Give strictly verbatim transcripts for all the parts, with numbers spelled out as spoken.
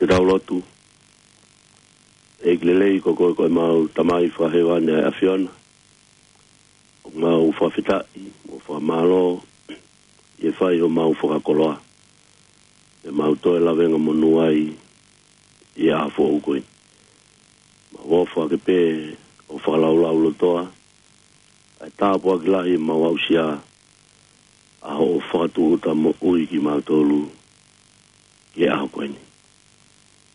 Ke tau lotu. ʻEiki lelei, ko koe ko ʻemau Tamai fakahēvani ʻa e ʻAfiona. ʻOku mau fakafetaʻi mo fakamālō ʻi he fai homau fakakoloa, ʻemau toe lavengamonū ai ʻi he ʻaho foʻou ko eni. Mau ʻofa ke pē ʻo fakalaulaulotoa ʻa e tāpuaki lahi ʻemau aʻusia, ʻa hoʻo fakatūʻuta moʻui kimautolu ki he ʻaho ko eni.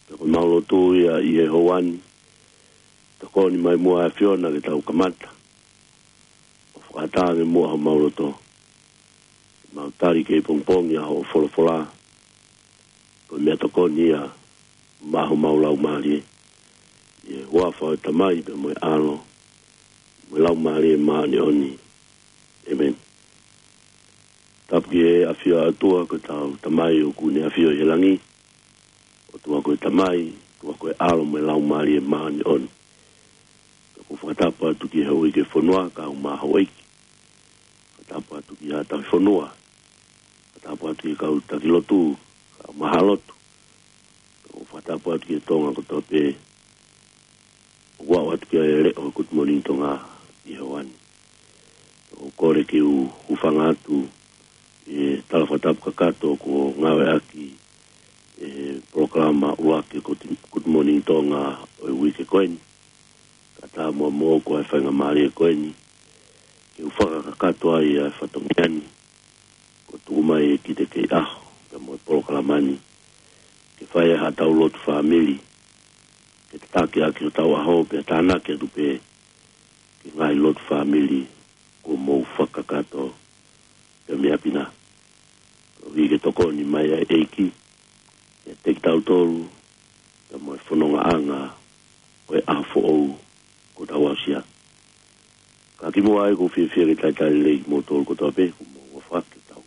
Pea ko ʻemau lotu ia ʻi he houa ni, tokoni mai muʻa ʻAfiona ke tau kamata ʻo fakatangi muʻa homau loto, mau tali kei pongipongi ʻa hoʻo folofola, ko e meʻatokoni ia maʻa homau laumālie. ʻI he huafa ʻo e Tamai pea mo e ʻAlo mo e Laumālie Māʻoniʻoni. ʻĒmeni. Tapu ki he ʻafio ʻa e ʻOtua, ko hotau Tamai ʻoku ne ʻafio ʻi he langi. ʻOtua ko e Tamai, ʻOtua ko e ʻAlo mo e Laumālie Māʻoniʻoni. Pea ʻoku ou fakatapu atu ki he uike fonua, kau mai houʻeiki. Fakatapu atu ki haʻa tauhifonua. Fakatapu atu ki he kau taki lotu, kau mai haʻa lotu. Pea ʻoku ou fakatapu atu ki he Tonga kotoa pē ʻoku aʻu atu ki he leʻo Good Morning Tonga ʻi he houa ni. ʻOku ou kole ke u hūfanga atu ʻi he tala fakatapu kakato kuo ngāueʻaki ʻe he polokalama ʻuluaki ʻo e Good Morning Tonga ʻo e uike ko eni. Kae ʻatā muʻa moʻoku ʻa e faingamālie ko eni ke u fakakakato ai ʻa e fatongia ni, kuo tuku mai ʻe Kite Keiʻaho pea mo e polokalama ni, ke fai ai haʻatau lotu fāmili, ke tataki ʻaki hotau ʻaho pea tānaki atu pē ki he ngaahi lotu fāmili kuo mou fakakakato pea mei ʻapi na. Koeʻuhi ke tokoni mai ʻa e ʻEiki kiate kitautolu pea mo e fonongaʻanga ʻo e ʻaho foʻou kuo tau aʻusia. Ka kimuʻa ai, ʻoku ou fiefia ke talitali lelei kimoutolu kotoa pē kuo mou ʻofa ke tau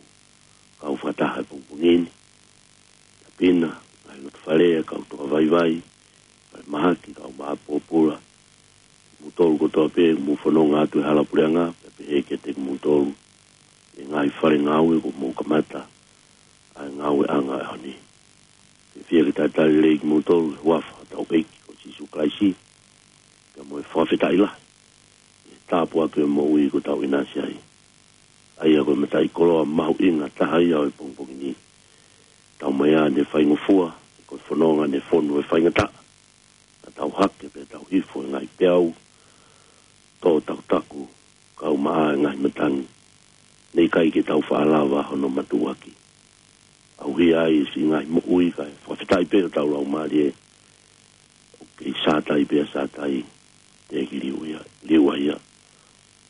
kau fakataha he pongipongi ni. ʻApi na, ngaahi loto fale, kau toka vaivai, falemahaki, kau maʻa pōpula, kimoutolu kotoa pē ʻoku mou fononga atu he hala puleʻanga, pea pehē kiate kimoutolu ʻi he ngaahi fale ngāue kuo mou kamata ʻa e ngāueʻanga ʻo e ʻaho ni. Fiefia ke talitali lelei kimoutolu he huafa ʻo hotau ʻEiki ko Sīsū Kalaisi, pea mo e fakafetaʻi lahi ʻi he tāpuaki ʻo e moʻui kuo tau ʻinasi ai. ʻA ia ko e mataʻikoloa mahuʻinga taha ia ʻo e pongipongi ni. Tau mai ʻa e faingofua, ko e fononga ne fonu he faingataʻa, naʻa tau hake pea tau hifo he ngaahi peau, tō takutaku, kau maʻa e ngaahi matangi, ne ʻikai ke tau faʻa lava hono matuʻuaki. ʻAuhia ai siʻi ngaahi moʻui, kae fakafetaʻi pē hotau laumālie, ʻoku kei Sātai pē ʻa Sātai, teʻeki liua ia, liua ia.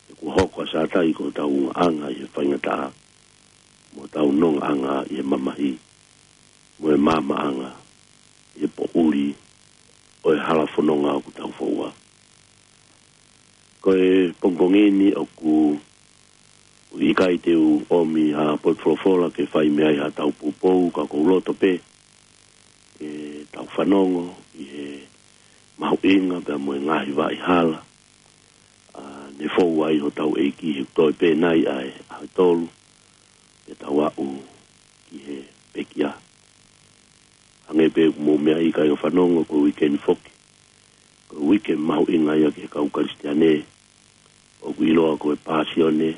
He kuo hoko ʻa Sātai ko hotau ungaʻanga ʻi he faingataʻa, mo hotau nongaʻanga ʻi he mamahi, mo e maamaʻanga ʻi he poʻuli ʻo e hala fononga ʻoku tau foua. Ko e pongipongi ni ʻoku ʻikai te u ʻomi ha potu folofola ke fai mei ai haʻatau poupou, ka ʻoku ou loto pē ke tau fanongo ʻi he mahuʻinga pea mo e ngaahi vaʻa hala, ʻa, ne fou ai hotau ʻEiki he toe pē nai ʻa e ʻaho ʻe tolu, ke tau aʻu ki he pekia. Hangē pē ʻoku mou meaʻi, kāinga fanongo, ko e uike ni foki, ko e uike mahuʻinga ia ki he kau Kalisitiane, ʻoku ʻiloa ko e Pāsione,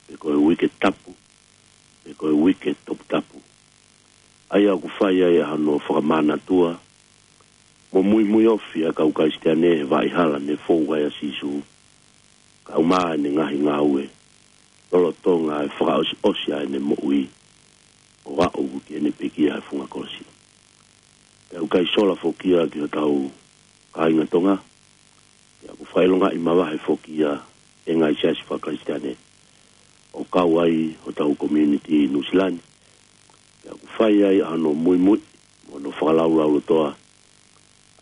pe ko e Uike Tapu, pe ko e Uike Toputapu. ʻA ia ʻoku fai ai ʻa hono fakamanatua mo muimui ofi ʻa e kau Kalisitiane he vaʻa hala ne fou ai ʻa Sīsū, kau maʻa ʻene ngaahi ngāue, lolotonga e fakaʻosiʻosi ʻa ʻene moʻui ʻo aʻu ki heʻene pekia he funga kolosi. Pea ʻoku ʻikai sola foki ia ki hotau kāinga Tonga, pea ʻoku fakaʻilongaʻi mavahe foki ia ʻe he ngaahi siasi faka-Kalisitiane, ʻo kau ai hotau community Nuʻusila ni. Pea ʻoku fai ai ʻa hono muimui mo hono fakalaulaulotoa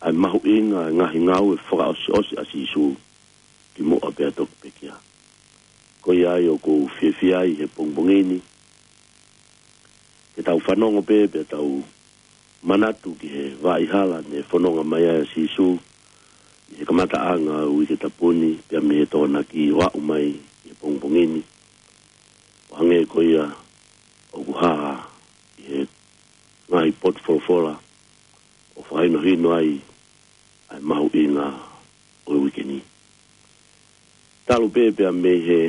ʻa e mahuʻinga ʻa e ngaahi ngāue fakaʻosiʻosi ʻa Sīsū kimuʻa pea toki pekia. Ko ia ai ʻoku ou fiefia ai he pongipongi ni ke tau fanongo pē pea tau manatu ki he vaʻa hala ne fononga mai ai ʻa Sīsū ʻi he kamataʻanga ʻo e Uike Tapu ni, pea mei he Tokonaki ʻo aʻu mai ki he pongipongi ni. ʻO hangē ko ia ʻoku hā ʻi he ngaahi potu folofola ʻo fakahinohino ai ʻa e mahuʻinga ʻo e uike ni. Talu pē pea mei he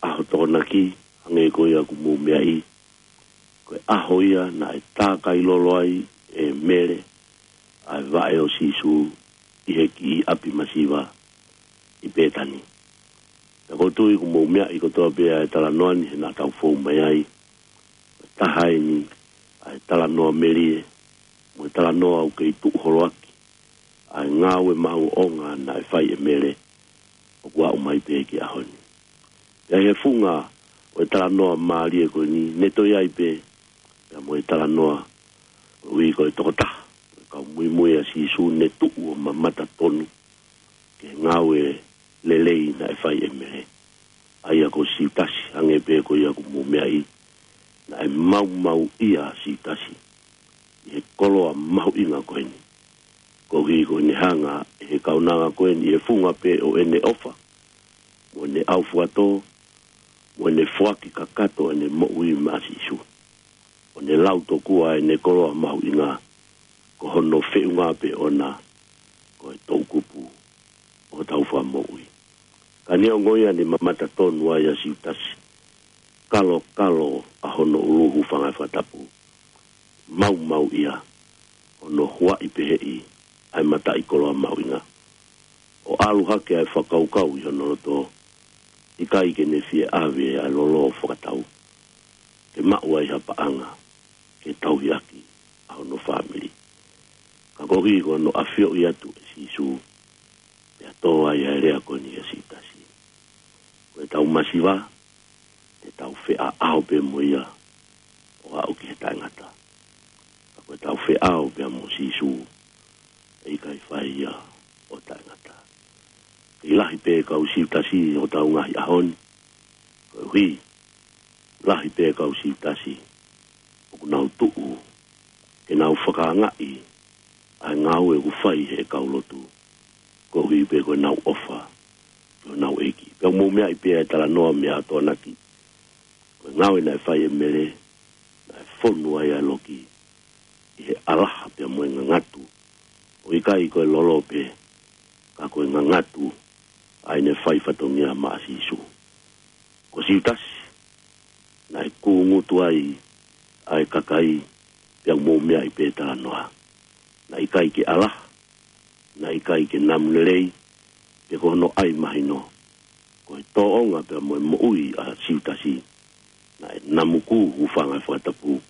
ʻaho Tokonaki, hangē ko ia kuo mou meaʻi, ko e ʻaho ia naʻe tākai lolo ai ʻe Mele ʻa e vaʻe ʻo Sīsū ʻi he kiʻi ʻapi masiva ʻi Pētani. Pea ʻoku ou tui kuo mou meaʻi kotoa pē ʻa e talanoa ni he naʻa tau fou mai ai. Ko e taha eni ʻa e talanoa melie mo e talanoa ʻoku kei tuʻu holo ʻaki ʻa e ngāue maʻongoʻonga naʻe fai ʻe Mele ʻoku aʻu mai pē ki he ʻaho ni. Pea ʻi he funga ʻo e talanoa mālie ko eni, ne toe ʻi ai pē pea mo e talanoa koeʻuhi ko e tokotaha ʻo e kau muimui ʻa Sīsū ne tuʻu ʻo mamata tonu ki he ngāue lelei naʻe fai ʻe Mele, ʻa ia ko Siutasi, hangē pē ko ia kuo mou meaʻi, naʻe maumauʻia ʻa Siutasi ʻi he koloa mahuʻinga ko eni, koeʻuhi ko ʻene hanga ʻe he kaunanga ko eni ʻi he funga pē ʻo ʻene ʻofa mo ʻene ʻaufuatō mo ʻene foaki kakato ʻene moʻui maʻa Sīsū, ʻo ne lau tokua ʻene koloa mahuʻinga ko hono feʻunga pē ʻona ko e toʻukupu ʻo hotau Fakamoʻui. Ka neongo ia, ne mamata tonu ai ʻa Siutasi, kalokalo ʻa hono ʻulu, hūfanga he fakatapu, maumauʻia hono huaʻi peheʻi ʻa e mataʻikoloa mahuʻinga, ʻo ʻalu hake ʻa e fakakaukau ʻi hono loto, ʻikai ke ne fie ʻave ʻa e lolo fakatau ke maʻu ai ha paʻanga ke tauhi ʻaki ʻa hono fāmili. Ka koeʻuhi ko hono ʻafioʻi atu ʻe Sīsū, pea tō ai ʻa e lea ko eni ʻa Siutasi: Ko ʻetau masiva, te tau feʻao pē mo ia ʻo aʻu ki he taʻengata. Ka ko ʻetau feʻao pea mo Sīsū, ʻe ʻikai fai ia ʻo taʻengata. Kei lahi pē kau Siutasi ʻi hotau ngaahi ʻaho ni, koeʻuhi lahi pē kau Siutasi ʻoku nau tuʻu ke nau fakaangaʻi ʻa e ngāue ʻoku fai ʻe he kau lotu, koeʻuhi pē ko ʻenau ʻofa ki honau ʻEiki. Pea ʻoku mou meaʻi pē ʻa e talanoa mei he ʻaho Tokonaki, ko e ngāue naʻe fai ʻe Mele, naʻe fonu ai ʻa e loki ʻi he ʻalaha pea mo e ngangatu, ʻo ʻikai ko e lolo pē, ka ko e ngangatu ʻa ʻene fai fatongia maʻa Sīsū. Ko Siutasi, naʻe kūngutu ai ʻa e kakai, pea ʻoku mou meaʻi pē talanoa. Naʻe ʻikai ke ʻalaha, naʻe ʻikai ke namu lelei, pe ko hono ʻai mahino. Ko e tōʻonga pea mo e moʻui ʻa Siutasi, naʻe namu kū, hūfanga he fakatapu,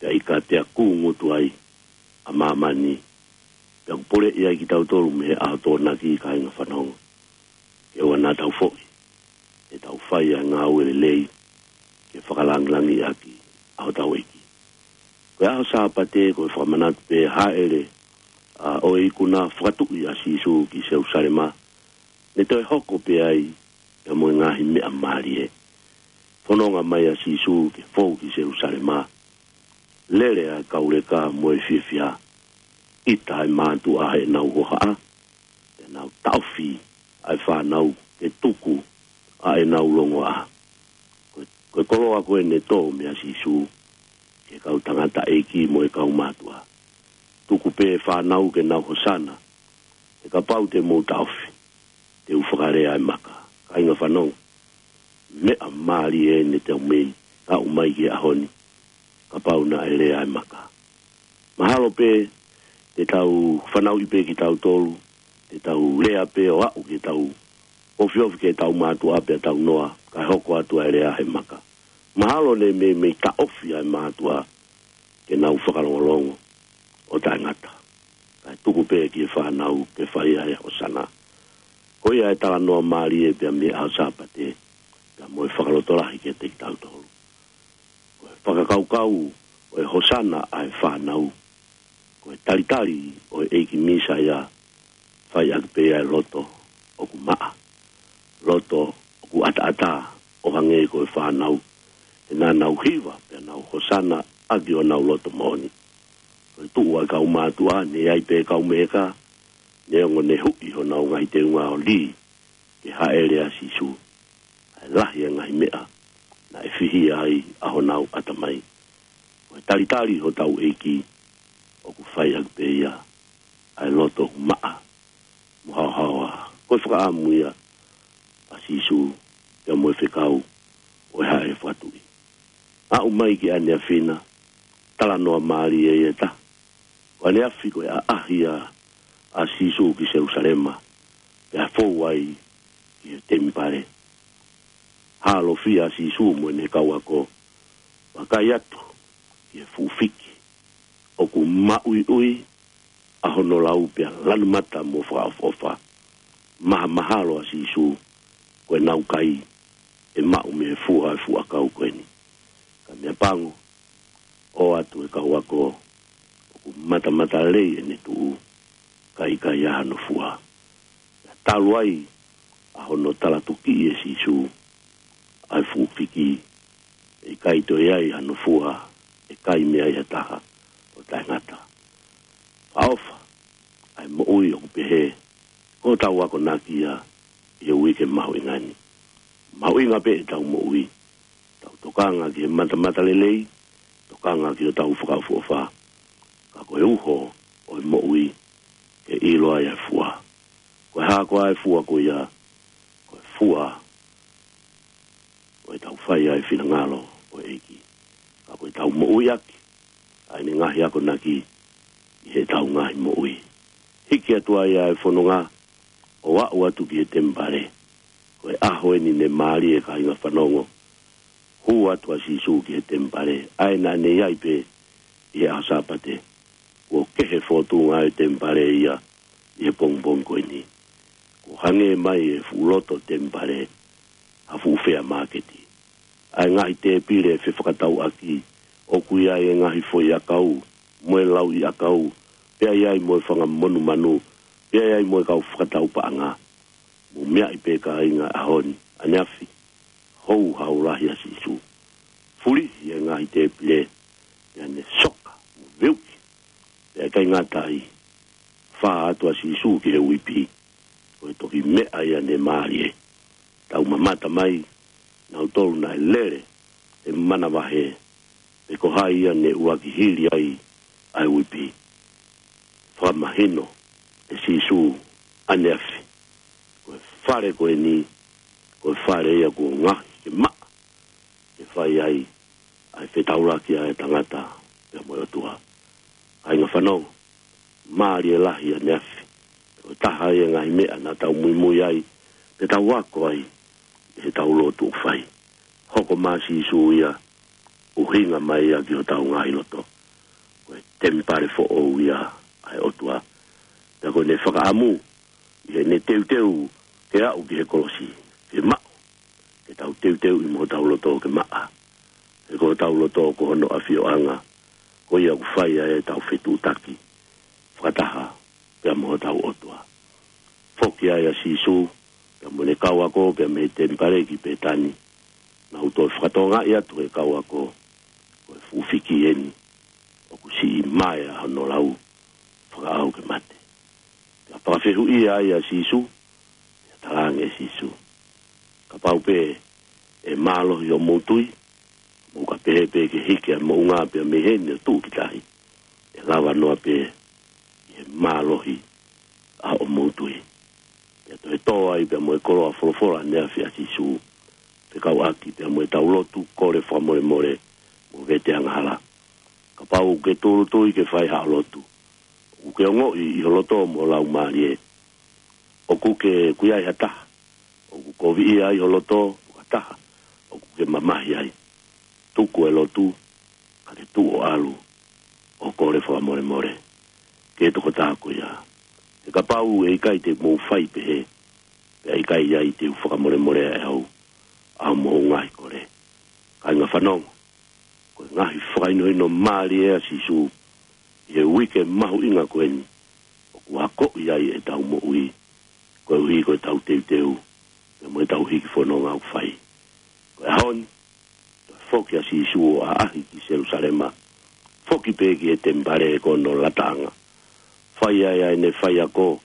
pea ʻikai pea kūngutu ai ʻa māmani. Pea ʻoku poleʻi ai kitautolu mei he ʻaho Tokonaki, kāinga fanongo, ke ʻoua naʻa tau foʻi, ʻe tau fai ʻa e ngāue lelei ke fakalangilangiʻaki ʻa hotau ʻEiki. Ko e ʻaho Sāpate, ko e fakamanatu pē, hāʻele ʻa e ikuna fakatuʻi ʻa Sīsū ki Selusalema, ne toe hoko pē ai pea mo e ngaahi meʻa mālie. Fononga mai ʻa Sīsū ke fou ki Selusalema, lele ʻa e kau leka mo e fiefia, ʻita ʻa e mātuʻa heʻenau hohaʻa, pea nau taʻofi ʻa e fānau ke tuku ʻa ʻenau longoaʻa. Ko e, ko e koloa ko ē ne tō meia Sīsū ki he kau tangataʻeiki mo e kau mātuʻa. Tuku pē fānau ke nau hosana, he kapau te mou taʻofi, te u fakalea ʻa e maka. Kāinga fanongo, meʻa mālie eni te u mei aʻu mai ki he ʻaho ni, kapau naʻe lea ʻa e maka. Mahalo pē te tau fanauʻi pē kitautolu, te tau lea pē ʻo aʻu ke tau ofiofi ke tau mātuʻa pea tau noa, kae hoko atu ʻa e lea he maka. Mahalo ne mei, mei taʻofi ʻa e mātuʻa ke nau fakalongolongo ʻo taʻengata, kae tuku pē ki he fānau ke fai ʻa e hosana. Ko ia e talanoa mālie pea mei he ʻaho Sāpate, pea mo e fakalotolahi kiate kitautolu. Ko e fakakaukau ʻo e hosana ʻa e fānau, ko e talitali ʻo e ʻEiki Mīsaia, fai ʻaki pē ia ʻa e loto ʻoku maʻa, loto ʻoku ʻataʻatā, ʻo hangē ko e fānau, he naʻa nau hiva pea nau hosana ʻaki honau loto moʻoni. Ko e tuʻu ʻa e kau mātuʻa, ne ʻi ai pē kau meheka, neongo ne huʻi honau ngaahi teunga ʻo lī ke hāʻele ʻa Sīsū, ʻa e lahi ʻa e ngaahi meʻa naʻe fihia ai ʻa honau ʻatamai. Ko e talitali hotau ʻEiki, ʻoku fai ʻaki pē ia ʻa e loto maʻa mo haohaoa. Ko e fakaʻamu ia ʻa Sīsū ia mo e fekau ʻo e haʻele fakatuʻi. Aʻu mai ki ʻaneafi na, talanoa mālie ia ʻe taha. Ko ʻaneafi ko e ʻaʻahi ia ʻa Sīsū ki Selusalema, pea fou ai ki he temipale. Hālofia ʻa Sīsū mo ʻene kau ako, vakai atu ki he fuʻu fiki ʻoku maʻuiʻui ʻa hono lau pea lanu mata mo fakaʻofoʻofa. Mahamahalo ʻa Sīsū, ko ʻenau kai ʻe maʻu mei he fua ʻo e fuʻu ʻakau ko eni. Ka meʻa pango, ʻoatu e kau ako ʻoku matamata lelei ʻene tuʻu, ka ʻikai ʻa hono fua. Talu ai ʻa hono talatukiʻi ʻe Sīsū ʻa e fuʻu fiki, ʻe ʻikai toe ʻi ai hano fua ʻe kai mei ai ha taha ʻo taʻengata. Fakaʻofa ʻa e moʻui ʻoku pehē, ko ʻetau akonaki ia ʻi he uike mahuʻinga ni. Mahuʻinga pē ʻetau moʻui, tau tokanga ki he matamata lelei, tokanga ki hotau fakaʻofoʻofa. Ka ko e uho ʻo e moʻui, ke ʻilo ai ʻa e fua. Ko e hā koā e fua ko ia? Ko e fua ʻo ʻetau fai ʻa e finangalo ʻo e ʻEiki. Ka ko ʻetau moʻui ʻaki ʻa ʻene ngaahi akonaki ʻi heʻetau ngaahi moʻui. Hiki atu ai ʻa e fononga ʻo aʻu atu ki he temipale. Ko e ʻaho eni ne mālie, kāinga fanongo. Hū atu ʻa Sīsū ki he temipale, ʻa ē naʻa ne ʻi ai pē ʻi he ʻaho Sāpate. Kuo kehe fōtunga ʻa e temipale ia ʻi he pongipongi ko eni. Kuo hangē mai e fuʻu loto temipale ha fuʻu fea māketi. ʻA e ngaahi tēpile fefakatauʻaki, ʻoku ʻi ai e ngaahi foʻi ʻakau mo e lauʻi ʻakau, pea ʻi ai mo e fanga monumanu, pea ʻi ai mo e kau fakatau paʻanga. Mou meaʻi pē, kāinga, ʻaho ni, ʻaneafi, houhau lahi ʻa Sīsū. Fulihi e ngaahi tēpile, pea ne soka mo veuki. Pea ʻikai ngata ai, fā atu ʻa Sīsū ki he uipi. Ko e toki meʻa ia ne mālie. Tau mamata mai, nautolu naʻe lele he manavahē, pe ko hai ia ne ʻuluaki hili ai ʻa e uipi. Fakamahino ʻe Sīsū ʻaneafi, ko e fale ko eni, ko e fale ia kuo ngaohi ke maʻa, ke fai ai ʻa e fetaulaki ʻa e tangata pea mo e ʻOtua. Kāinga fanongo, mālie lahi ʻaneafi. Ko e taha ia e ngaahi meʻa naʻa tau muimui ai, pea tau ako ai, ʻi heʻetau lotu ʻoku fai. Hoko mai ʻa Sīsū ia, ʻuhinga mai ia ki hotau ngaahi loto. Ko e temipale foʻou ia ʻa e ʻOtua. Pea ko ʻene fakaʻamu, ʻi heʻene teuteu ke aʻu ki he kolosi, ke maʻu, ke tau teuteuʻi mo hotau loto ke maʻa. He ko hotau loto ko hono ʻafioʻanga, ko ia ʻoku fai ai ʻetau fetuʻutaki fakataha pea mo hotau ʻOtua. Foki ai ʻa Sīsū pea mo ʻene kau ako pea mei he temipale ki Pētani. Naʻa nau toe fakatokangaʻi atu ʻe he kau ako, ko e fuʻu fiki eni ʻoku siʻi mai ʻa hono lau, fakaʻau ke mate. Pea fakafehuʻia ai ʻa Sīsū, pea talaange ʻe Sīsū, kapau pē ʻe mālohi hoʻomou tui, mou ka pehē pē ke hiki ʻa e moʻunga pea mei heni ʻo tuʻu ki tahi, ʻe lava noa pē ʻi he mālohi ʻa hoʻomou tui. Pea toe tō ai pea mo e koloa folofola ʻaneafi ʻa Sīsū, fekauʻaki pea mo ʻetau lotu, kole fakamolemole mo vete angahala. Kapau ʻoku ke tūʻulutui ke fai haʻo lotu, ʻoku ke ongoʻi ʻi ho loto mo ho laumālie ʻoku ke, ʻoku ʻi ai ha taha ʻoku koviʻia ai ho loto, pe ko ha taha ʻoku ke mamahi ai, tuku e lotu, ka ke tuʻu ʻo ʻalu ʻo kole fakamolemole ki he tokotaha ko ia. He kapau ʻe ʻikai te mou fai pehē, pea ʻikai ai te u fakamolemoleʻi ʻe au ʻa hoʻomou ngaahi kole. Kāinga fanongo, ko e ngaahi fakahinohino mālie ʻa Sīsū ʻi he uike mahuʻinga ko eni, ʻoku akoʻi ai ʻetau moʻui, koeʻuhi ko ʻetau teuteu pea mo ʻetau hiki fononga ʻoku fai. Ko e ʻaho ni, toe foki ʻa Sīsū ʻo ʻaʻahi ki Selusalema, foki pē ki he temipale ko hono lataʻanga. Fai ai ʻa ʻene faiako,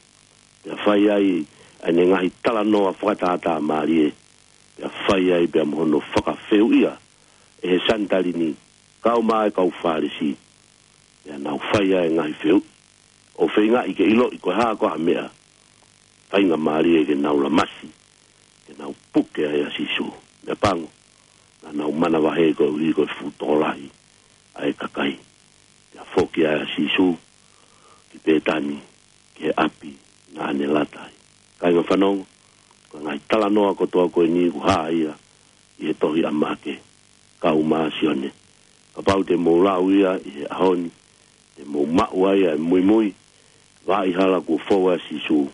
pea fai ai ʻa ʻene ngaahi talanoa fakatātā mālie, pea fai ai pea mo hono fakafehuʻia ʻe he Sanitaline, kau mai e kau Fālesi, pea nau fai ai e ngaahi fehuʻi ʻo feingaʻi ke ʻiloʻi ko e hā ko ha meʻa faingamālie ke nau lamasi, ke nau puke ai ʻa Sīsū. Meʻapango, naʻa nau manavahē koeʻuhi ko e fuʻu tokolahi ʻa e kakai. Pea foki ai ʻa Sīsū ki Pētani, ki he ʻapi naʻa ne lata ai. Kāinga fanongo, ko e ngaahi talanoa kotoa ko eni ʻoku hā ia ʻi he tohi ʻa Maʻake, kau mo Sione. Kapau te mou lau ia ʻi he ʻaho ni, te mou maʻu ai ʻa e muimui, vaʻa hala kuo fou ai ʻa Sīsū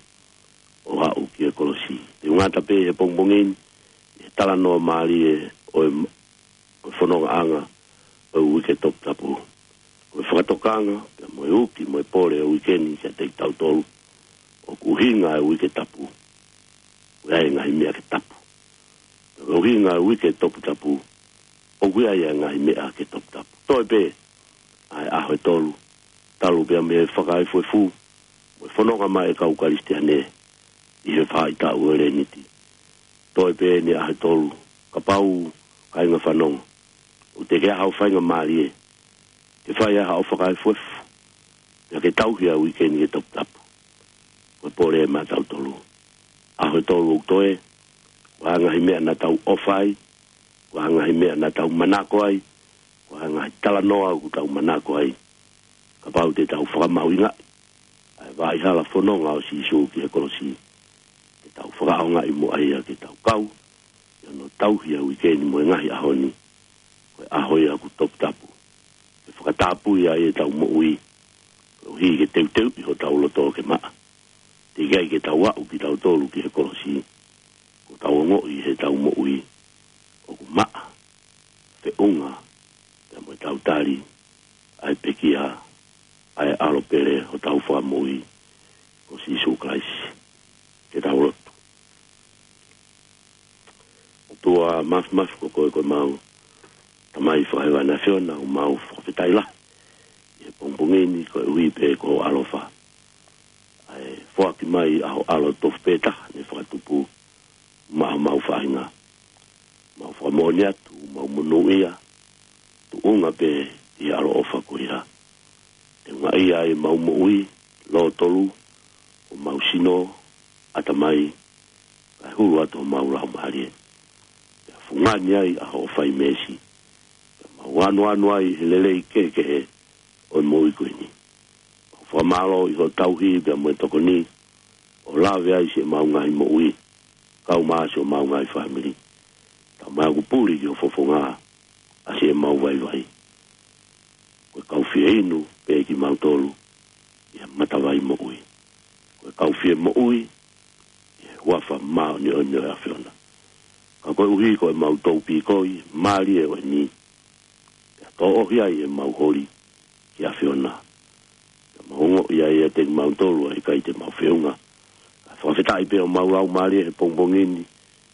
ʻo aʻu ki he kolosi. Te u ngata pē he pongipongi ni ʻi he talanoa mālie ʻo e, ʻo e fonongaʻanga ʻo e uike toputapu. Ko e fakatokanga, pea mo e uki, mo e pole ʻo e uike ni kiate kitautolu, ʻoku ʻuhinga e uike tapu, ʻoku ʻi ai e ngaahi meʻa ke tapu. Pea ko e ʻuhinga e uike toputapu, ʻoku ʻi ai e ngaahi meʻa ke toputapu. Toe pē ʻa e ʻaho ʻe tolu, talu pea mei he fakaefuefu, mo e fononga mai e kau Kalisitiane ʻi he faʻahitaʻu ʻo e Leniti. Toe pē ʻeni ʻaho ʻe tolu, kapau, kāinga fanongo, ʻoku teʻeki ai haʻo faingamālie ke fai ai haʻo fakaefuefu, pea ke tauhi ʻa e uike ni ke toputapu. Ko e pole ʻe maʻatautolu. ʻAho ʻe tolu ʻoku toe, ko e ngaahi meʻa naʻa tau ʻofa ai, ko e ngaahi meʻa naʻa tau manako ai, ko e ngaahi talanoa ʻoku tau manako ai. Kapau te tau fakamahuʻingaʻi ʻa e vaʻa hala fononga ʻo Sīsū ki he kolosi, ke tau fakaʻaongaʻi muʻa ia ke tau kau ʻi hono tauhi ʻa e uike ni mo e ngaahi ʻaho ni, ko e ʻaho ia ʻoku toputapu, ke fakatapui ai ʻetau moʻui, koeʻuhi ke teuteuʻi hotau loto ke maʻa. Teʻeki ai ke tau aʻu kitautolu ki he kolosi, kuo tau ongoʻi heʻetau moʻui ʻoku maʻa, feʻunga pea mo ʻetau tali ʻa e pekia ʻa e ʻAlo pele hotau Fakamoʻui ko Sīsū Kalaisi. Ke tau lotu. ʻOtua Māfimafi, ko koe ko ʻemau Tamai Fakahēvani ʻAfiona, ʻoku mau fakafetaʻi lahi ʻi he pongipongi ni koeʻuhi pē ko hoʻo ʻaloʻofa, ʻa e foaki mai ʻa ho ʻAlo tofu pē taha ne fakatupu maʻa homau faʻahinga. Mau fakamoʻoni atu, mau monūʻia, tuʻunga pē ʻi he ʻaloʻofa ko ia. Te ungaʻia ai ʻemau moʻui, lōtolu, homau sino, ʻatamai, kae hulu atu homau laumālie. Pea fungani ai ʻa hoʻo fai meesi. Pea mau anuanu ai he lelei kehekehe ʻo e moʻui ko eni. Mau fakamālō ʻi hoʻo tauhi pea mo e tokoni, ʻo lave ai siʻemau ngaahi moʻui, kau mo siʻomau ngaahi fāmili. Tau mai ʻoku puli ki ho fofonga ʻa siʻemau vaivai. Ko e kau fie inu pē kimautolu ʻi he matavai moʻui. Ko e kau fie moʻui ʻi he huafa māʻoniʻoni ʻo e ʻAfiona. Ka koeʻuhi ko ʻemau toupīkoi mālie ʻo eni, pea tōʻohi ai ʻemau holi ki he ʻAfiona. Pea mau ongoʻi ai ʻiate kimautolu ʻa e ʻikai te mau feʻunga. Ka fakafetaʻi pē homau laumālie he pongipongi ni,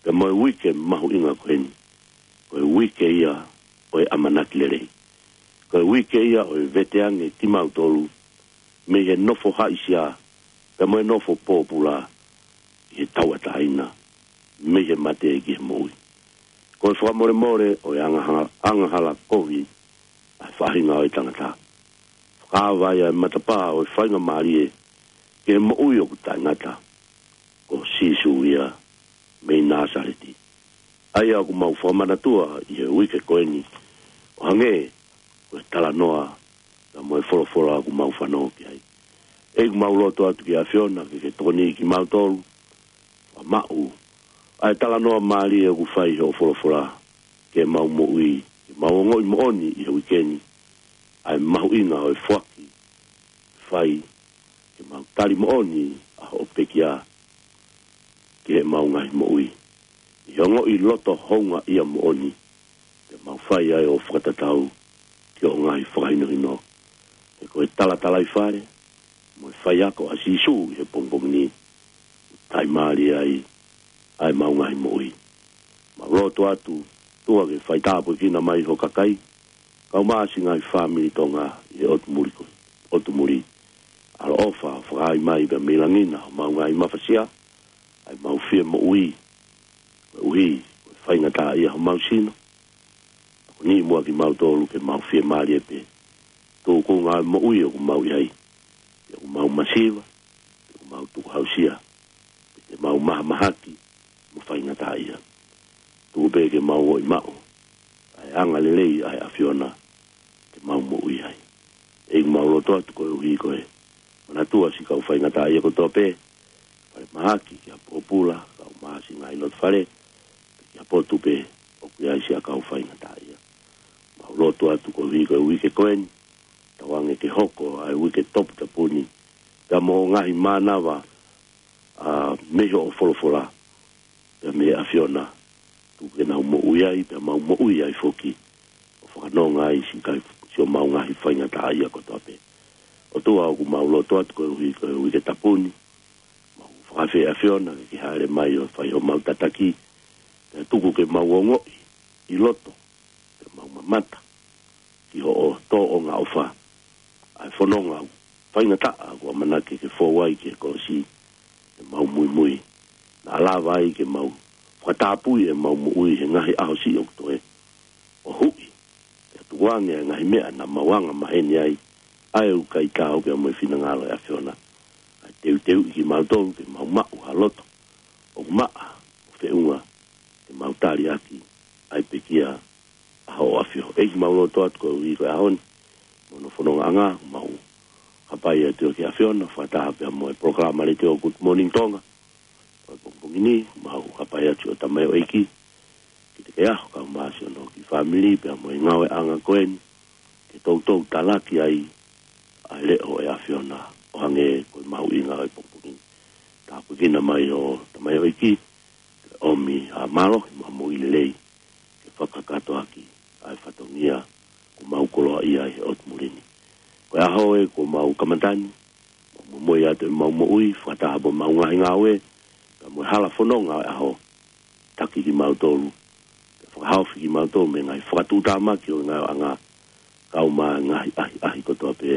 pea mo e uike mahuʻinga ko eni. Ko e uike ia ʻo e ʻamanaki lelei. Ko e uike ia ʻo e veteange kimautolu mei he nofo haʻisia, pea mo e nofo pōpula ʻi he tauʻatāina mei he mate ki he moʻui. Ko e fakamolemole ʻo e angaha-, angahala kovi ʻa e faʻahinga ʻo e tangata. Fakaava ai ʻa e matapā ʻo e faingamālie ki he moʻui ʻoku taʻengata, ko Sīsū ia mei Nāsaleti. ʻA ia ʻoku mau fakamanatua ʻi he uike ko eni, ʻo hangē ko e talanoa pea mo e folofola ʻoku mau fanongo ki ai. ʻEiki, mau lotu atu ki he ʻAfiona ke ke tokoniʻi kimautolu, fakamaʻu ʻa e talanoa mālie ʻoku fai ʻi hoʻo folofola ki heʻemau moʻui, ke mau ongoʻi moʻoni ʻi he uike ni ʻa e mahuʻinga ʻo e foaki, fai, ke mau tali moʻoni ʻa hoʻo pekia ki heʻemau ngaahi moʻui. ʻI he ongoʻi loto houngaʻia moʻoni, te mau fai ai ʻo fakatatau ki hoʻo ngaahi fakahinohino. He ko e talatalaifale mo e faiako ʻa Sīsū ʻi he pongipongi ni, taʻimālie ai ʻa ʻemau ngaahi moʻui. Mau lotu atu, ʻOtua, ke faitāpuekina mai ho kakai, kau mo siʻi ngaahi fāmili Tonga ʻi he ʻotu muli ko, ʻotu muli. ʻAloʻofa, fakaai mai pea mei langi na homau ngaahi mafasia, ʻa ʻemau fie moʻui, koeʻuhi ko e faingataʻaʻia homau sino. Tokoniʻi muʻa kimautolu ke mau fiemālie pē, tukunga ʻa e moʻui ʻoku mau ʻi ai, pea ʻoku mau masiva, ʻoku mau tukuhausia, pea te mau mahamahaki mo faingataʻaʻia. Tuku pē ke mau ō ʻo maʻu ʻa e anga lelei ʻa e ʻAfiona ke mau moʻui ai. ʻEiki, mau lotu atu koeʻuhi ko e manatua siʻi kau faingataʻaʻia kotoa pē, falemahaki, ki ha pōpula, kau māsi, ngaahi loto fale, pe ki ha potu pē ʻoku ʻi ai siʻa kau faingataʻaʻia. Mau lotu atu koeʻuhi ko e uike ko eni, tauange ke hoko ʻa e uike toputapu ni, pea mo e ngaahi mānava, ʻa, mei hoʻo folofola, pea mei he ʻAfiona, tuku ke nau moʻui ai, pea mau moʻui ai foki, ʻo fakanonga ai siʻi kai, siʻomau ngaahi faingataʻaʻia kotoa pē. ʻOtua, ʻoku mau lotu atu koeʻuhi ko e uike tapu ni, mau fakaafeʻi ʻAfiona ke ke hāʻele mai ʻo fai homau tataki, pea tuku ke mau ongoʻi ʻi loto, pea mau mamata ki hoʻo tōʻonga ʻofa, ʻa e fononga faingataʻa kuo ʻamanaki ke fou ai ki he kolosi, ke mau muimui, naʻa lava ai ke mau fakatapui ʻemau moʻui he ngaahi ʻaho siʻi ʻoku toe ʻo huʻi, pea tukuange ʻa e ngaahi meʻa naʻa mau anga maheni ai, ʻa e ʻikai taau pea mo e finangalo ʻo e ʻAfiona. ʻA e teuteuʻi kimautolu ke mau maʻu ha loto ʻoku maʻa mo feʻunga, ke mau tali ʻaki ʻa e pekia ʻa hoʻo ʻAfio. ʻEiki, mau lotu atu koeʻuhi ko e ʻaho ni, mo hono fonongaʻanga, mau hapai atu ki he ʻAfiona, fakataha pea mo e polokalama letiō Good Morning Tonga ʻo e pongipongi ni, mau hapai atu ʻo tamaioʻeiki, Kitikeaho, kau māsi hono kiʻi fāmili, pea mo e ngāueʻanga ko eni, ke toutou talaki ai ʻa e leʻo ʻo e ʻAfiona, ʻo hangē ko e mahuʻinga ʻo e pongipongi ni. Tāpuekina mai ʻo tamaioʻeiki, ke ʻomi ʻa e mālohi mo e moʻui lelei, ke fakakakato ʻaki ʻa e fatongia kuo mau koloaʻia ʻi he ʻotu muli ni. Ko e ʻaho ē kuo mau kamata ni, mau momoi atu ʻemau moʻui, fakataha mo ʻemau ngaahi ngāue, pea mo e hala fononga ʻo e ʻaho, taki kimautolu, pea fakahaofi kimautolu mei he ngaahi fakatuʻutāmaki ʻo e ngāueʻanga, kau mo e ngaahi ʻahiʻahi kotoa pē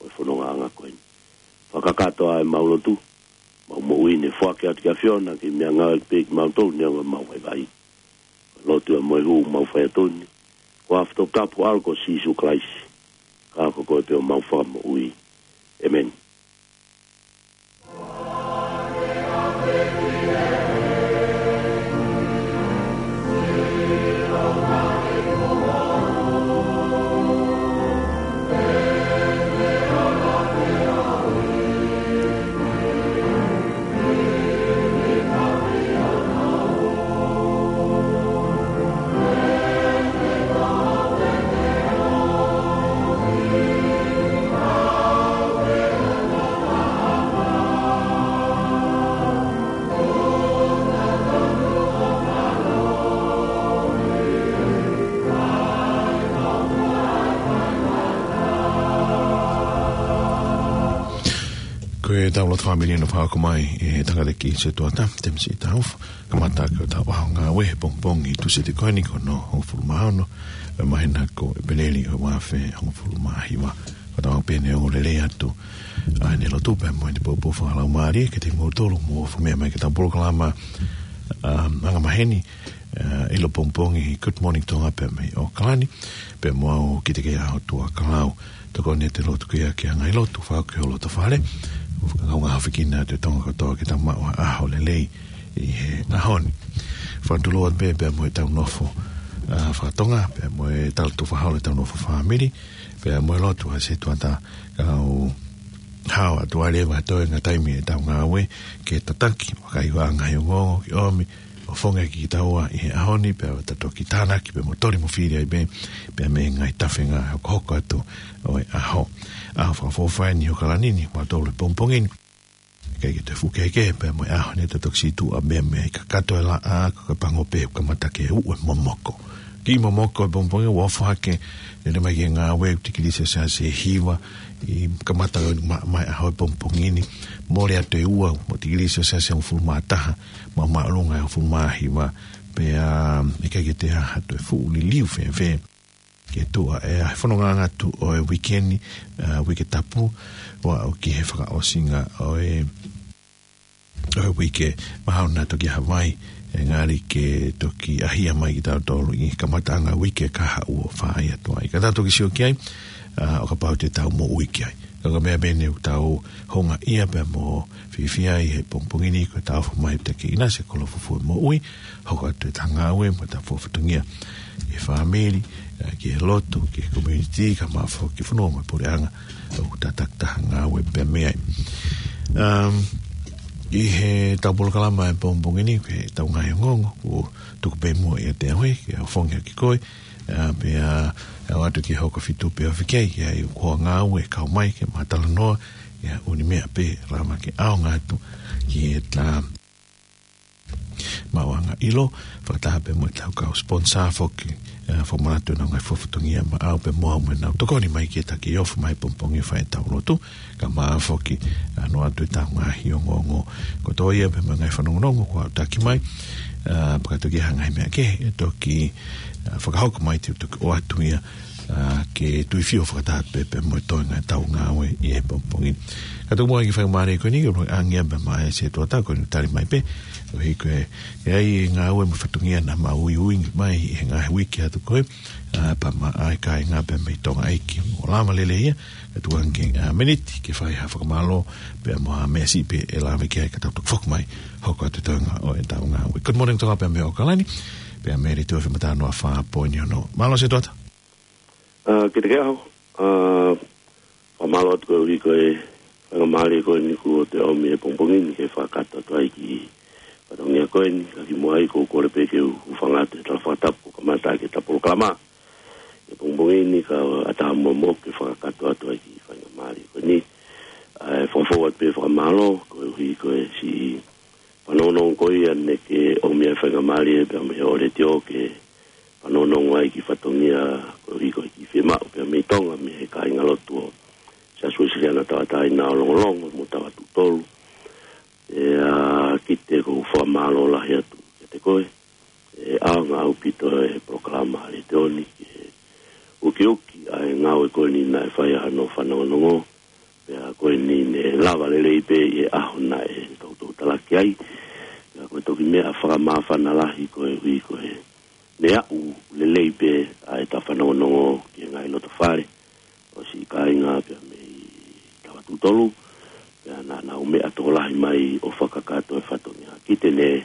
ʻo e fonongaʻanga ko eni. Fakakakato ʻa ʻemau lotu, mau moʻui ni ʻo foaki atu ki he ʻAfiona, ke meʻangāueʻaki pē kimautolu neongo ʻemau vaivai. Lotu ʻa e moʻui ʻoku mau fai atu ni, ko e ʻAfio toputapu ʻAlo ko Sīsū Kalaisi, ka ko koe pē homau Fakamoʻui. ʻĒmeni. Ko e tau lotu fāmili naʻe fakahoko mai ʻe he tangataʻeiki Setuata Temisi Taufa, kamata ʻaki hotau ʻaho ngāue he pongipongi Tūsite ko eni, ko hono hongofulu mā ono ʻo e māhina ko ʻEpeleli ʻo e ua afe hongofulu mā hiva. Ko ʻetau pehē ʻoku lelei atu ʻa ʻene lotu pea mo ʻene poupou fakalaumālie kiate kimoutolu ʻoku mou ofi meʻa mai ki heʻetau polokalama, um, angamaheni, uh, ʻilo pongipongi Good Morning Tonga pea mei ʻAokalani, pea mo au Kitikeaho Tuʻakalau. Tokoni ʻete lotu ki he, ki he ngaahi lotu, fakahoko ki ho loto fale. ʻOku fakakaungāʻafikina atu e Tonga kotoa ke tau maʻu ha ʻaho lelei ʻi he ʻaho ni. Fakatulou atu pē, pea mo ʻetau nofo, uh, fakatonga, pea mo e tala tufa holo ʻetau nofo fāmili, pea mo e lotu ʻa Setuata, kau hao atu ai leva ʻa e toenga taimi ʻetau ngāue, ke tataki, vakai ʻa e ngaahi ongoongo, ke ʻomi ʻo fakafofongaʻi kitaua ʻi he ʻaho ni, pea ta toki tānaki, pea mo toli mo fili ai pē, pea mei he ngaahi tafenga hokohoko atu ʻo e ʻaho. ʻAho fakaʻofoʻofa eni ʻi ʻAokalani ni, mautolu he pongipongi ni. ʻIkai ke toe fuʻu kehekehe pea mo e ʻaho ni, ta toki situʻa pē mei he kakato e laʻā, ka ko e pango pē ʻoku kamata ke uʻu e momoko. Kiʻi momoko he pongipongi, ʻoku ofo hake, lele mai ki he ngāue, tikilī selesiasi ʻe hiva ʻi he kamata ʻo e ma-, mai ʻaho he pongipongi ni. Mole atu e ua, mo e tikilī selesiasi ʻe hongofulu mā taha, mo māʻolunga ʻe hongofulu mā hiva, pea ʻikai ke toe ʻi ai ha toe fuʻu liliu fēfē ke tuʻa ʻi he fonongaʻanga atu ʻo e uike ni, uh, uike tapu, ʻo aʻu ki he fakaʻosinga ʻo e, ʻo e uike. Mahalo naʻa toki ʻi ai ha vai, ʻe ngali ke toki ʻahia mai kitautolu ʻi he kamataʻanga uike kahaʻu ʻo fai atu ai. Ka tau toki sio ki ai, uh, ʻo kapau te tau moʻui ki ai. Ka ko e meʻa pē eni ʻoku tau houngaʻia pea mo fiefia ai he pongipongi ni, ko e tau ʻofa mai ʻa e ʻEiki ʻi he ʻinasi e kolo fufū moʻui, hoko atu ʻetau ngāue mo ʻetau fatongia ki he fāmili, ē, ki he lotu, ki he community, kae ʻumaʻā foki e fonua mo e puleʻanga ʻoku tau takitaha ngāue pea mei ai. Um, ʻi heʻetau polokalama he pongipongi ni, ko ʻetau ngaahi ongoongo, ʻoku tuku pē muʻa ʻiate au ē, ke u fafangu ʻaki koe, ā, pea ʻoatu ki he hoko fitu pē ʻo fekei, ʻa ia ko e ngāue ʻe kau mai ke ma talanoa, ʻa ia ʻoku ʻi ai e meʻa pē ʻe lava ke ʻaonga atu ki heʻetau maʻuʻanga ʻilo, fakataha pē mo ʻetau kau sponsor foki, ā, fakamanatu ʻenau ngaahi fatongia maʻau pē mo au mo ʻenau tokoni mai ki he taki ʻofa mai he pongipongi ʻo fai ʻetau lotu, kae ʻumaʻā foki, ā, ʻoatu ʻetau ngaahi ongoongo kotoa ia pea mo e ngaahi fanongonongo kuo aʻutaki mai, ā, pea ka toki ʻi ai ha ngaahi meʻa kehe ʻe toki, ā, fakahoko mai te u toki ʻoatu ia, ā, ke tuifio fakataha pē pea mo e toenga ʻetau ngāue ʻi he pongipongi ni. Ka tuku muʻa ki he faingamālie ko eni, ʻoku ou ʻange pē maʻa e setuata ko eni ʻo tali mai pē, koeʻuhi ko e, ʻe ʻi ai e ngāue mo e fatongia naʻa mau uiuiʻi mai ʻi he ngaahi uike atu ko ē, ā, pea maʻa e kāinga pea mei Tonga ʻEiki, ʻo lava lelei ia, ka tuku ange, ā, miniti ke fai ha fakamālō, pea mo ha meʻa siʻi pē ʻe lave ki ai ka tau toki foki mai, hoko atu e toenga ʻo ʻetau ngāue. Good morning, Tonga pea mei ʻAokalani, pea mei he Letiō F M ʻa Talanoa fā poini ono. Mālō setuata. Ā, kiate koe ʻAho, ā, fakamālō atu koeʻuhi ko e faingamālie ko eni kuo te ʻomi he pongipongi ni ke fakakakato atu ai ki he fatongia ko eni, ka kimuʻa ai ʻoku ou kole pē ke u hūfanga atu he tala fakatapu kuo kamata ʻaki ʻeta polokalama he pongipongi ni, kae ʻatā muʻa moʻoku ke fakakakato atu ai ki he faingamālie ko eni. ʻA e fakafou atu pē fakamālō, koeʻuhi ko e siʻi fanongonongo ko ia naʻe ʻomi ʻa e faingamālie pea mei he ʻōliti ʻo ke fanongonongo ai ki he fatongia koeʻuhi ko e kiʻi fiemaʻu pea mei Tonga mei he kāingalotu ʻo Siasi Uēsiliana Tauʻatāina ʻo Longolongo mo Tauʻatuʻutolu. ʻE, ā, Kite, ʻoku ou fakamālō lahi atu kiate koe. ʻE ʻaonga ʻaupito e polokalama ʻa e Letiō ni ke ukiuki ʻa e ngāue ko eni naʻe fai ʻa hono fanongonongo. Pea ko eni ne lava lelei pē ʻi he ʻaho naʻe toutou talaki ai. Pea ko e toki meʻa fakamāfana lahi koeʻuhi ko e meʻa ʻoku lelei pē ʻa ʻeta fanongonongo ki he ngaahi loto fale ʻo siʻi kāinga pea mei Tauʻatuʻutolu. Pea naʻa nau meʻa tokolahi mai ʻo fakakakato e fatongia. Kite, ne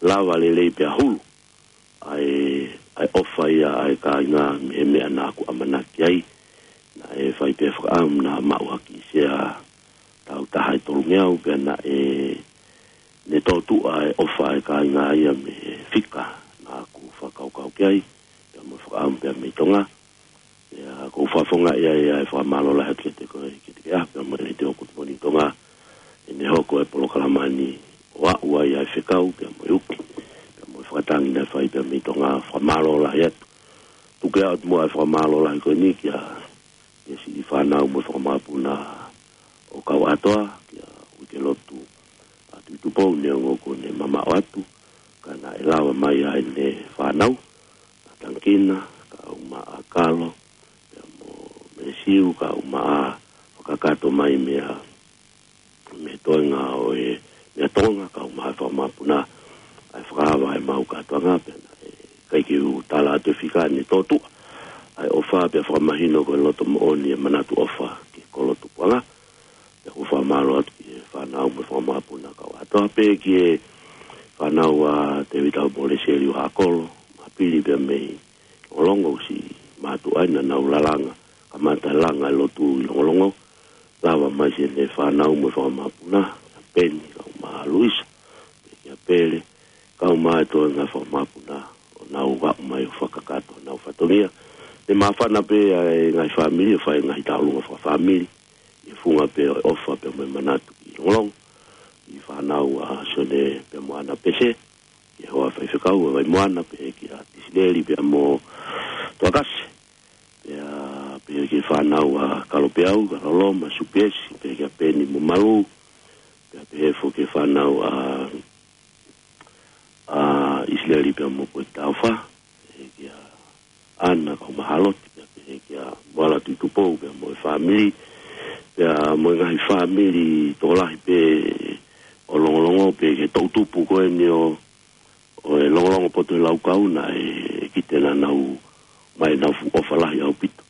lava lelei pē ʻa hulu ʻa e, ʻa e ʻofa ia ʻa e kāinga mei he meʻa naʻa ku ʻamanaki ai. Naʻe fai pē fakaʻamu naʻa maʻu ha kiʻi sea tau taha ʻe tolungeau pea naʻe, ne tōtuʻa e ʻofa ʻa e kāinga ia mei he fika naʻa ku fakakaukau ki ai, pea mo e fakaʻamu pea mei Tonga. ʻIo, ʻoku ou fakafofongaʻi ai ʻa e fakamālō lahi atu kiate koe, kiate koe ʻAho pea mo e Letiō Good Morning Tonga, ʻi heʻene hoko e polokalama ni ʻo aʻu ai ʻa e fekau pea mo e uki pea mo e fakatangi naʻe fai pea mei Tonga, fakamālō lahi atu. Tuku atu muʻa e fakamālō lahi ko eni kia, kia siʻi fānau mo e fanga mokopuna ʻo Kauʻatoa, kia Uikelotu ʻa Tuʻitupou, neongo kuo ne mamaʻo atu, ka naʻe lava mai ʻa ʻene fānau, ʻa Tangikina, kae ʻumaʻā Kalo, pea mo Melesiu, kae ʻumaʻā fakakakato mai mei he, mei he toenga ʻo e, mei Tonga, kae ʻumaʻā e fanga mokopuna, ʻa e fakaava ʻemau kātoanga, pea naʻe ʻikai ke u tala atu e fika, ne tōtuʻa ʻa e ʻofa pea fakamahino ko e loto moʻoni e manatu ʻofa ki he kolo tupuʻanga. Pea ʻoku ou fakamālō atu ki he fānau mo e fanga mokopuna Kauʻatoa, pea ki he fānau ʻa Tēvita mo Lesieli ʻo Haʻakolo, Mapili pea mei Longolongo, ʻosi mātuʻa ai, naʻa nau lalanga, kamata langa e lotu ʻi Longolongo. Lava mai siʻene fānau mo e fanga mokopuna, ʻa Peni, kae ʻumaʻā Luisa, pea kia Pele, kae ʻumaʻā e toenga fanga mokopuna, ʻo nau aʻu mai ʻo fakakakato honau fatongia. Ne māfana pē ʻa e ngaahi fāmili ʻo fai e ngaahi tauʻolunga fakafāmili ʻi he funga pē ʻo e ʻofa pea mo e manatu ki Longolongo. Ki he fānau ʻa Sione pea mo ʻAna Pese, ki he hoa faifekau ʻa Vaimoana, pea kia Tisileli pea mo Toakase. Pea, pea ki he fānau ʻa Kalopeau, Kaloloma, Supiesi, pea kia Peni mo Malu. Pea, pea foki ki he fānau ʻa, ʻa ʻIsileli pea mo Poitaufa, pea kia ʻAna kae ʻumaʻā Haloti, pea, pea kia Moala Tuʻitupou pea mo e fāmili, pea mo e ngaahi fāmili tokolahi pē ʻo Longolongo, pea ki he toʻutupu ko eni ʻo, ʻo e Longolongo Poto he Laukau, naʻe, ʻe Kite, naʻa nau ʻomai ʻenau fuʻu ʻofa lahi ʻaupito.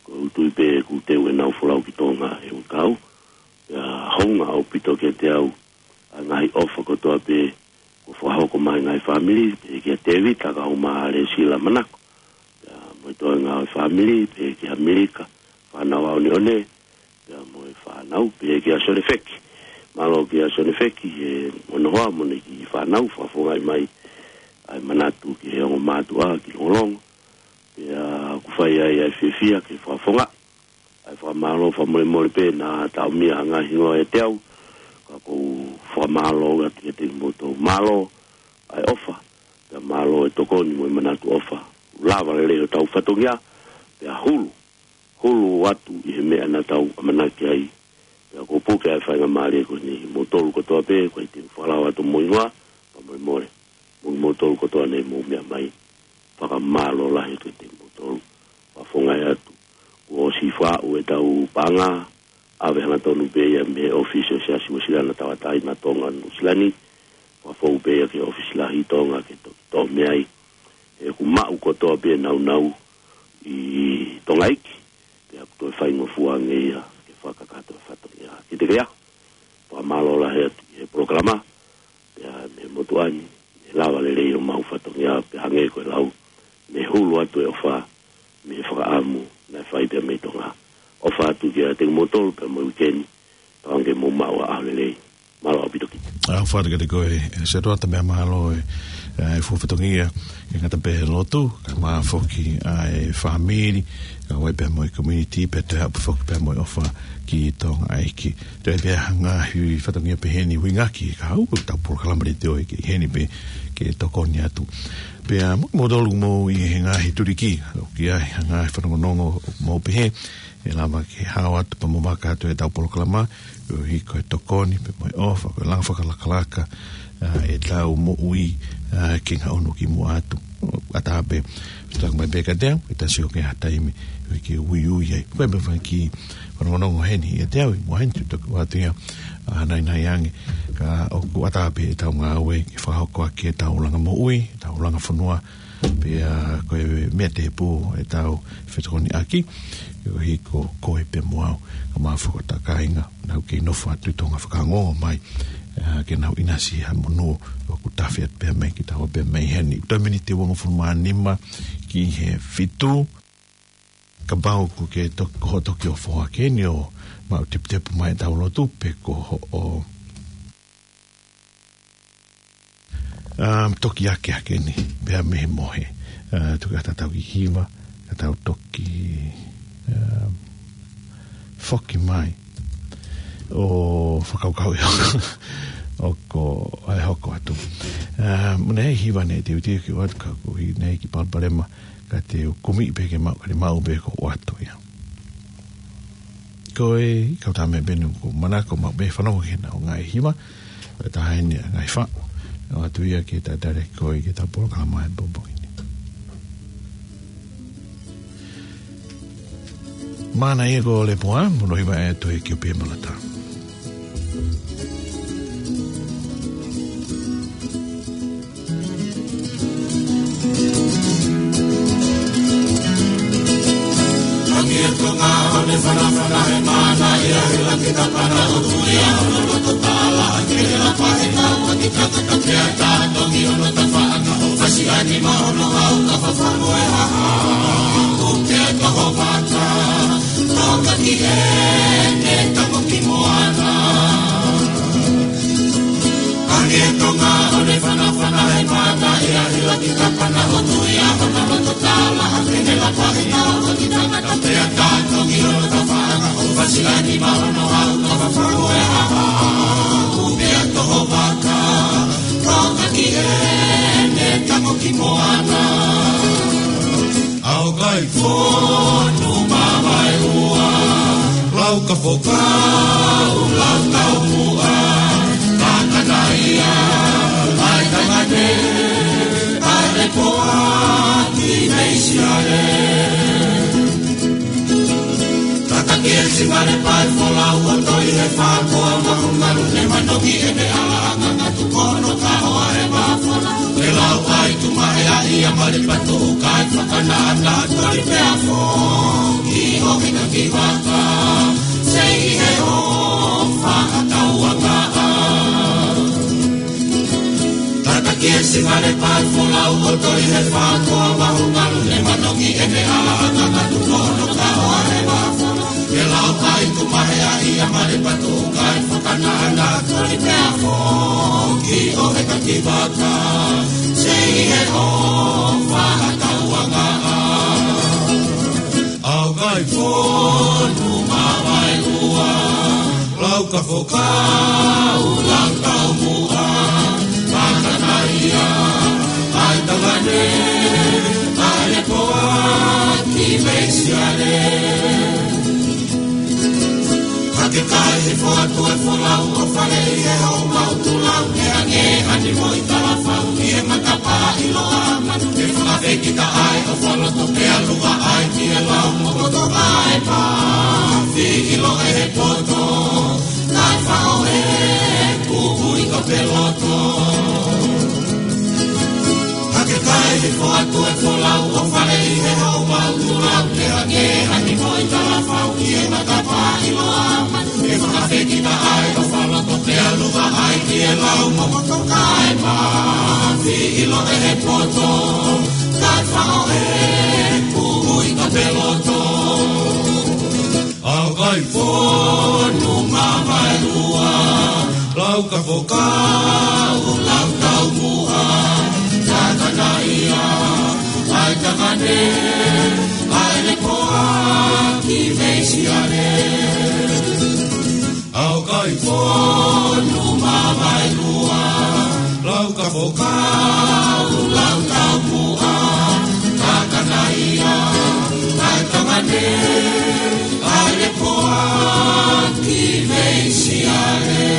ʻOku ou tui pē kuo teu ʻenau folau ki Tonga he ʻū ʻOku ʻaonga ʻaupito kiate au ʻa e ngaahi ʻofa kotoa pē kuo fakahoko mai ʻe he ngaahi fāmili, pehē kia Tēvita Kaumālesila Manako, pea mo e toenga ʻo e fāmili, pehē kia Milika, fānau ʻaneʻane, pea mo e fānau, pehē kia Sonefeki. Mālō kia Sonefeki he ʻonohoa mo ʻene kiʻi fānau, fakafofongaʻi mai ʻa e manatu ki he ongo mātuʻa, ki Longolongo. Pea ʻoku fai ai ʻa e fiefia ke fakafofongaʻi ʻa e fakamālō fakamolemole pē naʻa tau meʻa ʻa e ngaahi hingoa ʻiate au, ka ʻoku ou fakamālō atu kiate kimoutolu. Mālō ʻa e ʻofa, pea mālō e tokoni mo e manatu ʻofa. Lava lelei hotau fatongia, pea hulu, hulu atu ʻi he meʻa naʻa tau ʻamanaki ai. Pea ʻoku ou puke ʻa e faingamālie ko eni kimoutolu kotoa pē, ko e te u fakalao atu mo e hingoa, fakamolemole. Mo kimoutolu kotoa naʻa mou meʻa mai, fakamālō lahi atu kiate kimoutolu. Fakafofongaʻi atu. Kuo ʻosi faʻu ʻetau paʻanga, ʻave hangatonu pē ia mei he ʻōfisi ʻo e Siasi Uēsiliana Tauʻatāina Tonga Nuʻusila ni, fakafou pē ia ki he ʻōfisi lahi Tonga ke toki toʻo mei ai. He ʻoku maʻu kotoa pē nāunau ʻi Tonga iiki, pea ʻoku toe faingofua ange ia ke fakakakato e fatongia. Kiate koe ia, fakamālō lahi atu ʻi he polokalama, pea mei he motuʻa ni, mei he lava lelei homau fatongia, pea hangē ko e lau, mei he hulu atu e ʻofa, mei he fakaʻamu naʻe fai pea mei Tonga. ʻOfa atu kiate kimoutolu pea mo e uike ni, tauange ke mou maʻu ha ʻaho lelei. Mālō ʻaupito Kita. ʻOfa atu kiate koe, ʻe Setuata, pea mālō e, e fuofua fatongia, ʻikai ngata pē he lotu, kae ʻumaʻā foki ʻa e fāmili, kae ʻumaʻā pea mo e community, pea toe aʻu pē foki pea mo e ʻofa ki Tonga iiki. Toe pē ha ngaahi fatongia pehē ni ʻoku ʻuhinga ki he kahaʻu ʻetau polokalama leitiō ʻi heni pē ke tokoni atu. Pea mo, mo tolu mo ʻi he ngaahi tuliki, ʻoku ʻi ai ha ngaahi fanongonongo mo pehē, ʻe lava ke hao atu pea mo vaka atu ʻetau polokalama, koeʻuhi ko e tokoni pea mo e ʻofa, ko e langa fakalakalaka ʻa ʻetau moʻui ʻa e ke ngaʻunu ki muʻa atu. ʻAtā pē, tau mai pē kiate au, ke tasi ʻo ke ha taimi, ʻo ke uiui ai. Ko e meʻa fai ki fanongonongo heni ʻiate au, ʻi muʻa heni, te u toki ʻoatu ia ʻa e naʻinaʻi ange, ka ʻoku ʻatā pē ʻetau ngāue ke fakahoko ʻaki ʻetau langa moʻui, ʻetau langa fonua, pea ko e meʻa tēpū ʻetau fetokoniʻaki, koeʻuhi ko koe pea mo au, kae ʻumaʻā foki hota kāinga, naʻa nau kei nofo atu ʻi Tonga fakaongo mai, ʻa, ke nau ʻinasi ha monū ʻoku tafe atu pea mei Kita pea mei heni. Toe miniti ʻe uangofulu mā nima ki he fitu. Kapau ʻoku ke tok-, ko hoʻo toki ʻofa ʻaki eni ʻo maʻu teputepu mai ʻetau lotu pe ko hoʻo, um, toki akeake eni, pea mei he mohe. Uh, toki ʻatā ʻetau kiʻi hiva, ka tau toki, um, foki mai ʻo fakakaukauʻi ʻoku ʻai hoko atu. Uh, mo e hiva naʻe teuteu ke ʻoatu ka ko e ʻuhi naʻe ʻi ai e kiʻi palopalema, ka te u kumi pē ke maʻu, ka te maʻu pē ko ʻoatu ia. Ko e kau tā meʻa pē eni ʻoku ou manako maʻu pē fanongo ki heʻenau ngaahi hiva, ʻe taha eni ʻa e ngaahi faʻu. ʻOatu ia ke tatali koe ki heʻetau polokalama he pongipongi ni. Māna ia ko Lepoa, mo hono hiva ʻa e Toe Kiʻi Ope Malata. Angi e Tonga ʻo ne fanafana he mana ia he laki kapana ʻo Tulia ʻo ne loto tala angi e lapa he tau ʻo ni kaka kapea tā tongi ʻo no tafa anga ʻo fasi ani ma ʻo no hau ka fafano e haha. Uke toho mata, toka ki he ne tamo ki moana. Angi e Tonga ʻo ne fanafana he mana ia he laki kapana ʻo Tulia ʻo ne loto tala angi e lapa he tau ʻo ni kaka kapea tā tongi ʻo no tafa anga ʻo fasi ani ma ʻo no hau ka fafano e haha. Uke toho mata, toka ki he ne tamo ki moana. ʻAo kai fonu mamae ua, lau ka fokau, lau ka umua, ka kanaia, ʻai tangane, ʻai poa ki Meisiale. Tataki e simale pae folau ʻo toi he fākoa mahumalu ne manongi e me ala anga ngatu kono ka hoa e mafola. E lau ai tu ma e a ia male patu kai fakana ana toi pea fo. Ki o hina ki vaka. Sei he o faka Ngale pā folau ʻo toi he fā koa vahu ngalu ne manongi ʻene ala ʻa kakatu kono ka ʻoa he vā fono. Ke lau kai tu mahe a ia male patu kai fakana ana koli pea foki ʻo he kakivaka. Sei he ʻo fakatauanga a. Au kai fonu ma vai ua. Lau ka fokau, lau tau mua, makanaia, ai tangane, ai le poa, ki meisiale. Hake kai he foatu e folau, ʻo fale ʻi he hau mau tulau, ke ange ani mo i talafau, ʻi he matapā ʻiloa manu, ke fakafekita ai, ʻo faloto pea lua ai, ki e lau, mo koto ai pā, fi ʻilo e he poto. Kai faʻo e kuhui ka peloto. Hake kai he foatu e folau ʻo fale ʻi he hau mau tulau ke hake ani mo i talafau ʻi he matapā ʻiloa manu. E fakafekita ai ʻo faloto pea lua ai ki e lau mo koto kai ma. Fi ʻilo e he poto. Kai faʻo e kuhui ka peloto. Au kai fonu ma vai ua, lau ka fokau, lau tau mua, takanaia, ai takane, ai le poa, ki meisiale. Au kai fonu ma vai ua, lau ka fokau, lau tau mua, takanaia, ai takane, ai le poa ki meisiale.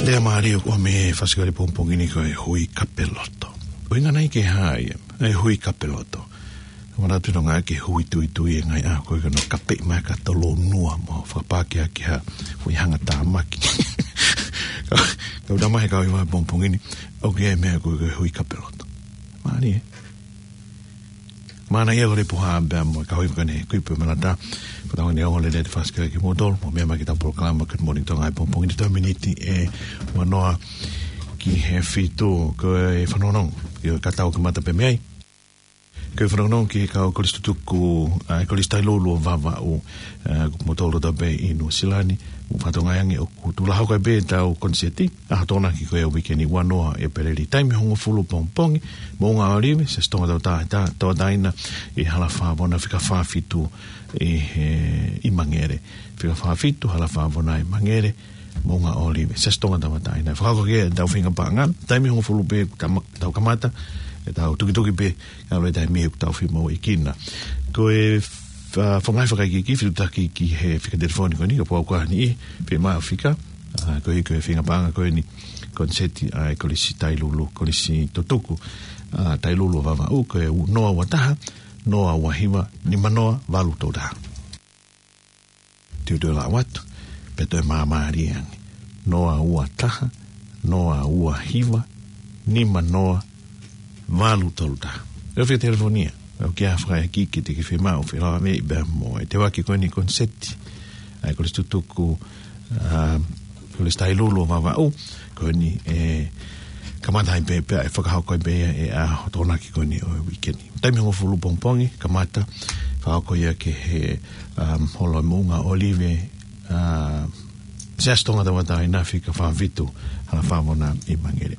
Lea mālie ʻoku ʻomi mei he fasikali pongipongi ni ko e Hui Kapeloto. ʻUhinga nai ke hā ia, e Hui Kapeloto. Manatu nonga ke hui tuitui e ngai a ko e kano kape mai ka tolo nua mo fakapākea ki ha hui hanga tāmaki. Kau, kau tama he kau i mai pongipongi ni, ʻoku ʻi ai e meʻa ko e Hui Kapeloto. Mālie. Mana ia ko le puha bea mo ka hui kane kui pe malata. Kau tau ne o le le te fasikali ki motol, mo meʻa mai ki ta polokalama Good Morning Tonga he pongipongi ni, tau miniti e ua noa ki he fitu ko e fanongo. Io ka tau kamata pē mei ai. Ko e fanongo ki he kau kolisi tutuku, ʻa e Kolisi Tailulu ʻo Vavaʻu, ʻa, mo tolo ta pē ʻi Nuʻusila ni, mo fatonga ange ʻoku tula hoko ai pē tau koniseti, ʻa Tokonaki ko e uike ni ua noa ʻEpeleli taimi hongofulu pongipongi, Moʻunga ʻŌlive, Siasi Tonga Tauta-, Ta-, Tauʻatāina ʻi Hala Fā Vona fika fā fitu ʻi he, ʻi Mangere. Fika fā fitu, Hala Fā Vona ʻi Mangere, Moʻunga ʻŌlive, Siasi Tonga Tauʻatāina. Fakahoko e tau feinga paʻanga, taimi hongofulu pē tama-, tau kamata, e tau tukituki pē, ʻa e taimi ʻoku tau fiemaʻu ʻi kina. Ko e fa-, fakaʻaiʻai fakaikiiki, fitutaki ki he fika telefoni ko eni, kapau ʻoku ʻi ai ha niʻihi, fiemaʻu fika, ʻa, ko e, ko e feinga paʻanga ko eni, koniseti ʻa e Kolisi Tailulu, Kolisi Tutuku, ʻa, Tailulu ʻo Vavaʻu, ko e u-, noa ua taha, noa ua hiva, nima noa, valu tolu taha. Teu teu la watu, pe toe māmālie ange. Noa ua taha, noa ua hiva, nima noa, valu tolu taha. ʻE fie telefonia, ʻoku ʻi ai ha fakaikiiki te ke fiemaʻu, felāveʻi pea mo e teuaki ko eni koniseti ʻa e Kolisi Tutuku, ʻa, Kolisi Tailulu ʻo Vavaʻu, ko eni ʻe kamata ai pē, pea ʻe fakahoko ai pē ia ʻi he ʻaho Tokonaki ko eni ʻo e uike ni. Taimi hongofulu pongipongi, kamata, fakahoko ia ki he, um, Holo ʻo Moʻunga ʻŌlive, ʻa, Siasi Tonga Tauʻatāina fika fā fitu, Hala Fā Vona ʻi Mangere.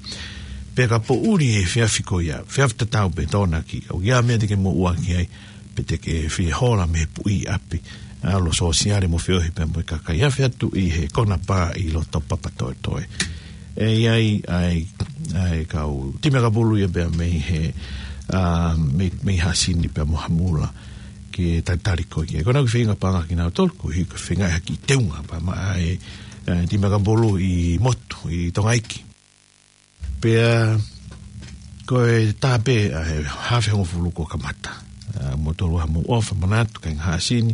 Pea ka poʻuli e efiafi ko ia, efiafi tatau pē Tokonaki, ʻoku ʻi ai ha meʻa te ke moʻua ki ai, pe te ke fie hola mei he puʻi ʻapi, ʻa, ʻalu sōsiale mo feohi pea mo e kakai, afe atu ʻi he konapā ʻi loto Papatoetoe. ʻE ʻi ai, ʻa e, ʻa e kau timi ʻakapulu ia pea mei he, ʻa, mei, mei Haʻasini pea mo Hamula ke talitali koe ki ai. Ko ʻenau kiʻi feinga paʻanga kinautolu, ko e hiki feinga ʻaki teunga pea maʻa e, ʻa e timi ʻakapulu ʻi motu, ʻi Tongaiki. Pea ko e tā pē, ʻa, he haafe hongofulu kuo kamata. ʻA, mou tolu ʻa mou ʻofa manatu, kāinga Haʻasini,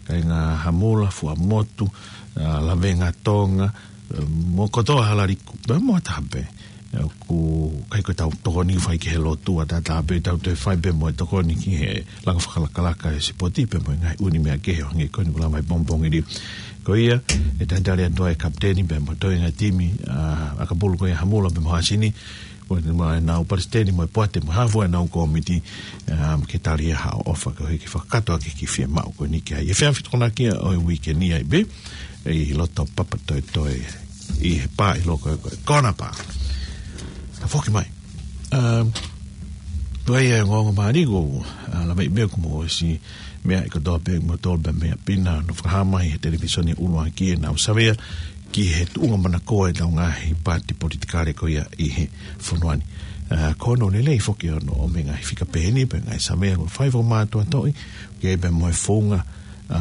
kāinga Hamula, Fuaʻamotu, ʻa, Lavengatonga, ʻa, mo kotoa Halaliku, pea mo ha taha pē. ʻOku ʻikai ko ʻetau tokoni fai ki he lotu, ʻa tātā pē ʻetau toe fai pē mo e tokoni ki he langa fakalakalaka ʻa e sipoti pea mo e ngaahi ʻū meʻa kehe ʻo hangē ko eni kuo lava ʻi pongipongi ni. Ko ia, ʻe talitali atu ʻa e kapiteni pea mo e toenga timi, ʻa, ʻakapulu ko ia Hamula pea mo Hasini, ko eni mo ʻenau palesiteni mo e poate mo e haafe ʻenau kōmiti, ʻa, ke tali ʻa haʻo ʻofa koeʻuhi ke fakakakato ʻaki e kiʻi fiemaʻu ko eni ki ai. ʻE fea fitokona kia ʻo e uike ni ai pē, ʻi loto Papatoetoe ʻi he pā ʻi loko ko e Kona Pā. Ka foki mai. Um, ʻOku ʻi ai e ongoongo mālie ʻoku, ʻa, lava ʻi meʻa ʻoku mou ʻosi meaʻi kotoa pē mo tolu pē meʻa pina ʻoku fakahā mai he televīsone ʻuluaki ʻenau savea ki he tuʻunga manakoa ʻetau ngaahi paati politikale ko ia ʻi he fonua ni. ʻA, ko hono lelei foki ʻo e ngaahi fika pehē ni pea ngaahi savea ʻoku fai fakamātoatoʻi, ʻoku ʻi ai pē mo e founga, ʻa,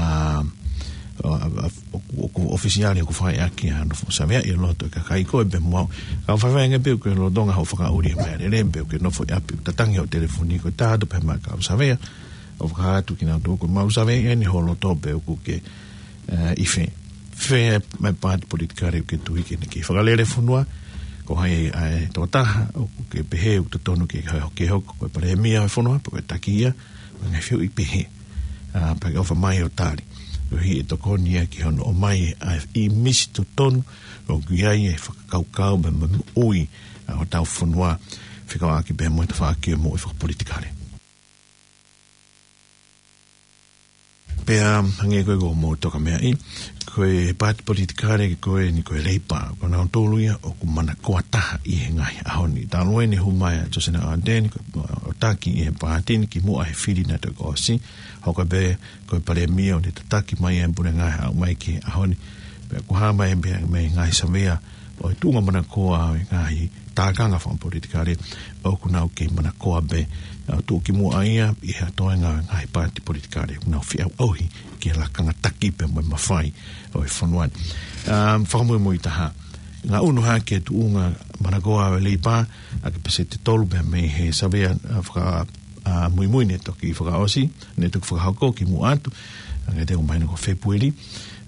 ʻa, ʻa, ʻoku, ʻoku ʻofisiale ʻoku fai ʻaki ʻa hono fuʻu savea ʻi loto ʻa e kakai ko ē pea mo au. Ka ʻoku faifai ange pē ʻoku ke lolotonga hoʻo fakaʻuli mai lelei pē ʻoku ke nofo ʻi ʻapi ʻoku tatangi hoʻo telefoni ko e taha atu pē mai ka ʻoku savea. ʻOku fakahā atu kinautolu ʻoku mau savea ʻi heni ho loto pē ʻoku ke, ʻa, ʻi fē. Fē mai paati politikale ʻoku ke tui ke ne kei fakalele fonua. Ko hai ʻa e tokotaha ʻoku ke pehē ʻoku totonu ke, ke hoko ko e palēmia ʻo e fonua, pe ko e taki ia, mo e ngaahi fehuʻi pehē. ʻA, pea ke ʻofa mai ʻo tali. ʻOku ʻi ai e tokoni ia ki hono ʻomai ʻa e ʻīmisi totonu, ʻoku ʻi ai e fakakaukau mo e moʻui ʻa hotau fonua, fekauʻaki pē mo e tafaʻaki ʻo e moʻui fakapolitikale. Pea, hangē ko e ko mo toka meaʻi, ko e paati politikale ko eni ko e Leipa, ko nautolu ia ʻoku manakoa taha ʻi he ngaahi ʻaho ni. Talu eni e hū mai ʻa Josina Ardern, ko e, ʻo taki ʻi he paati ni kimuʻa he fili naʻe toki ʻosi, hoko pē ko e palēmia ʻo ne tataki mai e puleʻanga ʻo aʻu mai ki he ʻaho ni. Pea ʻoku hā mai pē mei he ngaahi savea ʻo e tuʻunga manakoa ʻo e ngaahi tākanga fakapolitikale ʻoku nau kei manakoa pē, ʻa, tuʻu kimuʻa ia ʻi he toenga ʻo e ngaahi paati politikale ʻoku nau feʻauʻauhi ki he lakanga taki pea mo e mafai ʻo e fonua ni. ʻA, fakamuimui taha. Ngaʻunu hake e tuʻunga manakoa ʻo e Leipa ʻaki e peseti ʻe tolu pē mei he savea, ʻa, faka-, ʻa, muimui naʻe toki fakaʻosi, naʻe toki fakahoko kimuʻa atu, ʻa, ʻoku mahino ko Fēpueli,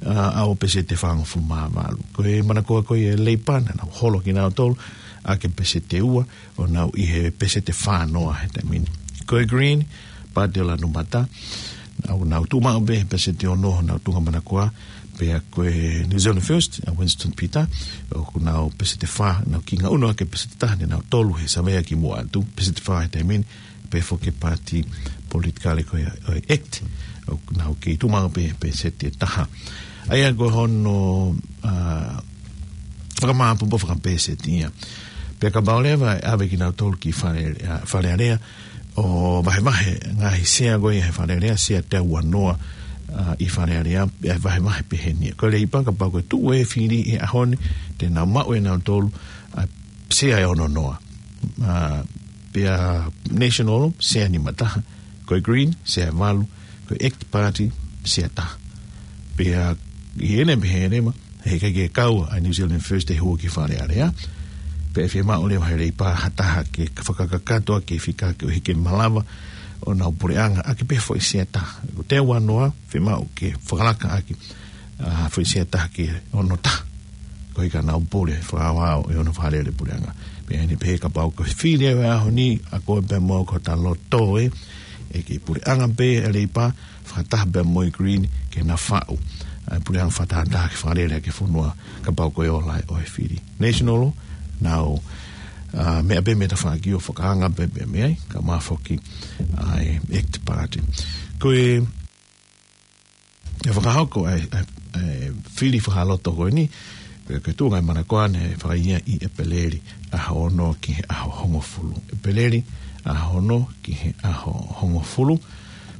ʻa, ʻa ʻo peseti ʻe fāngofulu mā valu. Ko e manakoa ko ia ʻa e Leipa naʻa nau holo kinautolu ʻaki e peseti ʻe ua, ʻo nau ʻi he peseti ʻe fā noa he taimi ni. Ko e Green, Paati ʻo Lanumata, ʻoku nau tuʻu maʻu pē he peseti ʻe ono honau tuʻunga manakoa, pea ko e New Zealand First, ʻa Winston Peters, ʻoku nau peseti ʻe fā, nau kei ngaʻunu hake peseti ʻe taha, naʻa nau tolu he savea kimuʻa atu, peseti ʻe fā he taimi ni, pea foki e paati politikale ko ia ʻo e act, ʻoku nau kei tuʻu maʻu pē he peseti ʻe taha. ʻA ia ko hono, ʻa, fakamāʻopoʻopo fakapeseti ia. Pea kapau leva ʻe ʻave kinautolu ki Fale, ʻa, Fale Alea, ʻo vahevahe ngaahi sea ko ia he Fale Alea, sea teau ua noa, ʻa, ʻi Fale Alea, ʻe vahevahe pehē ni. Ko e Leipa kapau ko e tuʻu e fili he ʻaho ni, te nau maʻu ʻe nautolu, ʻa, sea ʻe ono noa. ʻA, pea National, sea nima taha. Ko e Green, sea ʻe valu. Ko e act party, sea ʻe taha. Pea ʻi heʻene pehē leva, heʻikai ke kau ʻa e New Zealand First he hū ki Fale Alea. Pea ʻe fiemaʻu leva ʻe he Leipa ha taha ke fakakakato ʻaki e fika koeʻuhi ke malava ʻo nau puleʻanga ʻaki pē foʻi sea ʻe taha. Ko e teau ua noa, fiemaʻu ke fakalaka ʻaki, ʻa, foʻi sea ʻe taha ki he ono taha. Koeʻuhi ka nau pule fakaaoao ʻi hono fakalele puleʻanga. Pea ʻi heʻene pehē kapau ko e fili ʻo e ʻaho ni, ʻa koe pea mo au ko hota loto ē, ʻe kei puleʻanga pē ʻa e Leipa, fakataha pea mo e Green ke na faʻu ʻa e puleʻanga fakatahataha ke fakalele ʻaki e fonua kapau ko e ola ʻo e fili. National, nau, ʻa, meʻa pē mei tafaʻaki ʻo fakaanga pē pē mei ai, kae ʻumaʻā foki ʻa e act party. Ko e, ʻe fakahoko ʻa e, ʻa e, ʻa e fili fakaloto ko eni, ko e, ko e tuʻunga manakoa naʻe fai ia ʻi ʻEpeleli ʻaho ono ki he ʻaho hongofulu. ʻEpeleli ʻaho ono ki he ʻaho hongofulu.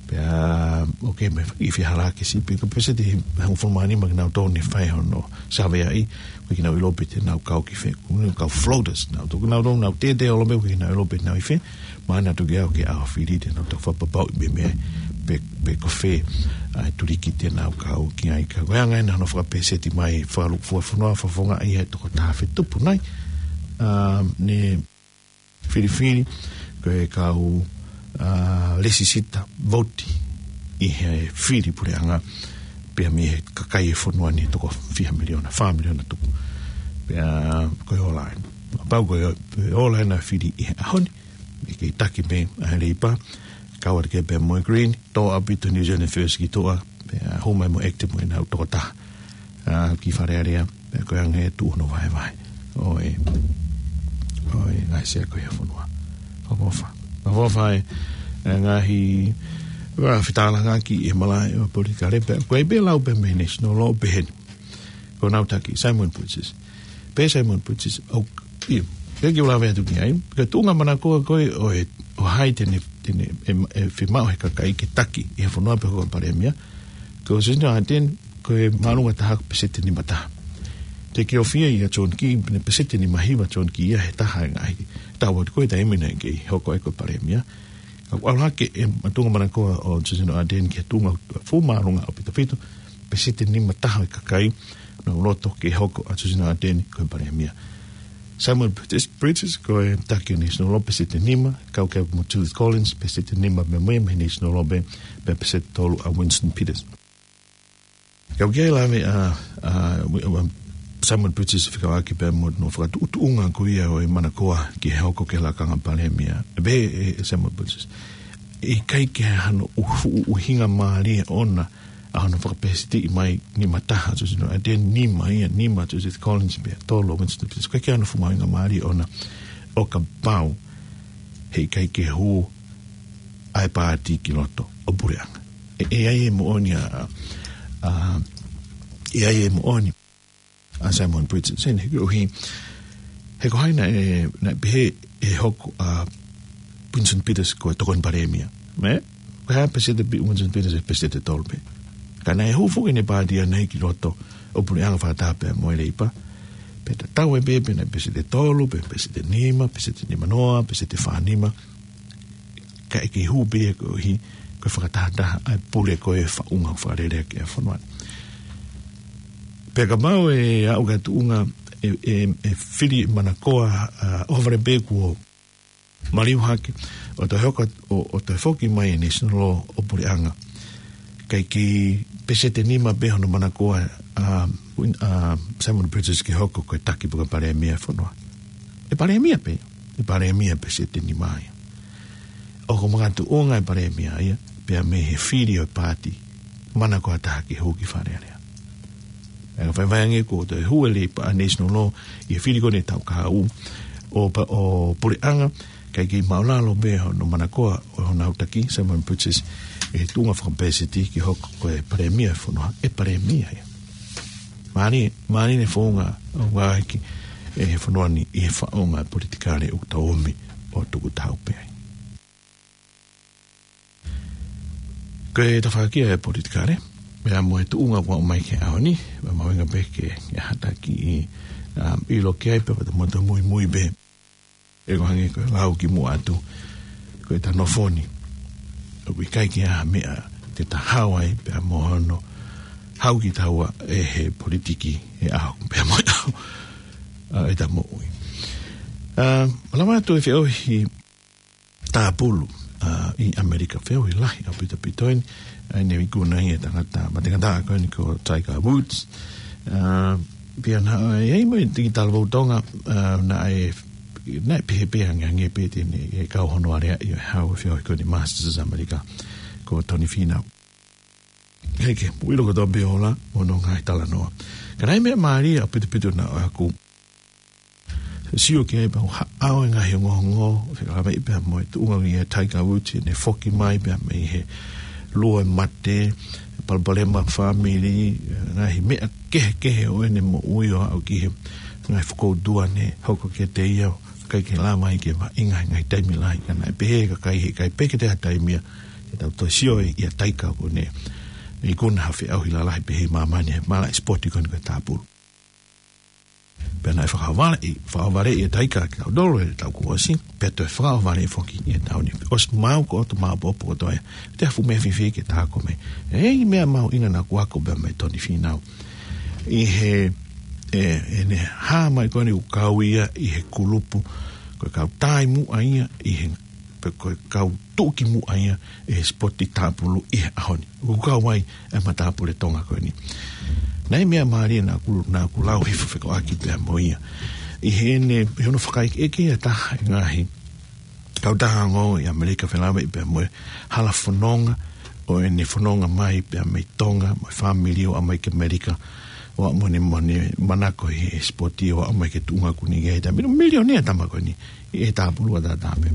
Pea, ʻoku ʻi ai e kiʻi fehālaaki siʻi pē, ko e peseti ʻe hongofulu mā nima kinautolu naʻe fai hono savea ai, ʻoku ʻikai ke nau ʻilo pe te nau kau ki fē, ʻoku nau kau floaters, nau toki nau, nau tētē ʻo lome, ʻoku ʻikai ke nau ʻilo pe nau ʻi fē, mahalo naʻa toki aʻu ki he ʻaho fili te nau toki fakapapauʻi pē mei ai, pe, pe ko fē ʻa e tuliki te nau kau ki ai. Ka ko e anga ena hono fakapeseti mai, fakalūkufua e fonua, fakafofongaʻi ʻe he toko taha fetupu nai, ʻa, ne filifili, ko e kau, ʻa, lēsisita vouti ʻi he fili puleʻanga, pea mei he kakai e fonua ni toko fiha miliona, fā miliona tupu. Pea ko e ola ē. Pau ko e, e ola ʻena fili ʻi he ʻaho ni, ʻi he taki pē ʻa e Leipa, kau atu ki ai pē mo e Green, tō ʻaupito New Zealand First ki tuʻa, pea hū mai mo ACT mo ʻenau tokotaha. ʻA, ki Fale Alea, pea ko e anga e tuʻu hono vahevahe ʻo e, ʻo e ngaahi sea ko ia ʻo e fonua. Fakaʻofoʻofa. Fakaʻofoʻofa e, e ngaahi, ʻa, fetalanoaʻaki ʻi he malaʻe ʻo e politikale pea, ko e pē lau pē mei he National Law pehē ni. Ko ʻenau taki, Simon Bridges. Pehē Simon Bridges, ʻoku, ʻio, ʻikai ke u lave atu ki ai, ko e tuʻunga manakoa ko ē ʻo e, ʻo hai te ne, te ne, ʻe, ʻe fiemaʻu ʻe he kakai ke taki ʻi he fonua pe hoko ko e palēmia, ko Jacinda Ardern, ko e māʻolunga taha ko e peseti nima taha. Teʻeki ke ʻofeina ʻa John Key, pe peseti nima hiva ʻa John Key ia he taha e ngaahi taʻu atu ko ē taimi naʻe kei hoko ai ko e palēmia. Ka ʻoku ʻalu hake e tuʻunga manakoa ʻo Jacinda Ardern ki he tuʻunga fuʻu māʻolunga ʻaupito ʻaupito, peseti nima taha e kakai naʻa nau loto ke hoko ʻa Jacinda Ardern ko e palēmia. Simon Bridges, Bridges ko e taki National Law peseti nima, kau ki ai mo Judith Collins, peseti nima pē mo ia mei he National Law pē, pea peseti tolu ʻa Winston Peters. Kau ki ai lave ʻa, ʻa, ʻa Simon Bridges fekauʻaki pea mo hono fakatuʻutuʻunga ko ia ʻo e manakoa ke hoko ko e lakanga palēmia. Pehē ʻe, ʻe Simon Bridges, ʻikai ke hano ʻuhu, ʻuhinga mālie ʻona ʻa hono fakapesetiʻi mai nima taha ʻa Jacinda Ardern, nima ia, nima ʻa Judith Collins pea tolu ʻa Winston Peters. ʻIkai ke hano fuʻu mahuʻinga mālie ʻona ʻo kapau heʻikai ke hū ʻa e paati ki loto ʻo puleʻanga. ʻE, ʻe ʻi ai e moʻoni ʻa, ʻa, ʻe ʻi ai e moʻoni ʻa Simon Bridges, ʻi he koeʻuhi, he ko hai naʻe, naʻe pehē ʻe hoko ʻa Winston Peters ko e tokoni palēmia. Mē? Ko e hā peseti pē ʻa Winston Peters? ʻE peseti tolu pē. Ka naʻe hū foki ʻene paati ʻaʻana ki loto ʻo puleʻanga fakataha pē mo e Leipa. Pea tatau ai pē pe naʻe peseti tolu, pe peseti nima, peseti nima noa, peseti fā nima. Ka ʻe kei hū pē ia koeʻuhi ko e fakatahataha ʻa e pule ko e faʻunga fakalelea ki he fonua. Pea kapau ʻe aʻu ki he tuʻunga ʻe, ʻe, ʻe fili manakoa, ʻa, ʻohovale pē kuo maliu hake, ʻo toe hoko, ʻo, ʻo toe foki mai e National Law ʻo puleʻanga. Kae kei peseti nima pē hono manakoa ʻa, ʻa Simon Bridges ke hoko ko e taki pe ko e palēmia ʻo e fonua. ʻE palēmia pē, ʻe palēmia peseti nima ia. ʻOku makatuʻunga e palēmia ia pea mei he fili ʻo e paati manakoa taha ke hū ki Fale Alea. ʻE ka fai vai ange kuo toe hū e Leipa ʻa National Law ʻi he fili ko eni taʻu kahaʻu ʻo pa-, ʻo puleʻanga, kae kei māʻulalo pē hono manakoa ʻo honau taki, Simon Bridges, ʻi he tuʻunga fakapeseti ke hoko ko e palēmia ʻo e fonua, ʻe palēmia ia. Mālie, mālie ʻene founga ʻo ngāueʻaki ʻe he fonua ni ʻi he faʻunga politikale ʻoku tau omi ʻo tuku taha pē ai. Ko e tafaʻaki ʻa e politikale, pea mo e tuʻunga kuo aʻu mai ki he ʻaho ni, pea mahuʻinga pē ke, ke hataki ʻi, um, ʻilo ki ai pea mo toe muimui pē. ʻE ko e hangē ko e lau kimuʻa atu, ko ʻeta nofo ni ʻoku ʻikai ke ʻi ai ha meʻa te ta hao ai pea mo hono hao kitaua ʻe he politiki he ʻaho pea mo e ʻaho ʻa ʻeta moʻui. Um, lava atu e feʻauhi tāpulu, ʻa, ʻi ʻAmelika, feʻauhi lahi ʻaupito ʻaupito eni, ʻa eni ʻoku ikunaʻi ʻe he tangata mateangataʻa ko eni ko Tiger Woods. ʻA, pea naʻe ʻi ai mo e tiki talavou Tonga, ʻa, naʻe, naʻe pehē pē ange ange pē te ne, ʻe kau hono aleaʻi ʻo e hao e feʻauhi ko eni Masters ʻAmelika, ko Tony Finau. Hei ke, mou ʻilo kotoa pē ʻoku ʻi ai hono ngaahi talanoa. Ka naʻe ʻi ai e meʻa mālie ʻaupito ʻaupito naʻa ku sio ki ai pea u ha-, ʻalu e ngaahi ongoongo, fekauʻaki pea mo e tuʻunga ʻia Tiger Woods, ʻene foki mai pea mei he lua e mate, palopalema fāmili, ngaahi meʻa kehekehe ʻo ʻene moʻui ʻo aʻu ki he ngaahi fokoutua ne hoko kiate ia, ʻikai ke lava ai ke vaʻinga he ngaahi taimi lahi, ka naʻe pehē ʻe he kakai heʻikai pē ke toe ʻi ai ha taimi ia, te tau toe sio ʻia Tiger ko ʻene ikuna ha feʻauhi lalahi pehē ʻi māmani he malaʻe sipoti ko eni ko e tāpulu. Pea naʻe fakaʻohovale, fakaʻohovale ʻe Tiger kitautolu he taʻu kuo ʻosi, pea toe fakaʻohovale foki ʻi he taʻu ni. ʻOsi maʻu ko ʻoto maʻu popo ko toe, te afu me fifi ke tā ko me. ʻE ʻi ai e meʻa mahuʻinga naʻa ku ako pea mei Tony Finau. ʻI he, ʻe, ʻene hā mai ko eni ʻoku kau ia ʻi he kulupu, ko e kau taimuʻa ia, ʻi he, pe ko e kau tuʻukimuʻa ia ʻi he sipoti tāpulu ʻi he ʻaho ni. ʻOku kau ai e matāpule Tonga ko eni. Naʻe ʻi ai e meʻa mālie naʻa ku, naʻa ku lau hifo fekauʻaki pea mo ia. ʻi heʻene, ʻi hono fakaʻekeʻeke ʻe taha e ngaahi kautaha ongoongo ʻi ʻAmelika, felāveʻi pea mo e hala fononga ʻo ʻene fononga mai pea mei Tonga, mo e fāmili ʻo aʻu mai ki ʻAmelika, ʻo aʻu mo ʻene, mo ʻene manako ʻi he sipoti ʻo aʻu mai ki he tuʻunga kuo ne ʻi ai he taimi ni, milionea tama ko eni ʻi he tāpulu ʻataʻatā pē.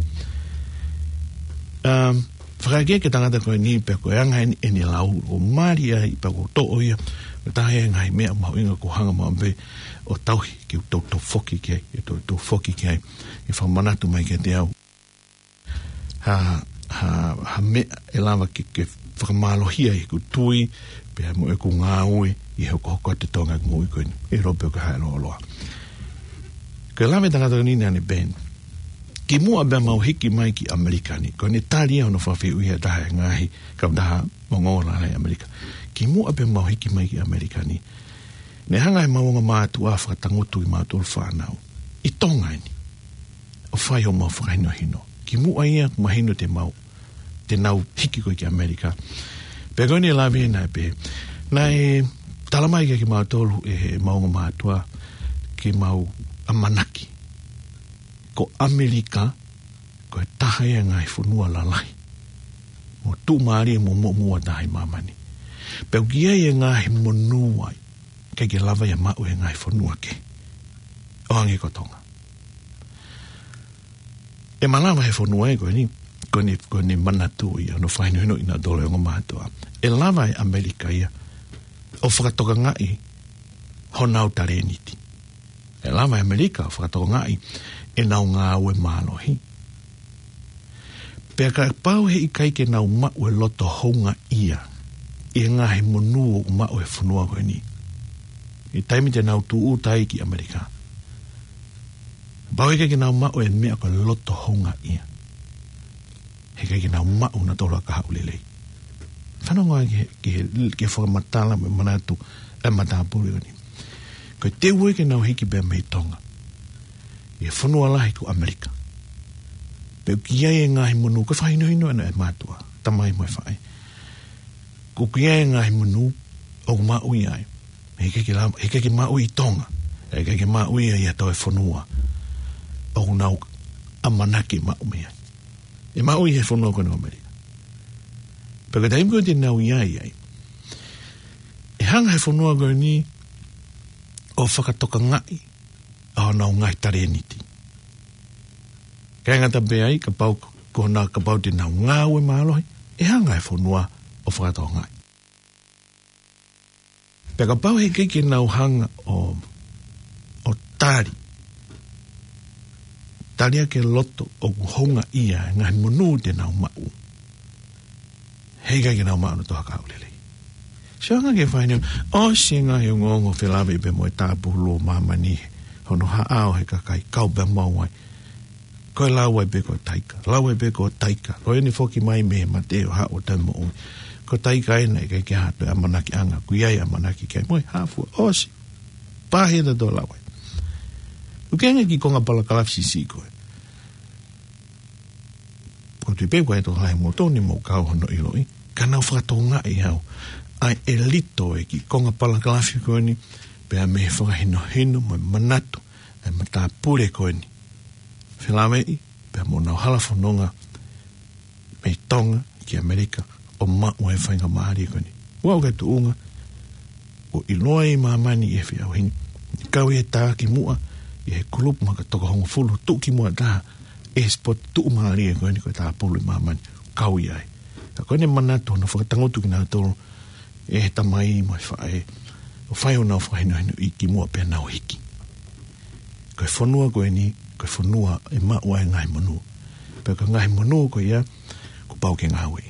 Um, fakaʻekeʻeke e tangata ko eni pea ko e anga eni ʻene lau ʻo mali ai pea ko e toʻo ia, ʻo taha e ngaahi meʻa mahuʻinga kuo hanga maʻu pē ʻo tauhi ke u toutou foki ki ai, ke toutou foki ki ai, ke fakamanatu mai kiate au ha, ha, ha meʻa ʻe lava ke, ke fakamālohia ʻeku tui, pea mo ʻeku ngāue ʻi he hokohoko atu e Tonga ʻeku moʻui ko eni, ʻe lava pē ʻo ka hae loloa. Ko e lave e tangata ko eni naʻa ne pehē ni: Kimuʻa pea mau hiki mai ki ʻAmelika ni, ko ʻene tali ia hono fakafehuʻi ʻe taha e ngaahi kautaha ongoongo lalahi ʻi ʻAmelika. Kimuʻa pea mau hiki mai ki ʻAmelika ni, ne hanga ʻe heʻemau ongo mātuʻa ʻo fakatangutu kimautolu fānau ʻi Tonga eni ʻo fai homau fakahinohino. Kimuʻa ia kuo mahino te mau, te nau hiki ko ē ki ʻAmelika. Pea ko ʻene lave naʻe pehē, naʻe talamai kiate kimautolu ʻe heʻemau ongo mātuʻa ke mau ʻamanaki ko ʻAmelika ko e taha ia e ngaahi fonua lalahi mo tuʻumālie mo muʻomuʻa taha ʻi māmani. Pea ʻoku ʻi ai e ngaahi monū ai ʻikai ke lava ia ʻo maʻu ʻe he ngaahi fonua kehe, ʻo hangē ko Tonga. ʻE malava ʻe he fonua ia ko eni, ko ʻene, ko ʻene manatu ia hono fakahinohinoʻi kinautolu ʻe he ongo mātuʻa, ʻe lava ʻe ʻAmelika ia ʻo fakatokangaʻi honau talēniti. ʻE lava ʻe ʻAmelika ʻo fakatokangaʻi ʻenau ngāue mālohi. Pea kapau he ʻikai ke nau maʻu e loto houngaʻia ʻi he ngaahi monū ʻoku maʻu ʻe he fonua ko eni ʻi he taimi te nau tūʻuta ai ki ʻAmelika, kapau he ʻikai ke nau maʻu e meʻa ko e loto houngaʻia, he ʻikai ke nau maʻu nautolu ha kahaʻu lelei. Fanongo ki he, ki he, ki he fakamatala mo e manatu ʻa e matāpule ko eni. Ko e teu ia ke nau hiki pē mei Tonga ʻi he fonua lahi ko ʻAmelika, pea ʻoku ʻi ai e ngaahi monū, ko e fakahinohino ʻena ʻe he mātuʻa, tamai mo e faʻē. ʻOku ʻi ai e ngaahi monū ʻoku maʻu ia ai, he ʻikai ke la-, he ʻikai ke maʻu ʻi Tonga, he ʻikai ke maʻu ia ʻi ha toe fonua ʻoku nau ʻamanaki maʻu mei ai. ʻE maʻu ʻi he fonua ko eni ʻo ʻAmelika. Pea ko e taimi ko ē te nau ʻi ai ai, ʻe hanga ʻe he fonua ko eni ʻo fakatokangaʻi ʻa honau ngaahi talēniti. ʻIkai ngata pē ai, kapau ko honau, kapau te nau ngāue mālohi, ʻe hanga ʻe he fonua ʻo fakatokangaʻi. Pea kapau he ʻikai ke nau hanga ʻo, ʻo tali, tali ʻaki e loto ʻoku houngaʻia e ngaahi monū te nau maʻu, he ʻikai ke nau maʻu nautolu ha kahaʻu lelei. Sio ange ki he fakahinohino, ʻosi e ngaahi ongoongo felāveʻi pea mo e tāpulu ʻo māmani, hono haʻao he kakai, kau pea mau ai. Ko e lau ai pē ko e taika, lau ai pē ko e taika. Ko ʻene foki mai mei he mate ʻo haʻu ʻo taimi moʻui, ko e taika ʻena, ʻikai ke ʻi ai ha toe ʻamanakiʻanga, ʻoku ʻi ai e ʻamanaki ki ai mo e hā fua, ʻosi. Pāhia tato lau ai. ʻOku ʻi ai e ngaahi kiʻi konga palakalafi siʻisiʻi ko ē, ʻoku ou tui pē ʻoku ʻi ai e tokolahi ʻo moutolu ne mou kau hono ʻiloʻi, ka nau fakatokangaʻi au ʻa e ʻelito e kiʻi konga palakalafi ko eni, pea mei he fakahinohino mo e manatu ʻa e matāpule ko eni, felāveʻi pea mo honau hala fononga mei Tonga ki ʻAmelika ʻo maʻu e faingamālie ko eni. Ua o ke tuʻunga ʻoku ʻiloa ʻi māmani ʻi he feʻauhi ni, kau ʻi he tā kimuʻa ʻi he kulupu maka toko hongofulu, tuʻu kimuʻa taha ʻi he sipoti tuʻumālie ko eni ko e tāpulu ʻi māmani, kau ʻi ai. Ka ko ʻene manatu hono fakatangutu kinautolu ʻe he tamai mo e faʻē ʻo fai honau fakahinohinoʻi kimuʻa pea nau hiki. Ko e fonua ko eni, ko e fonua ʻe maʻu ai e ngaahi monū. Pea ko e ngaahi monū ko ia, kuo pau ke ngāueʻi.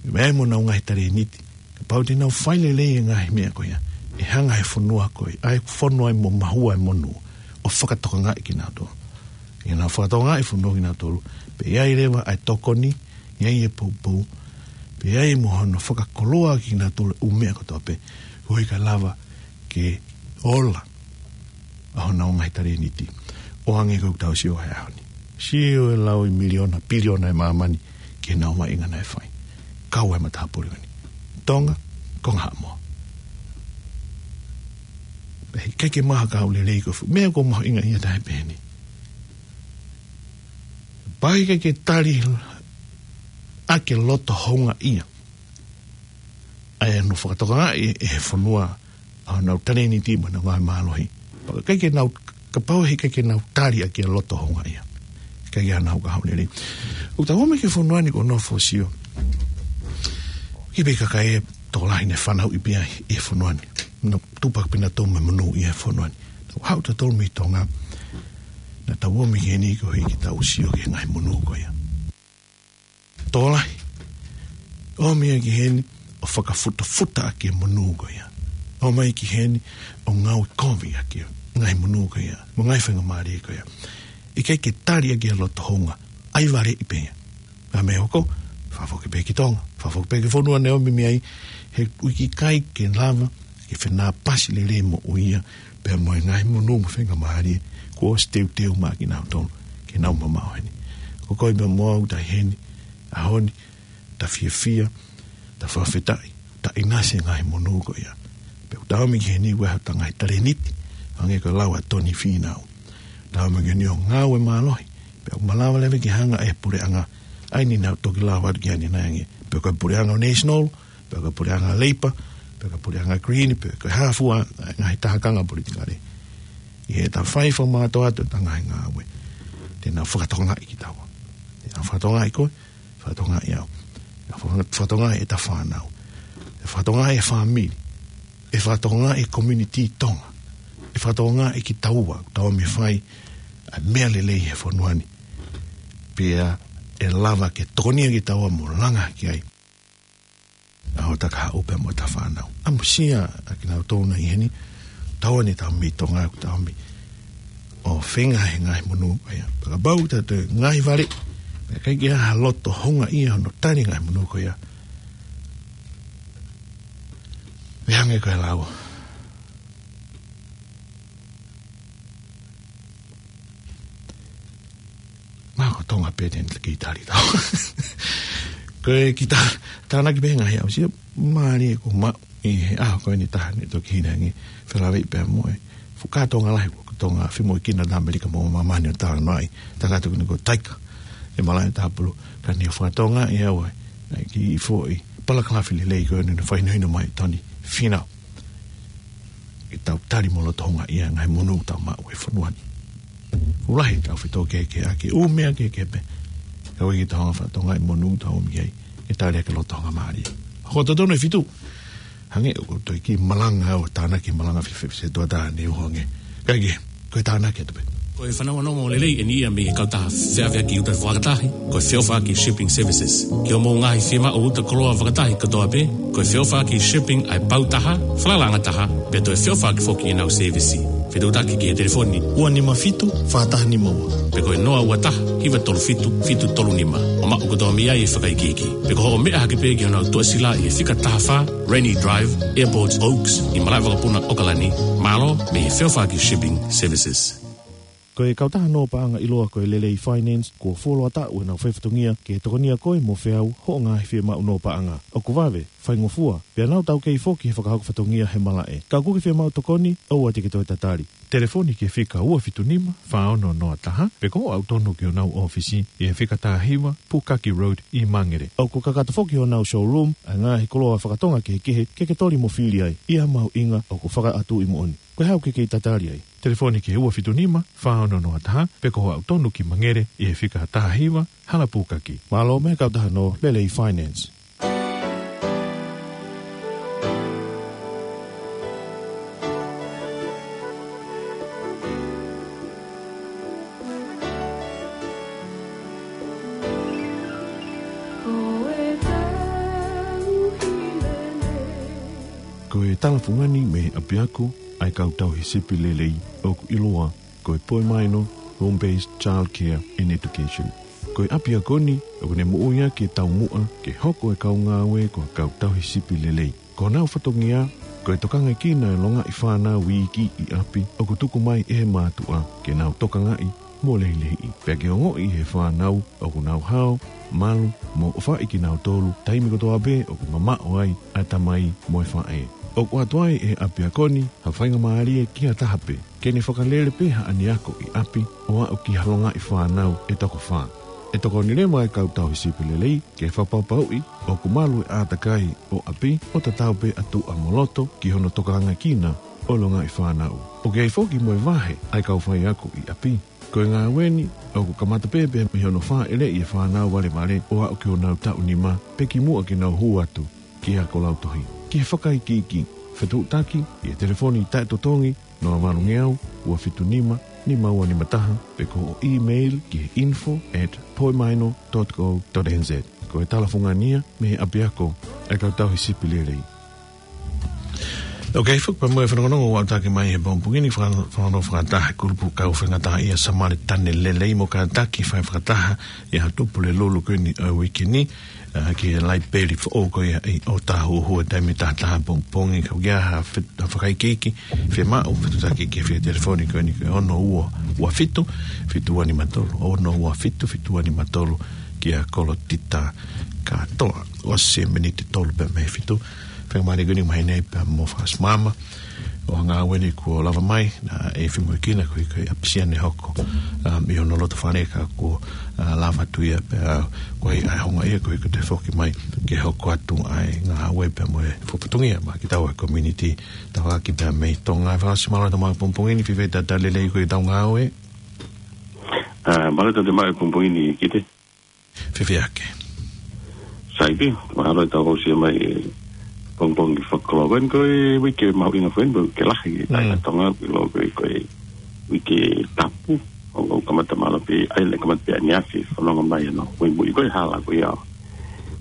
ʻE meʻa mo honau ngaahi talēniti, kapau te nau fai lelei e ngaahi meʻa ko ia, ʻe hanga ʻe he fonua ko ē, ʻa ia ʻoku fonu ai mo mahua e monū, ʻo fakatokangaʻi kinautolu. ʻI heʻenau fakatokangaʻi e fonua kinautolu, pea ʻi ai leva ʻa e tokoni, ʻi ai e poupou, pea ʻi ai mo hono fakakoloa kinautolu e ʻū meʻa kotoa pē, koeʻuhi kae lava ke ola ʻa honau ngaahi talēniti, ʻo hangē ko ʻetau sio he ʻaho ni. Sio e lau ʻe miliona, piliona e māmani ki heʻenau maʻuʻanga naʻe fai. Kau e matāpule ko eni. Tonga, Konga Haʻamoa. Pea ʻikai ke maʻu ha kahaʻu lelei ko e fuʻu meʻa ʻoku mahuʻinga ia ʻe taha pehē ni. Pea ʻikai ke tali ʻaki e loto houngaʻia ʻa ia naʻe fakatokangaʻi ʻe he fonua ʻa honau talēniti mo ʻenau ngaahi mālohi. Pea ʻikai ke nau, kapau he ʻikai ke nau tali ʻaki e loto houngaʻia, ʻikai ke ʻi ai haʻanau kahaʻu lelei. ʻOku tau ō mai ki he fonua ni kuo nofo ʻo sio ki he pē kakai ʻe tokolahi naʻe fanauʻi pē ia ʻi he fonua ni. Naʻa nau tupu pē nautolu mo e monū ʻi he fonua ni. Tau haʻu tautolu mei Tonga, naʻa tau ō mai ki heni koeʻuhi ke tau sio ki he ngaahi monū ko ia. Tokolahi ō mai ki heni ʻo fakafutafuta ʻaki e monū ko ia. Ō mai ki heni ʻo ngāue kovi ʻaki e ngaahi monū ko ia, mo e ngaahi faingamālie ko ia. ʻIkai ke tali ʻaki e loto houngaʻia, ʻai valeʻi pē ia. Pea mei he hoko, fakafoki pē ki Tonga, fakafoki pē ki he fonua naʻe ō mai mei ai, he ʻoku ʻikai ke lava ke fenāpasi lelei moʻui ia pea mo e ngaahi monū mo e faingamālie kuo ʻosi teuteu maʻa kinautolu ke nau mamaʻo heni. Ko koe pea mo au ʻoku ta ʻi heni he ʻaho ni, ta fiefia, ta fakafetaʻi, ta ʻinasi he ngaahi monū ko ia. Pea ʻoku ta ō mai ki heni ʻoku ʻi ai hota ngaahi talēniti, hangē ko e lau ʻa Tony Fīnau. Ta ō mai ki heni ʻo ngāue mālohi, pea ʻoku malava leva ke hanga ʻe he puleʻanga, ʻa ia naʻa nau toki lau atu ki ai ʻanenai ange, pe ko e puleʻanga National, pe ko e puleʻanga Labour, pe ko e puleʻanga Green, pe ko e hā fua e ngaahi taha konga politikale. ʻI heʻeta fai fakamātoato ʻeta ngaahi ngāue, te nau fakatokangaʻi kitaua. Te nau fakatokangaʻi koe, fakatokangaʻi au. Nau faka-, fakatokangaʻi ʻeta fānau. ʻE fakatokangaʻi e fāmili. ʻE fakatokangaʻi e community Tonga. ʻE fakatokangaʻi kitaua, tau ō mai ʻo fai ʻa e meʻa lelei he fonua ni. Pea ʻe lava ke tokonia kitaua mo langa ki ai ʻa hota kahaʻu pea mo ʻeta fānau. ʻAmusia ʻa kinautolu naʻe ʻi heni, tau ō ni tau mei Tonga, tau mei ʻo feinga he ngaahi monū ko ia. Pea kapau te tau ngāue valeʻi, pea ʻikai ke ʻi ai ha loto houngaʻia hono tali e ngaahi monū ko ia, ʻe hangē ko e lau Mā ko Tonga pē te ne kei tali tau. Ko e kiʻi tā-, tānaki pē ngaahi aʻusia, mālie ko ma, ʻi he ʻaho ko eni taha ne toki hina ange, felāveʻi pea mo e fuʻu kātoanga lahi ko Tonga, fai mo e kina tā Amelika mo māmani ʻo talanoaʻi, tangata ko eni ko Taika, ʻi he malaʻe Tāpulu, ka ne fakatokangaʻi ʻe au ʻa e, ʻa e kiʻi foʻi, palakalafi lelei ko eni naʻe fakahinohino mai ʻe Tony Fīnau. ʻE tau tali mo loto houngaʻia e ngaahi monū ʻoku tau maʻu he fonua ni. ʻOku lahi ʻetau fetōkehekehe ʻaki e ʻū meʻa kehekehe pē. Ka ʻoku ʻikai ke tau hanga ʻo fakatokangaʻi e monū ʻoku tau ō mai ki ai, ʻe tali ʻaki e loto houngaʻia. Ko e totonu e fitu. Hangē ʻoku ou toe kiʻi malanga ʻo tānaki e malanga fefefe tuʻa taha ne u hanga. Kae kehe, ko e tānaki atu pē. Ko e fanongonongo lelei eni ia mei he kautaha feʻaveʻaki uta fakatahi, ko e Feʻofaʻaki Shipping Services. Ki hoʻomou ngaahi fiemaʻu uta koloa fakatahi kotoa pē, ko e Feʻofaʻaki Shipping ʻa e pau taha, falalaʻanga taha, pea toe feʻofaʻaki foki ʻenau sēvisi. Fetuʻutaki ki he telefoni ua nima fitu, fā taha nima ua. Pe ko e noa ua taha, hiva tolu fitu, fitu tolu nima. ʻO maʻu kotoa mei ai e fakaikiiki. Pe ko hoʻo meʻa hake pē ki honau tuʻasila ʻi he fika taha fā, Rainy Drive, Airport Oaks, ʻi malaʻe vakapuna ʻOkalani. Mālō, mei he Feʻofaʻaki Shipping Services. Ko e kautaha nō paʻanga ʻiloa ko e Lelei Finance, kuo fuoloa taʻu ʻenau faifatongia ke tokonia koe mo feau hoʻo ngaahi fiemaʻu nō paʻanga. ʻOku vave, faingofua, pea nau taukei foki he fakahoko fatongia he malaʻe. Ka ʻoku ke fiemaʻu tokoni, ʻoua te ke toe tatali. Telefoni ki he fika ua fitu nima, fā ono noa taha, pe ko hoʻo aʻu tonu ki honau ʻōfisi, ʻi he fika taha hiva, Pukaki Road, ʻi Mangere. ʻOku kakato foki honau showroom, ʻa e ngaahi koloa fakatonga kehekehe, ke ke toli mo fili ai, ʻi ha mahuʻinga ʻoku fakaʻatuʻi moʻoni. Ko e hā ʻoku ke kei tatali ai? Telefoni ki he ua fitu nima, fā ono noa taha, pe ko hoʻo aʻu tonu ki Mangere, ʻi he fika taha hiva, Hala Pukaki. Mālō mei he kautaha nō Lelei Finance. Ko e tala fungani mei he ʻapiako ʻa e kau tauhi sipi lelei ʻoku ʻiloa ko e Poimaino Home Based Child Care and Education. Ko e ʻapiako ni ʻoku ne moʻui ʻaki e taumuʻa ke hoko e kau ngāue ko e kau tauhi sipi lelei. Ko honau fatongia, ko e tokangaekina e longaʻi fānau iiki ʻi ʻapi ʻoku tuku mai ʻe he mātuʻa ke nau tokangaʻi mo lehilehiʻi. Pea ke ongoʻi ʻe he fānau ʻoku nau hao, malu, mo ʻofaʻi kinautolu, taimi kotoa pē ʻoku mamaʻo ai ʻa e tamai mo e faʻē. ʻOku ʻoatu ai ʻe he ʻapiako ni ha faingamālie ki ha taha pē ke ne fakalele pē haʻane ako ʻi ʻapi ʻo aʻu ki ha longaʻi fānau ʻe toko fā. ʻE tokoni leva e kau tauhi sipi lelei ke fakapapauʻi ʻoku malu e ʻātakai ʻo ʻapi ʻo tatau pē ʻa tuʻa mo loto ki hono tokangaʻi ʻa e longaʻi fānau. ʻOku ʻi ai foki mo e vahe ʻa e kau faiako ʻi ʻapi. Ko e ngāue ni ʻoku kamata pē pea mei hono fāʻeleʻi e fānau valevale ʻo aʻu ki honau taʻu nima pe kimuʻa ke nau hū atu ki he ako lautohi. Ki he fakaikiiki, fetuʻutaki ʻi he telefoni taʻetotongi noa valu ngeau, ua fitu nima, nima ua nima taha, pe ko hoʻo email ki he info at poimaino dot co dot N Z. Ko e talafungani ia mei he ʻapiako ʻa e kau tauhi sipi lelei. Ok, foki pea mo e fanongonongo ʻoku ʻataki mai he pongipongi ni, faka-, fanongonongo fakataha e kulupu kau faingataʻaʻia Samaletane Lelei mo kātaki fai fakataha ʻi he Haʻapuleʻanga ko eni ʻo e uike ni, ā, ki he laipeli foʻou ko ia ʻi ʻŌtāhuhu he taimi taha taha pongipongi. Ka ʻoku ʻi ai ha fe-, ha fakaikiiki, fiemaʻu fetuʻutaki ki he fika telefoni ko eni ko e ono ua ua fitu, fitu ua nima tolu, ono ua fitu, fitu ua nima tolu, kia Kolotita Kātoa. ʻOsi e miniti tolu pē mei he fitu. Faingamālie ko eni ʻoku mahino ai pea mo Fakasimama ʻo e ngāue ni kuo lava mai, naʻe fai mai kinautolu ko e, ko e ʻapisia ne hoko, um, ʻi hono loto fale ka kuo, uh, lava atu ia pea, uh, ko e ʻai hanga ia ko e, ko e toe foki mai ke hoko atu ʻa e ngāue pea mo e fakafatongia maʻa kitaua e community tafaʻaki pea mei Tonga. Fakasimama, mālō e tau maʻu e pongipongi ni, fēfē e talitali lelei ko ē ʻetau ngāue? Ā, mālō e tau maʻu e pongipongi ni, Kite. Fēfē hake? Sai pē, mālō e tau aʻusia mai e pongipongi fakakoloa. Ko eni ko e uike mahuʻinga foki eni, uike lahi, ʻi he Mm. Tonga, ʻilo ko e, ko e uike tapu, ʻo, ʻo kamata mālō pē, ʻai le kamata pē ʻaneafi, fononga mai ʻanai, muimui ko e hala ko ia.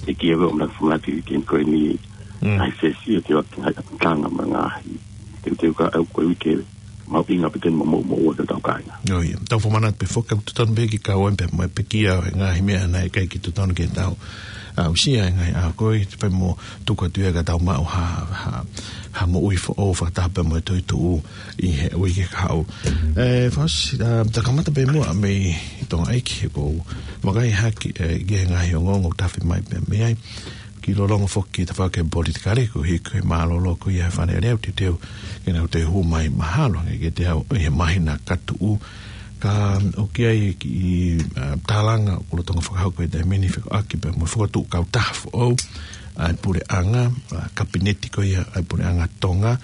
ʻE kia veo mna fumati ke ko eni, Mm. ʻai sesi, ʻo te waki hai tanga ma ngaahi. Te, te ka au ko e uike mahuʻinga pē eni mo, mo, mo, ʻo te tau kāinga. ʻIo, ʻio. Tau fakamanatu pē foki ʻoku totonu pē ke kau ai pē mo e pekia ʻo e ngaahi meʻa naʻe ʻikai ke totonu ke tau aʻusia he ngaahi ʻaho ko ē, pea mo tuku atu ia ka tau maʻu ha, ha, ha moʻui foʻou fakataha pea mo e toetuʻu ʻi he uike kahaʻu. Ē, Fakasimama, ā, ta kamata pē muʻa mei Tonga ʻEiki, he ʻoku ou vakai hake, ē, ki he ngaahi ongoongo tafe mai pē mei ai. Kiʻi lōloa foki ki he tafaʻaki politikale, koeʻuhi ko e mālōlō ko ia he Fale Alea, teuteu ke nau toe hū mai mahalo ange kiate au ʻi he māhina ka tuʻu. Ka ʻoku ʻi ai e kiʻi, ā, tālanga ʻoku lolotonga fakahoko he taimi ni fekauʻaki pea mo e fokotuʻu kautaha foʻou ʻa e puleʻanga, ā, kapineti ko ia ʻa e puleʻanga Tonga,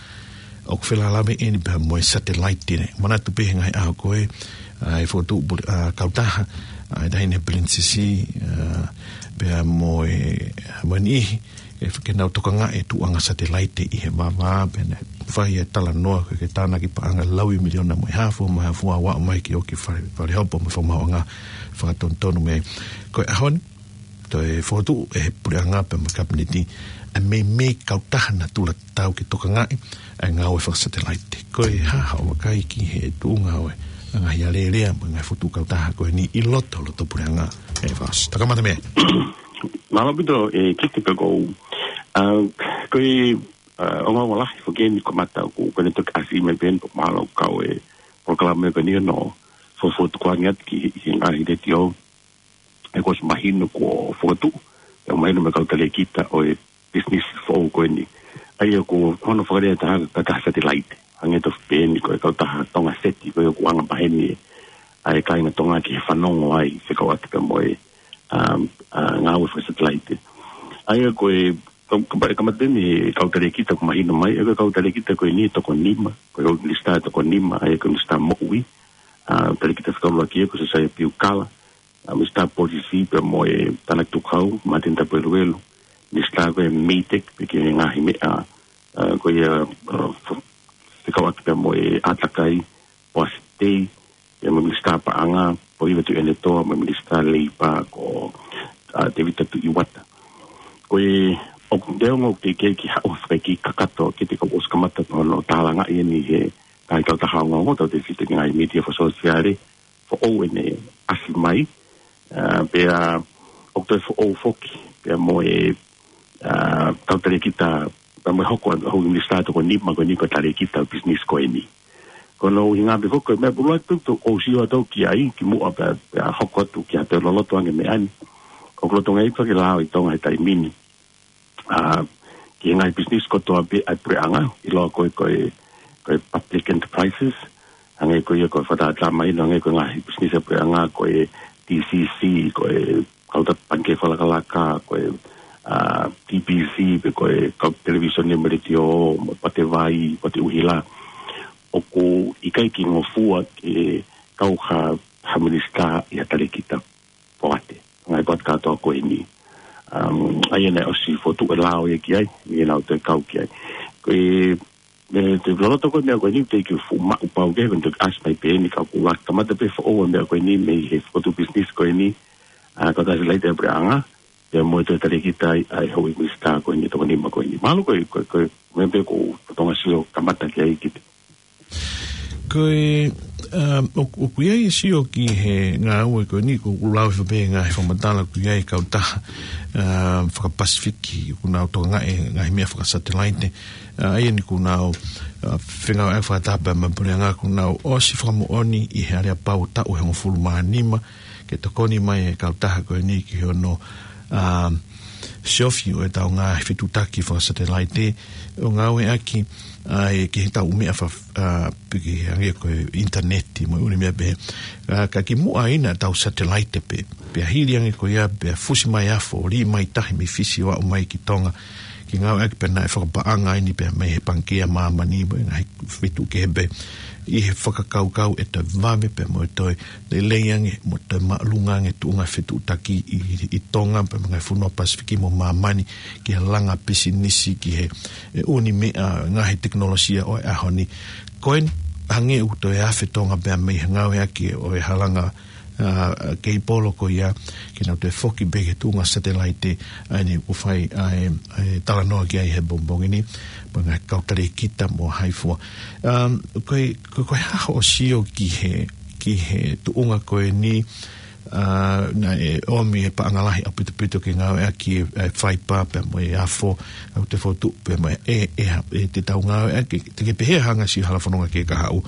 ʻoku felālāveʻi eni pea mo e satelaite. Manatu pē he ngaahi ʻaho ko ē, ā, ʻe fokotuʻu pule-, ā, kautaha, ā, ʻa e Taʻahine Pilinisesi, ā, pea mo e, mo e niʻihi, ē, ke nau tokangaʻi e tuʻuʻanga satelaite ʻi he vavā, pea naʻe fai e talanoa ko e ke tānaki paʻanga lau ʻe miliona mo e haafe, mo e haafe ʻo aʻu mai ke ʻoku fale, fale hopo mo e fakamaauʻanga fakatonutonu mei ai. Ko e ʻaho ni, toe fokotuʻu ʻe he puleʻanga pea mo e kapineti ʻa e meimei kautaha natula tatau ke tokangaʻi ʻa e ngāue fakasatelaite. Ko e hā haʻo vakai ki he tuʻunga ʻo e ngaahi alēlea mo e ngaahi fokotuʻu kautaha ko eni ʻi loto, loto puleʻanga, ē Fakasimama? Ta kamata mei ai. Mālō ʻaupito, ē, Kite, pea ʻoku ou, ā, ko e, ā, ongoongo lahi foki eni ko e mata ko, ko eni toki ʻasi mai pē eni, pea mālō kau e polokalama ko eni ʻo fakafotu ko ange atu ki he, he ngaahi letiō. ʻE kuo ʻosi mahino kuo fokotuʻu, ʻe mahino mei he kau talēkita ʻo e business foʻou ko eni. ʻA ia ko hono fakalea ʻe taha ko e kautaha satelaite. Hangē tofu pē eni ko e kautaha Tonga Seti ko ia ʻoku anga maheni ʻa e kāinga Tonga ke fanongo ai, fekauʻaki pea mo e, um, ā, ngāue fakasatelaite. ʻA ia ko e, ka, ka, ka mate ni kau talēkita ʻoku mahino mai, ʻa ia ko e kau talēkita ko eni ʻe toko nima, ko e kau minisitā ʻe toko nima, ʻa ia ko e minisitā moʻui, ā, talēkita fakaʻuluaki ia ko Siosiua Piukala, ā, minisitā polisi pea mo e tānaki tukuhau, Martin Tapueluelu, minisitā ko e MEIDECC, pe ko e ngaahi meʻa, ā, ko ia, ā, f-, fekauʻaki pea mo e ʻātakai, ʻoasi tei, pea mo e minisitā paʻanga, Pohiva Tuʻiʻonetoa, mo e minisitā leipa ko, ā, Tēvita Tuʻivata. Ko e, ʻoku te ongo ke, ke, ke haʻu fakaiki kakato, ke te kau ʻosi kamata hono tālangaʻi eni he ngaahi kautaha ongoongo, tau te fita ki he ngaahi mītia fakasōsiale, foʻou eni ʻasi mai, ā, pea ʻoku toe foʻou foki, pea mo e, ā, kau talēkita, pea mo e hoko ʻa e minisitā ʻe toko nima ko eni ko e talēkita business ko eni. Ko hono ʻuhinga pē foki ko e meʻa pulu atu ʻoku ou sio atu ki ai, kimuʻa pea, pea hoko atu ki ha toe loloto ange meʻa ni. ʻOku lolotonga ʻi ai pē ke lao ʻi Tonga he taimi ni. Ā, ki he ngaahi business kotoa pē ʻa e puleʻanga, ʻiloa ko e, ko e, ko e public enterprises, hangē ko ia ko e fakatātā mai ʻo hangē ko e ngaahi business ʻa e puleʻanga ko e T C C, ko e kau ta-, pangikē fakalakalaka, ko e, ʻa, T B C, pe ko e kau televīsone mo e letiō, mo e pate vai, pate ʻuhila. ʻOku ʻikai ke ngofua ke kau ha, ha minisitā ʻi ha talēkita poate. Ngaahi poate kātoa ko eni. Um, ʻa ia naʻe ʻosi fokotuʻu e lao ia ki ai, ʻi heʻenau toe kau ki ai. Ko e, ʻe, te loloto ko e meʻa ko eni, te ke fuʻu maʻu pau ke, ko e te ʻasi mai pē eni ka ʻoku kamata pē foʻou e meʻa ko eni, mei he fokotuʻu business ko eni, ʻa, kau ta-, satellite ʻa e puleʻanga, pea mo e toe talēkita ai, ʻa e houʻeiki minisitā ko eni, toko nima ko eni. Mahalo ko e, ko e, ko e, meʻa pē ko, ko Tonga sio kamata ki ai ki te Ko e, um, ʻoku, ʻoku ʻi ai e sio ki he ngāue ko eni, ʻoku lau hifo pē ngaahi fakamatala ʻoku ʻi ai e kautaha, um, fakapasifiki, ʻoku nau tokangaʻi e ngaahi meʻa fakasatelaite, ʻa, ʻa ia eni ʻoku nau, ʻa, fengāueʻaki fakataha pē mo e puleʻanga, ʻoku nau ʻosi fakamoʻoni ʻi he aleapau taʻu ʻe hongofulu mā nima, ke tokoni mai e kautaha ko eni ki hono, um, siofi ʻo ʻetau ngaahi fetuʻutaki fakasatelaite ʻo ngāueʻaki ai ki heʻetau meʻa fa-, ʻa, pe ki he hangē ko e ʻinitaneti mo e ʻū meʻa pehē. ʻA, ka kimuʻa ʻi heʻetau satelaite pē, pea hili ange ko ia, pea fusi mai afo, lī mai tahi mei Fisi ʻo aʻu mai ki Tonga, ke ngāueʻaki pē naʻe fakapaʻanga eni pē mei he Pangikē ʻa Māmani mo e ngaahi feituʻu kehe pē, ʻi he fakakaukau ʻe toe vave pē mo e toe lelei ange, mo e toe māʻolunga ange tuʻunga fetuʻutaki ʻi, ʻi Tonga, pea mo e ngaahi fonua Pasifiki mo Māmani, ki he langa pisinisi, ki he, e, ʻū meʻa, ngaahi tekinolosia ʻo e ʻaho ni. Ko e hangē ʻoku toe afe Tonga pē mei he ngāueʻaki ʻo e halanga, ʻa, keipolo ko ia, ke nau toe foki pē ki he tuʻunga satelaite, ʻa eni ʻoku fai, ʻa e, ʻa e talanoa ki ai he pongipongi ni, mo e ngaahi kau talēkita mo hai fua. Um, ko e, ko, ko e hā hoʻo sio ki he, ki he tuʻunga ko eni, ʻa, naʻe ʻomi e paʻanga lahi ʻaupito pito ke ngāueʻaki e, e faipa pea mo e afo, ʻa, ʻoku toe fokotuʻu pē mo e, e, e, e te tau ngāueʻaki, te ke pehē hanga si hala fononga ke kahaʻu.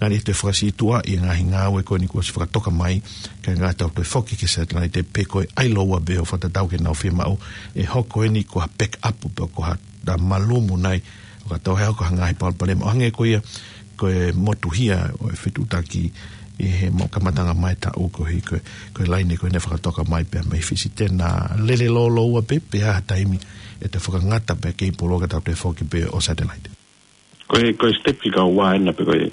Ngaahi toe fakasītuʻaʻi e ngaahi ngāue ko eni kuo ʻosi fakatoka mai, kae ngata ʻoku toe foki ki he satelaite pe ko e ʻai lōua pē ʻo fakatatau ki heʻenau fiemaʻu, ʻe hoko eni ko ha backup pe ko ha, ha malumu nai, ʻo ka tau hea ko ha ngaahi palopalema. ʻO hangē ko ia, ko e motuhia ʻo e fetuʻutaki ʻi he mo kamataʻanga mai taʻu ko ē, ko e, ko e laine ko ē naʻe fakatoka mai pē mei Fisi, te na lele lōloua pē, pe ʻi ha taimi ʻe toe fakangata pē keipolo ka tau toe foki pē ʻo satelaite. Ko e, ko e step fika ua ena pe ko e,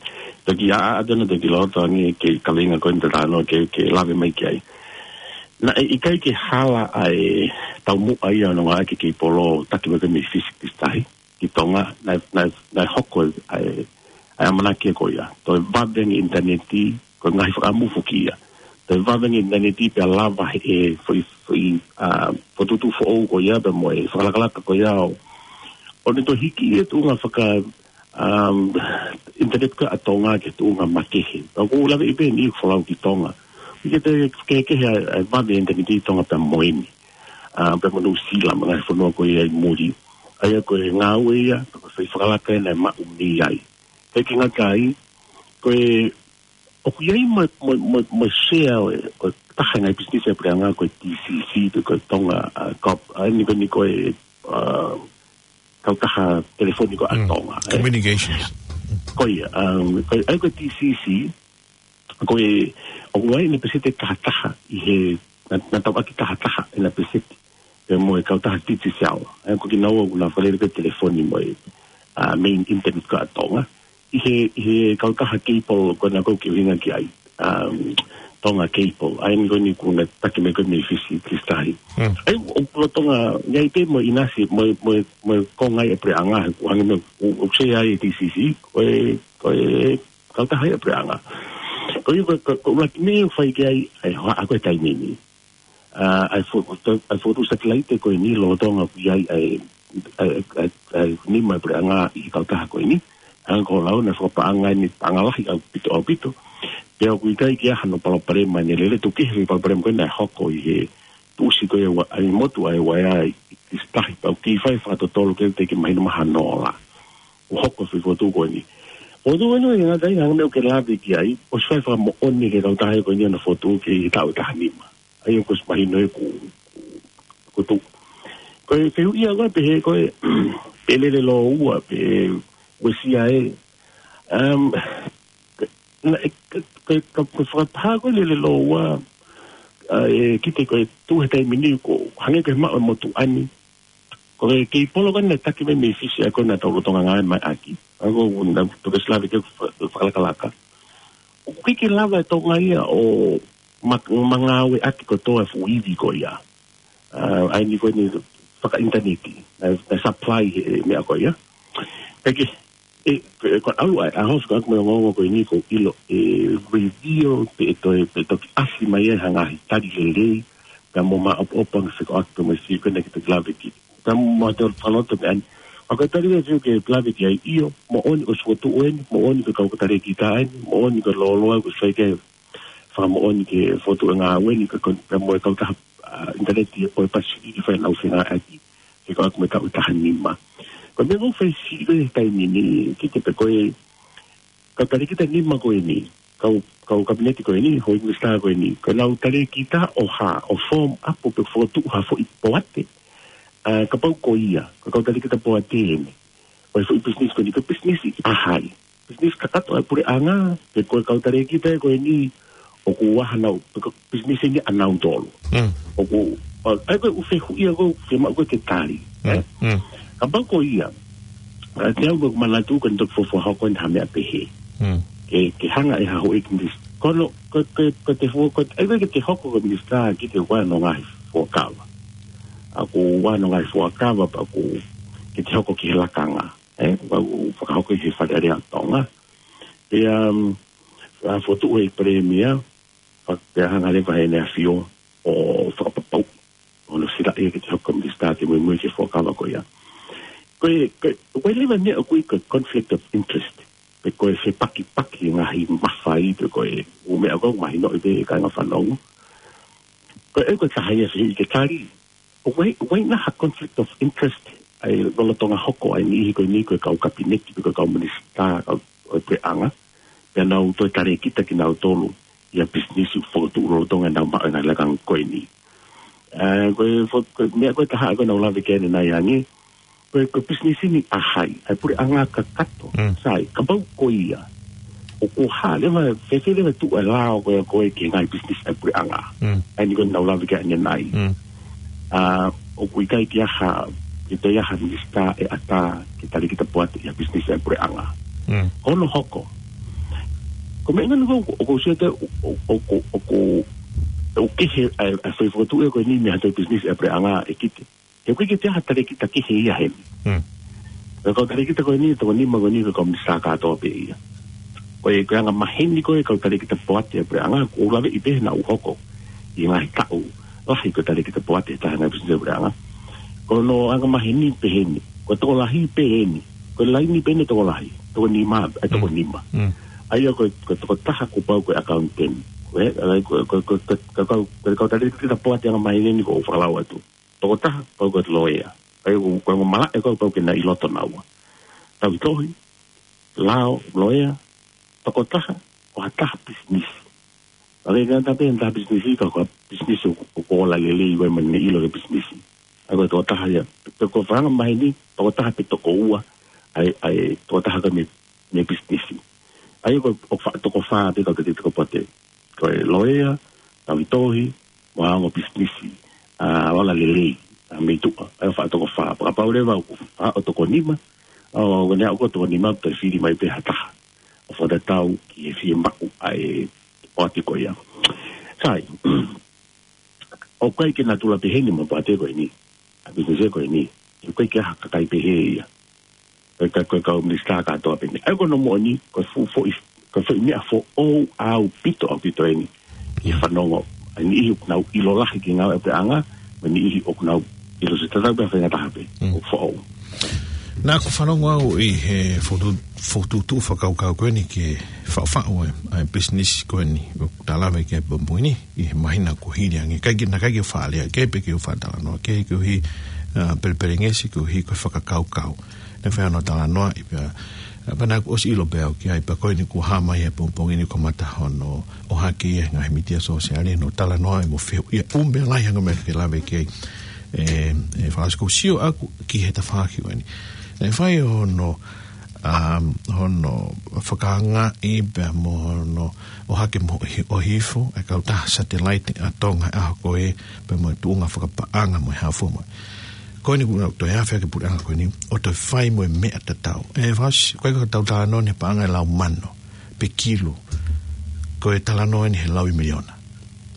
taki a, a, ʻa tena taki loto ange ke kaveinga ko eni te talanoa ke, ke lave mai ki ai. Naʻe ʻikai ke hala ʻa e taumuʻa ia ʻo e ngāueʻaki e keipolo taki mai ko ē mei Fisi ki Fisi Tahi, ki Tonga, naʻe, naʻe, naʻe hoko ʻa e, ʻa e ʻamanaki ko ia. Toe vave ange ʻinitaneti, ko e ngaahi fakaʻamu foki ia. Toe vave ange ʻinitaneti pea lava he foʻi, foʻi, ʻa, fokotuʻutuʻu foʻou ko ia, pea mo e fakalakalaka ko ia ʻo, ʻo ne toe hiki ia tuʻunga faka, um, ʻinitaneti ko ē ʻa Tonga ki he tuʻunga makehe. Pea ʻoku ou lave ʻi pē eni ʻoku folau ki Tonga. ʻIkai ke toe kehekehe ʻa e, ʻa e vave ʻinitaneti ʻi Tonga pea mo eni. ʻA, pea mo Nuʻu Sila mo e ngaahi fonua ko ia ʻi muli. ʻA ia ko e ngāue ia, ko e foʻi fakalaka ena ʻe maʻu mei ai. Kae ʻikai ke ngata ai, ko e, ʻoku ʻi ai mo, mo, mo, mo e share ʻo e, ʻo e taha e ngaahi business ʻa e puleʻanga ko e T C C, pe ko e Tonga, ʻa, Corp, ʻa, eni ko eni ko e, ʻa, kautaha telefoni ko ē ʻa Mm. Tonga, ē? Communications. Ko ia, um, ko e, ʻa ia ko e T C C, ko e, ʻoku ʻi ai ʻena peseti ʻe taha taha, ʻi he, naʻa, naʻa tau ʻaki taha taha ʻena peseti, pea mo e kautaha Digicel. ʻA ia ko kinaua ʻoku nau fakalele ko ē telefoni mo e, ʻa, main internet ko ē ʻa Tonga. ʻI he, ʻi he kautaha cable ko ena ʻoku ke ʻuhinga ki ai, um, Tonga Cable. ʻA ia eni ko eni ʻoku na taki mai ko ē mei Fisi ki Fisi Tahi. Mm. ʻA ia ʻoku lolotonga, ʻi ai pē mo e ʻinasi, mo, mo, mo e konga ʻa e puleʻanga, ʻoku hangē mo, ʻoku, ʻoku share ai e T C C, ko e, ko e kautaha ia ʻa e puleʻanga. Ko ia ko, ko, ko e ʻuluaki meʻa ʻoku fai ki ai, ʻa e hohaʻa ko ē taimi ni. ʻA, ʻa e fo-, ʻa e fokotuʻu satelaite ko eni lolotonga ʻoku ʻi ai, ʻa e, ʻa e, ʻa e, ʻa e nima ʻa e puleʻanga ʻi he kautaha ko eni. Hangē ko e lau naʻe fakapaʻanga eni paʻanga lahi ʻaupito, ʻaupito. Pea ʻoku ʻikai ke ʻi ai hano palopalema ʻene lele, tuku kehe e palopalema ko ē naʻe hoko ʻi he tuʻusi ko ē ʻa e wa-, ʻa e motu ʻa e uaea ʻi, ʻi Fisi Tahi, pea ʻoku kei fai fakatotolo ke te ke mahino mahalo ʻoku hoko e fokotuʻu ko eni. Fokotuʻu ko eni ʻoku ʻikai ngata ai, hangē ko e meʻa ʻoku ke lave ki ai, ʻosi fai fakamoʻoni ki he kautaha ko eni ʻena fokotuʻu ki he taʻu ʻe taha nima. ʻA ia ʻoku ʻosi mahino ʻe ku, ku, ku tu. Ko e fehuʻi ia ko ē pehē ko e, pe lele lōua, pe uesia ē. Um, na, e, ka, ka, ka, ka fakataha ko e lele lōua, ʻa, ʻe kite ko e tuʻu he taimi ni ko, hangē ko e maʻu e motuʻa ni. Ko e kei polo ko ē naʻe taki mai mei Fisi ʻa ko ē naʻa tau lolotonga ngāue mai ʻaki. ʻA ko ʻoku na tuku e sila veke fa-, fakalakalaka. ʻOku ʻikai ke lava ʻe Tonga ia ʻo ma-, ma ngāueʻaki kotoa e fuʻu ivi ko ia. ʻA, ʻa eni ko eni fakaʻinitaneti. Naʻe, naʻe supply he meʻa ko ia. Pea ke, e, e, ko e ʻalu ʻa e, ʻa e house ko ē ʻoku mei ongoongo ko eni ʻoku ou ʻilo ʻe reveal pe ʻe toe, pe toki ʻasi mai ai ha ngaahi tali lelei, pea mo maʻopoʻopo ange fekauʻaki mo e sio ko ena ke toki lave ki. Pea mo te fakaloto meʻa ni. ʻA ko e tali lelei ke lave ki ai ʻio, moʻoni ʻoku fokotuʻu eni, moʻoni ko e kau talēkita eni, moʻoni ko e lōloa ʻoku sai ke fakamoʻoni ke fokotuʻu e ngāue ni, ka ko, pea mo e kautaha, ʻa, ʻinitaneti ʻo e Pasifiki fai ʻenau fengāueʻaki, fekauʻaki mo e taʻu ʻe taha nima. Ko e meʻa ʻoku ou fai siʻi ko ē he taimi ni, kite pē ko e, kau talēkita nima ko eni, kau, kau kapineti ko eni, houʻeiki minisitā ko eni, ko ʻenau talēkita ʻo hā, ʻo form up pe fokotuʻu ha foʻi poate, ʻa, kapau ko ia, ko e kau talēkita poate eni, ʻo e foʻi business ko eni, ko e business ʻi ʻahai. Business kakato ʻa e puleʻanga, pe ko e kau talēkita ko eni, ʻoku ʻaha nau, pe ko e business eni ʻanautolu. Mm. ʻOku, ʻa, ʻa ia ko e ʻū fehuʻi ia ʻoku fiemaʻu ko ē ke tali, Mm, ē? mm. Kapau ko ia, ʻa, te u ʻoku manatu ko eni toki fuofua hoko eni ha meʻa pehē. Mm. Ke, ke hanga ʻe ha houʻeiki minis-, ko hono, ko, ko, ko te fuo, ko, ʻa ia ko e ke te hoko ko e minisitā kite ʻoku ʻi ai hono ngaahi fuakava. ʻA, ʻoku ʻi ai hono ngaahi fuakava, pea ʻoku ke te hoko ki he lakanga. ʻE, ʻoku fakahoko ʻi he Fale Alea ʻo Tonga. Pea, um, ʻa, fokotuʻu ʻe he Palēmia, fa-, pea hanga leva ʻe heʻene ʻAfio ʻo fakapapauʻi hono silaʻi ke te hoko ko e minisitā ke muimui ki he fuakava ko ia. Ko e, ko e, ko e leva meʻa ʻoku ui ko e conflict of interest. Pe ko e fepakipaki ngaahi mafai, pe ko e ʻū meʻa ʻoku mahinoʻi pē ʻe he kāinga fanongo. Ko e, ko e taha ia e fehuʻi ke tali. ʻOku ʻi ai, ʻoku ʻi ai nai ha conflict of interest ʻa e lolotonga hoko ʻa e niʻihi ko eni ko e kau kapineti pe ko e kau minisitā kau ʻo e puleʻanga. Pea nau toe talēkita kinautolu ʻi ha business ʻoku fokotuʻu lolotonga ʻenau maʻu e ngaahi lakanga ko eni. ʻE, ko e fo-, ko e meʻa ko e taha ko ē naʻa ku lave ki ai ʻanenai ange. Ko e, ko e business eni ʻahai, ʻa e puleʻanga kakato. Mm. Sai, kapau ko ia. ʻOku hā leva, fēfē leva tuʻu e lao ko ia ko e ki he ngaahi business ʻa e puleʻanga. Mm. ʻA eni ko ē naʻa ku lave ki ai ʻanenai. Mm. ʻA, ʻoku ʻikai ke ʻi ai ha, ke toe ʻi ai ha minisitā ʻe ʻatā ke talēkita poate ʻi ha business ʻa e puleʻanga. Mm. Ko hono hoko. Ko e meʻa ʻeni ʻoku, ʻoku ou sio atu ʻoku, ʻoku, ʻoku, ʻoku kehe ʻa e, ʻa e foʻi fokotuʻu ko eni mei ha toe business ʻa e puleʻanga ʻe kite. He ʻoku ʻikai ke toe ʻi ai ha talēkita kehe ia heni. Mm. Ko e kau talēkita ko eni, toko nima ko eni, ko e kau minisitā kātoa pē ia. Ko e, ko e anga maheni ko ē kau talēkita poate ʻa e puleʻanga, ʻoku ou laveʻi pē naʻa ku hoko ʻi he ngaahi taʻu lahi ko e talēkita poate ʻi he taha ngaahi business ʻa e puleʻanga. Ko hono anga maheni pē heni, ko e tokolahi pē heni, ko e laini pē ʻene tokolahi, toko nima, ʻe toko Mm. nima. Mm. ʻA ia ko e, ko e tokotaha kuo pau ko e accountant. Ko e, ʻa ia ko e, ko e, ko e, ko e, ko e kau, ko e kau talēkita poate anga maheni ʻoku ou fakalau atu. Tokotaha, pau ko e loea. ʻA ia ko, ko e malaʻe ko ē pau ke na ʻi loto naua. Tauhi tohi, lao, loea, tokotaha, ʻo ha taha business. ʻA ia ka ta pē, taha business ka ko e business ʻoku, ʻoku ola lelei ʻa e meʻa ne ʻilo ki he business. ʻA ia ko e tokotaha ia, pe ko e fanga maheni, tokotaha pe toko ua, ʻa e, ʻa e, tokotaha ka mei mei he business. ʻA ia ko e, ʻoku faʻa toko fā pē kau talēkita poate. Ko e loea, tauhi tohi, mo e ongo business, ʻa, ola lelei, ʻa, mei tuʻa. ʻA ia faʻa toko fā. Pea kapau leva ʻoku faʻo toko nima, ʻo, ʻo ne aʻu ko e toko nima, toe fili mai pē ha taha ʻo fakatatau ki he fiemaʻu ʻa e poate ko ia. Sai, ʻoku ʻikai ke natula pehē ni mo e poate ko eni. ʻA e business ko eni. ʻOku ʻikai ke ʻi ai ha kakai pehē ia. Ko e ka-, ko e kau minisitā kātoa pē eni. ʻA ia ko hono moʻoni, ko e fuʻu foʻi, ko e foʻi meʻa foʻou ʻaupito, ʻaupito eni. ʻI he fanongo, ʻa e niʻihi ʻoku nau ʻilo lahi ki he ngāue ʻa e puleʻanga, mo e niʻihi ʻoku nau ʻilo sio tatau pē ha faʻahinga taha pē, Mm. ʻoku foʻou. Naʻa ku fanongo au ʻi he fokotuʻu, fokotuʻutuʻu fakakaukau ko eni ke faʻufaʻu e, ʻa e business ko eni, ʻoku ta lave ki ai he pongipongi ni, ʻi he māhina kuo hili ange, ʻikai ke, naʻe ʻikai ke faʻa lea kehe pe ke u faʻa talanoa kehe koeʻuhi, ʻa, pelepelengesi koeʻuhi ko e fakakaukau. Naʻe fai hono talanoaʻi pea, ʻa, pea naʻa ku ʻosi ʻilo pē au ki ai, pea ko eni kuo hā mai he pongipongi ni kuo mata hono ʻohake ia he ngaahi mītia sōsiale, hono talanoaʻi mo fehuʻia ʻū meʻa lahi ange mo e meʻa ke lave ki ai. E, e Fasi, ʻoku ou sio ʻaku ki he tafaʻaki ko eni. Naʻe fai hono, um, hono fakaangaʻi pea mo hono ʻohake mo ʻohi-, ʻohifo e kautaha satelaite ʻa Tonga he ʻaho ko ē, pea mo e tuʻunga fakapaʻanga mo e hā fua mo. Ko eni kuo nau toe afe ʻaki e puleʻanga ko eni, ʻo toe fai mo e meʻa tatau. E Fasi, ko e ka tau talanoa ni he paʻanga ʻe lau mano, pe kilu, ko e talanoa eni he lau ʻe miliona.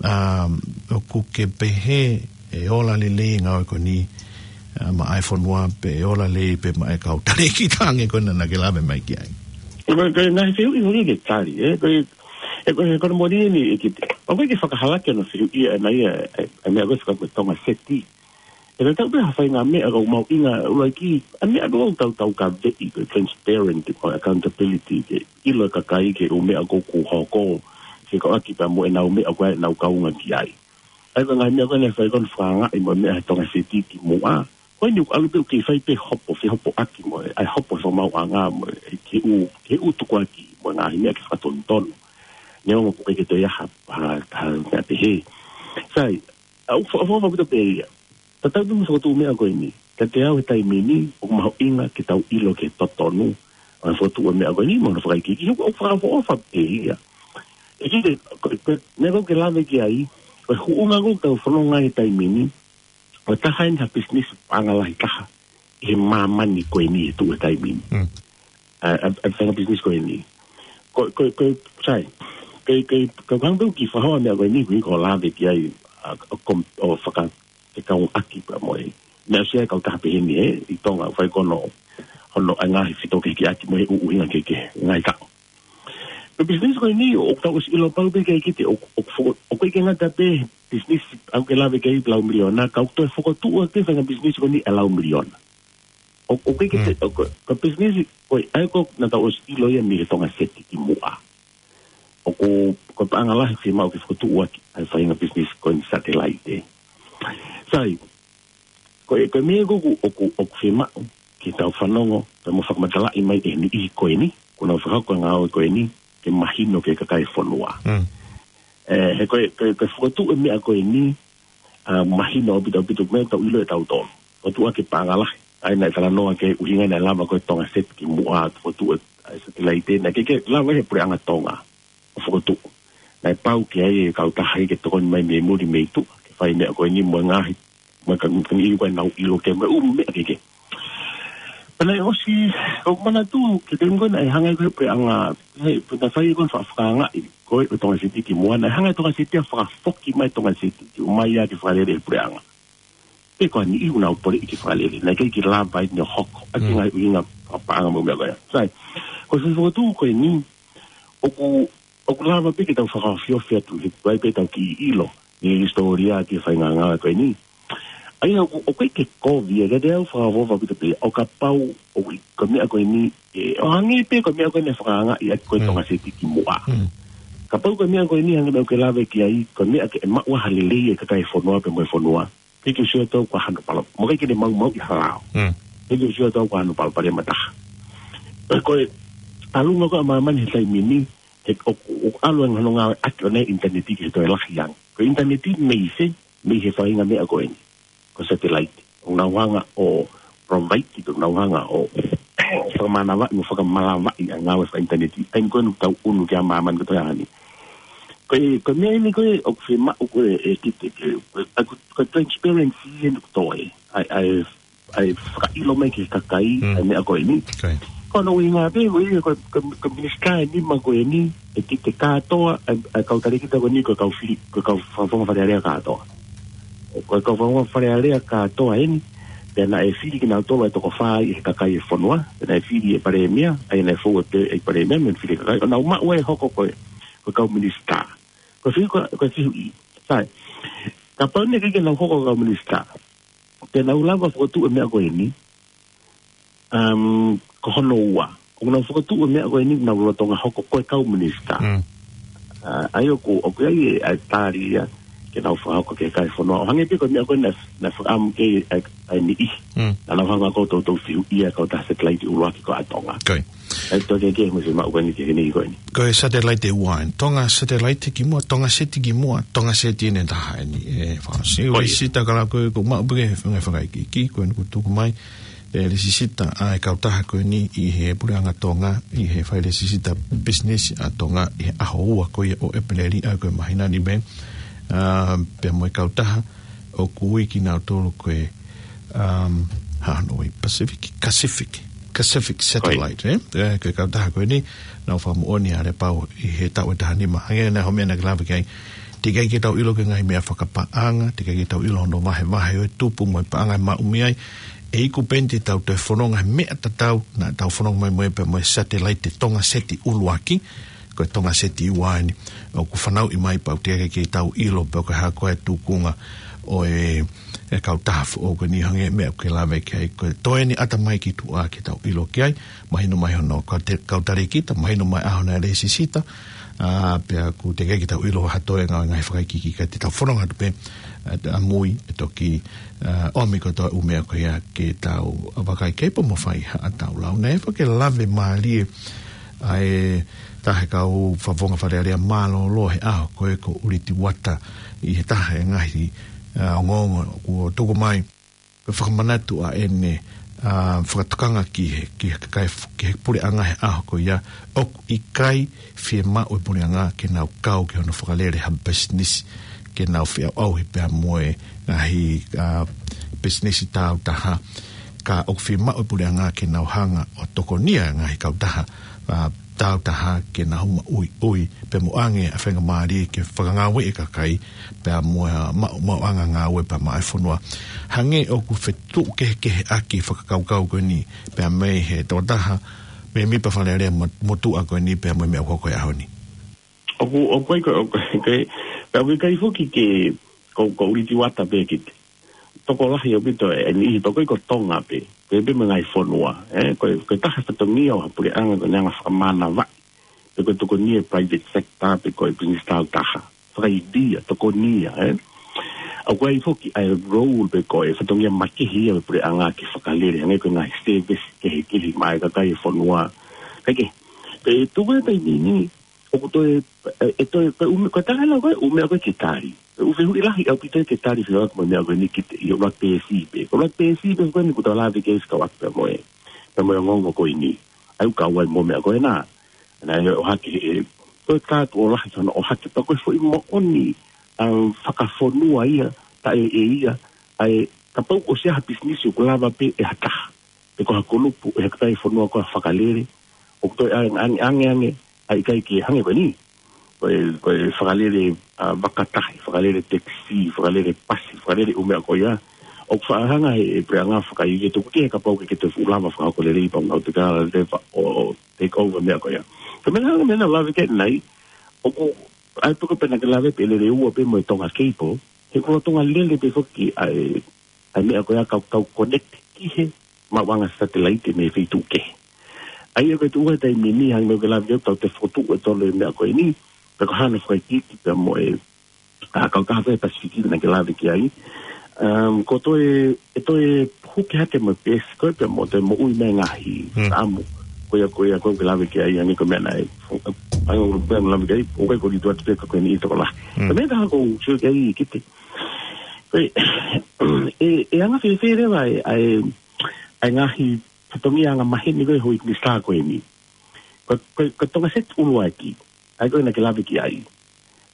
Um, ʻoku ke pehē ʻe ola lelei e ngāue ko eni, ʻa, maʻa e fonua pe ʻe ola lelei pē maʻa e kau talēkita ange ko ena naʻa ke lave mai ki ai. Ko e, ko e ngaahi fehuʻi foki ke tali, ē, ko e, e, ko e, ko e mori ni, ʻe ki, ʻoku ʻikai ke fakahalaki hono fehuʻi ʻa e meʻa ia, e, e meʻa ko e faka-, ko e Tonga Seti. ʻE tatau pē ha faʻahinga meʻa ʻoku mahuʻinga ʻuluaki, ʻa e meʻa ʻoku tau, tau ka veʻi, ko e transparent, ko e accountability, ke ʻilo e kakai ki he ʻū meʻa ʻoku hoko, fekauʻaki pea mo ʻenau meʻa ko ē ʻenau kaunga ki ai. ʻA ia ko e ngaahi meʻa ko ē naʻe fai ko ē hono fakaangaʻi mo e meʻa he Tonga Seti kimuʻa. Ko eni ʻoku ʻalu pē ʻo kei fai pē hopo, fehopoʻaki mo e, ʻa e hopo he fakamaauʻanga mo e, ki he ʻū, ki he ʻū tukuakiʻi mo e ngaahi meʻa ke fakatonutonu. Neongo ʻoku ʻikai ke toe ʻi ai ha, ha, ha meʻa pehē. Sai, ʻa, ʻoku fa-, fa-, fa-, pita pē ia. Tatau pē mo e fokotuʻu meʻa ko eni. Kiate au he taimi ni, ʻoku mahuʻinga ke tau ʻilo ki he totonu ʻo e fokotuʻu e meʻa ko eni, mo hono fakaikiiki, ʻoku, ʻoku fakaʻofoʻofa pē ia. ʻE kite, ko, ko, meʻa ʻoku ke lave ki ai, ko e huʻunga ʻoku tau fononga he taimi ni, ʻoku taha eni ha pisinisi paʻanga lahi taha ʻi he māmani ko eni he tuʻu he taimi ni. Mm. ʻA, ʻa, ʻa, faʻahinga pisinisi ko eni. Ko, ko, ko, sai. Ko, ko, ko, ko hangē pē ʻoku ke fakahoa meʻa ko eni, ʻoku ke lave ki ai, ʻa, ʻo kom-, ʻo faka-, ke kau ʻaki pea mo e. Meʻa ʻoku ʻi ai e kautaha pehē ni, ē, ʻi Tonga, fai ko hono, hono, ʻa e ngaahi fetōkehekeheʻaki mo e ʻū ʻuhinga kehekehe, ngaahi kaʻo. Ko e pisinisi ko eni, ʻoku tau ʻosi ʻilo pau pē ke kite, ʻo, ʻo foko-, ʻoku ʻikai ke ngata pē he pisinisi ʻoku ke lave ki ai lau miliona, ka ʻoku toe fokotuʻu ʻaki e faʻahinga pisinisi ko eni ʻe lau miliona. ʻO, ʻoku ʻikai ke te, Mm. ʻo, ko, ko e pisinisi, ko e, ʻa ia ko ē naʻa tau ʻosi ʻilo ia mei he Tonga Seti kimuʻa. ʻOku, ko e paʻanga lahi fiemaʻu ke fokotuʻu ʻaki ʻa e faʻahinga pisinisi ko eni satelaite. Sai, ko e, ko e meʻa ʻoku, ʻoku, ʻoku fiemaʻu ke tau fanongo, pea mo fakamatalaʻi mai ʻe he niʻihi ko eni, kuo nau fakahoko e ngāue ko eni, ke mahino ki he kakai e fonua. Mm. ʻE, he ko e, ko e, ko e fokotuʻu e meʻa ko eni, ʻa, mahino ʻaupito, ʻaupito, meʻa ʻoku tau ʻilo ʻe tautolu. Fokotuʻu ʻaki e paʻanga lahi. ʻA ia naʻe talanoa ki he ʻuhinga naʻe lava ko e Tonga Seti kimuʻa, fokotuʻu e, ʻa e satelaite, naʻe ʻikai ke lava he puleʻanga Tonga ʻo fokotuʻu. Naʻe pau ke ʻi ai e kautaha ia ke tokoni mai mei muli mei tuʻa, ke fai e meʻa ko eni mo e ngaahi, mo e ka, ka niʻihi ko ē naʻa nau ʻilo ki ai mo e ʻū meʻa kehekehe. Pea naʻe ʻosi, ʻoku ou manatu, ki he taimi ko ē naʻe hanga ai ko ē he puleʻanga, he, pea naʻe fai ko ē e fa-, fakaangaʻi, ko ē ʻo e Tonga Seti kimuʻa, naʻe hanga e Tonga Seti ia ʻo fakafoki mai e Tonga Seti, ke ʻomai ia ke fakalele he puleʻanga. Pe ko e niʻihi ʻoku nau poleʻi ke fakalele, naʻe ʻikai ke lava eni ʻo hoko, ʻa e Mm. ngaahi ʻuhinga fakapaʻanga mo e meʻa ko ia. Sai, ko e fokotuʻu ko eni, ʻoku, ʻoku lava pē ke tau fakaofiofi atu, he ʻoku ʻi ai pē ʻetau kiʻi ʻilo, ʻi he hisitōlia ki he faʻahinga ngāue ko eni. ʻA ia ʻoku, ʻoku ʻikai ke kovi, ʻe kiate au fakaʻofoʻofa ʻaupito pē, ʻo kapau, ʻoku ʻi, ko e meʻa ko eni, ʻe, ʻo hangē pē ko e meʻa ko eni naʻe fakaangaʻi ʻaki ko ē Mm. Tonga Seti kimuʻa. Mm. Kapau ko e meʻa ko eni hangē ko e meʻa ʻoku ke lave ki ai, ko e meʻa ke maʻu ai ha lelei e kakai e fonua pea mo e fonua. ʻIkai ke u sio atu au ko hano palo. Mo ʻikai ke ne maumauʻi ha lao. Mm. ʻIkai ke u sio atu au ko hano palopalema ʻe taha. Ko e ʻalunga ko ē ʻa māmani he taimi ni, he ʻoku, ʻoku ʻalu ange hono ngāue ʻaki ʻo e ʻinitaneti ki he toe lahi ange. Ko e ʻinitaneti mei fē, mei he faʻahinga meʻa ko eni. Ko e satelaite. ʻOku nau hanga ʻo provide, ʻoku nau hanga ʻo fakamanavaʻi mo fakamalavaʻi ʻa e ngāue fakaʻinitaneti. ʻA ia ko eni ʻoku tau ʻunu ki ai ʻa māmani kotoa ni. Ko e, ko e meʻa eni ko ē ʻoku fiemaʻu ko ē ʻe kite ke, ko e, ko e, ko e transparency eni ʻoku toe. ʻA e, ʻa e, ʻa e fakaʻilo mai ki he kakai, Mm. ʻa e meʻa ko eni. Okay. Ko hono ʻuhinga pē, ko e, ko e, ko e, ko e minisitā ʻe nima ko eni, ʻe kite kātoa, ʻa e, ʻa e kau talēkita ko eni, ko e kau fili, ko e kau fakafofonga Fale Alea kātoa. Ko e kau fakafofonga Fale Alea kātoa eni, pea naʻe fili kinautolu ʻe toko fā ʻi he kakai e fonua, pea naʻe fili ʻe Palēmia, ʻa ia naʻe fou ʻe Palēmia, mo e fili kakai, ʻo nau maʻu ai e hoko ko e, ko e kau minisitā. Ko e fehuʻi, ko e, ko e fehuʻi. Sai, kapau naʻe ʻikai ke nau hoko ko e kau minisitā, te nau lava fokotuʻu e meʻa ko eni, um, ko hono ua. ʻOku nau fokotuʻu e meʻa ko eni, nau lolotonga hoko ko e kau minisitā. Mm. ʻA, ʻa ia ʻoku, ʻoku ʻi ai e, ʻa e tali ia, ke nau fakahoko ki he kai fonua. ʻO hangē pē ko e meʻa ko ē naʻe, naʻe fakaʻamu ki ai ʻa e, ʻa e niʻihi. Mm. Naʻa nau hanga ko ē ʻo toutou fehuʻia e kautaha satelaite ʻuluaki ko ē ʻa Tonga. Ko ia. ʻE toe kehekehe mo e fiemaʻu ko eni ki heni ko eni. Ko e satelaite ua eni. Tonga satelaite ki muʻa, Tonga seti ki muʻa, Tonga seti ʻe taha eni. ʻE, fasi, Ko ia. Lēsisita ka la ko e, ko maʻu pē ke fanga fakaʻikiʻiki, ko eni kuo tuku mai. ʻE lēsisita ʻa e kautaha ko eni ʻi he Puleʻanga Tonga, ʻi he fai lēsisita pisinisi ʻa Tonga, ʻi he ʻaho ua ko ia ʻo ʻEpeleli ʻa ia ko e māhina ni pē. ʻA, pea mo e kautaha ʻoku ui kinautolu ko e, um, hano ʻi Pacific, Pacific, Pacific Satellite, ʻe? ʻE, ko e kautaha ko eni, naʻa nau fakamoʻoni ʻa Lepau ʻi he taʻu ʻe taha nima. Hangē naʻe ʻi ai hoʻo meʻa naʻa ke lave ki ai. Teʻeki ai ke tau ʻilo ki he ngaahi meʻa fakapaʻanga, teʻeki ai ke tau ʻilo hono vahevahe ʻo e tupu mo e paʻanga ʻe maʻu mei ai. ʻE iku pē eni te tau toe fononga he meʻa tatau naʻa tau fononga mai mo ia pea mo e satelaite Tonga seti ʻuluaki, ko e Tonga seti ua eni. ʻOku fanauʻi mai pau teʻeki ai ke tau ʻilo pe ko e hā koā e tuʻunga ʻo e, e kautaha foʻou ko eni, hangē meʻa ʻoku ke lave ki ai, ko e toe eni ʻata mai ki tuʻa ke tau ʻilo ki ai, mahino mai hono kau te-, kau talēkita, mahino mai ʻaho naʻe lēsisita, ʻa, pea ʻoku teʻeki ai ke tau ʻilo ha toe ngaahi, ngaahi fakaʻikiʻiki ka te tau fononga atu pē, ʻa, ʻamui, ʻe toki, ʻa, ʻomi kotoa e ʻū meʻa ko ia ke tau vakai ki ai pea mo fai haʻatau lau. Naʻe fai ke lave mālie ʻa e taha e kau fakafofonga Fale Alea mālōlō he ʻaho ko ē ko ʻUliti Uata ʻi he taha e ngaahi, ʻa, ongoongo kuo tuku mai. Ko e fakamanatu ʻa ʻene, ʻa, fakatokanga ki he, ki he kakai f-, ki he puleʻanga he ʻaho ko ia, ʻoku ʻikai fiemaʻu e puleʻanga ke nau kau ki hono fakalele ha pisinisi, ke nau feʻauʻauhi pea mo e ngaahi, ʻa, pisinisi tāutaha, ka ʻoku fiemaʻu e puleʻanga ke nau hanga ʻo tokonia e ngaahi kautaha, ʻa, tāutaha ke nau hū maʻuiʻui, pea mo ʻoange ʻa e faingamālie ke fakangāueʻi e kakai, pea mo e maʻu, maʻuʻanga ngāue pea maʻa e fonua. Hangē ʻoku fetuʻu kehekeheʻaki e fakakaukau ko eni, pea mei he tokotaha mēmipa Fale Alea mo-, motuʻa ko eni, pea mo e meʻa ʻoku hoko he ʻaho ni. ʻOku, ʻoku ʻikai ko, ʻoku ʻikai, pea ʻoku ʻikai foki ke, ko, ko ʻUliti Uata pē ki te tokolahi ʻaupito e, e niʻihi pea ʻoku ʻikai ko Tonga pē, ko e pē mo e ngaahi fonua, ʻe, ko e, ko e taha e fatongia ʻo ha puleʻanga ko ʻene hanga ʻo fakamānavaʻi, pe ko e tokonia e private sector, pe ko e pisinisi tāutaha. Fakaivia, tokonia, ʻe. ʻOku ʻi ai foki ʻa e role pe ko e fatongia makehe ia ʻo e puleʻanga ke fakalele, hangē ko e ngaahi service kehekehe maʻa e kakai e fonua. Kae kehe, pea tuku e taimi ni, ʻoku toe, ʻe, ʻe toe, ko e ʻū meʻa, ko e taha ena ko e ʻū meʻa ko ē ke tali. Ko e ʻū fehuʻi lahi ʻaupito ia ke tali, fekauʻaki mo e meʻa ko eni ki he, ʻi he ʻuluaki peesi pē. Ko e ʻuluaki peesi pē ko eni kuo tau lave ki ai ʻi he ʻaho ni pea mo e, pea mo e ongoongo ko eni. ʻA ia ʻoku kau ai mo e meʻa ko ena. Naʻe ʻohake ʻe, ko e kātoa lahi hono ʻohake pea ko e foʻi moʻoni, ʻa, fakafonua ia, taʻe ʻe ia, ʻa e, kapau ʻoku ʻi ai ha pisinisi ʻoku lava pē ʻe ha taha pe ko ha kulupu ʻe he kakai e fonua ko ē ʻo fakalele, ʻoku toe ʻange, ʻange, ʻange, ʻange, ʻa e ʻikai ke hangē ko eni. Ko e, ko e fakalele, ʻa, vakatahi, fakalele tekisī, fakalele pasi, fakalele ʻū meʻa ko ia. ʻOku faʻa hanga ʻe he, ʻe he puleʻanga fakaivia, toki kehe kapau ʻoku ʻikai ke toe fuʻu lava fakahoko lelei pea mo e ʻautekala leva ʻo, ʻo take over meʻa ko ia. Ko e meʻa naʻa, meʻa naʻa lave ki ai ʻanenai, ʻoku, ʻa e poko pē naʻa ke lave pē lele ua pē mo e Tonga Cable, he ko e Tonga lele pē foki ʻa e, ʻa e meʻa ko ia kau, kau connect ki he maʻuʻanga satelaite mei he feituʻu kehe. ʻA ia ko e tuʻu he taimi ni hangē ko e lave atu ʻoku tau toe fokotuʻu ʻe tolu e meʻa ko eni, pea ko hano fakaikiiki pea mo e, ʻa, kautaha fē Pasifiki naʻa ke lave ki ai. Um, ko e toe, ʻe toe huki hake mo e peesi ko ē pea mo toe moʻui mai e ngaahi Mm. fakaʻamu. Ko ia, ko ia, ko ē ke lave ki ai, hangē ko e meʻa naʻe, hangē ko e meʻa naʻa ke lave ki ai, ʻoku ʻikai ko ʻUliti Uata pē ka ko eni ʻi tokolahi. Mm. Ko e meʻa ʻe taha ʻoku ou sio ki ai, Kite. Ko e, ʻe, ʻe anga fēfē leva ʻa e, ʻa e, ʻa e ngaahi fatongia anga maheni ko ē ʻo e houʻeiki minisitā ko eni. Ko, ko, ko e Tonga seti ʻuluaki, ʻa ia ko ē naʻa ke lave ki ai.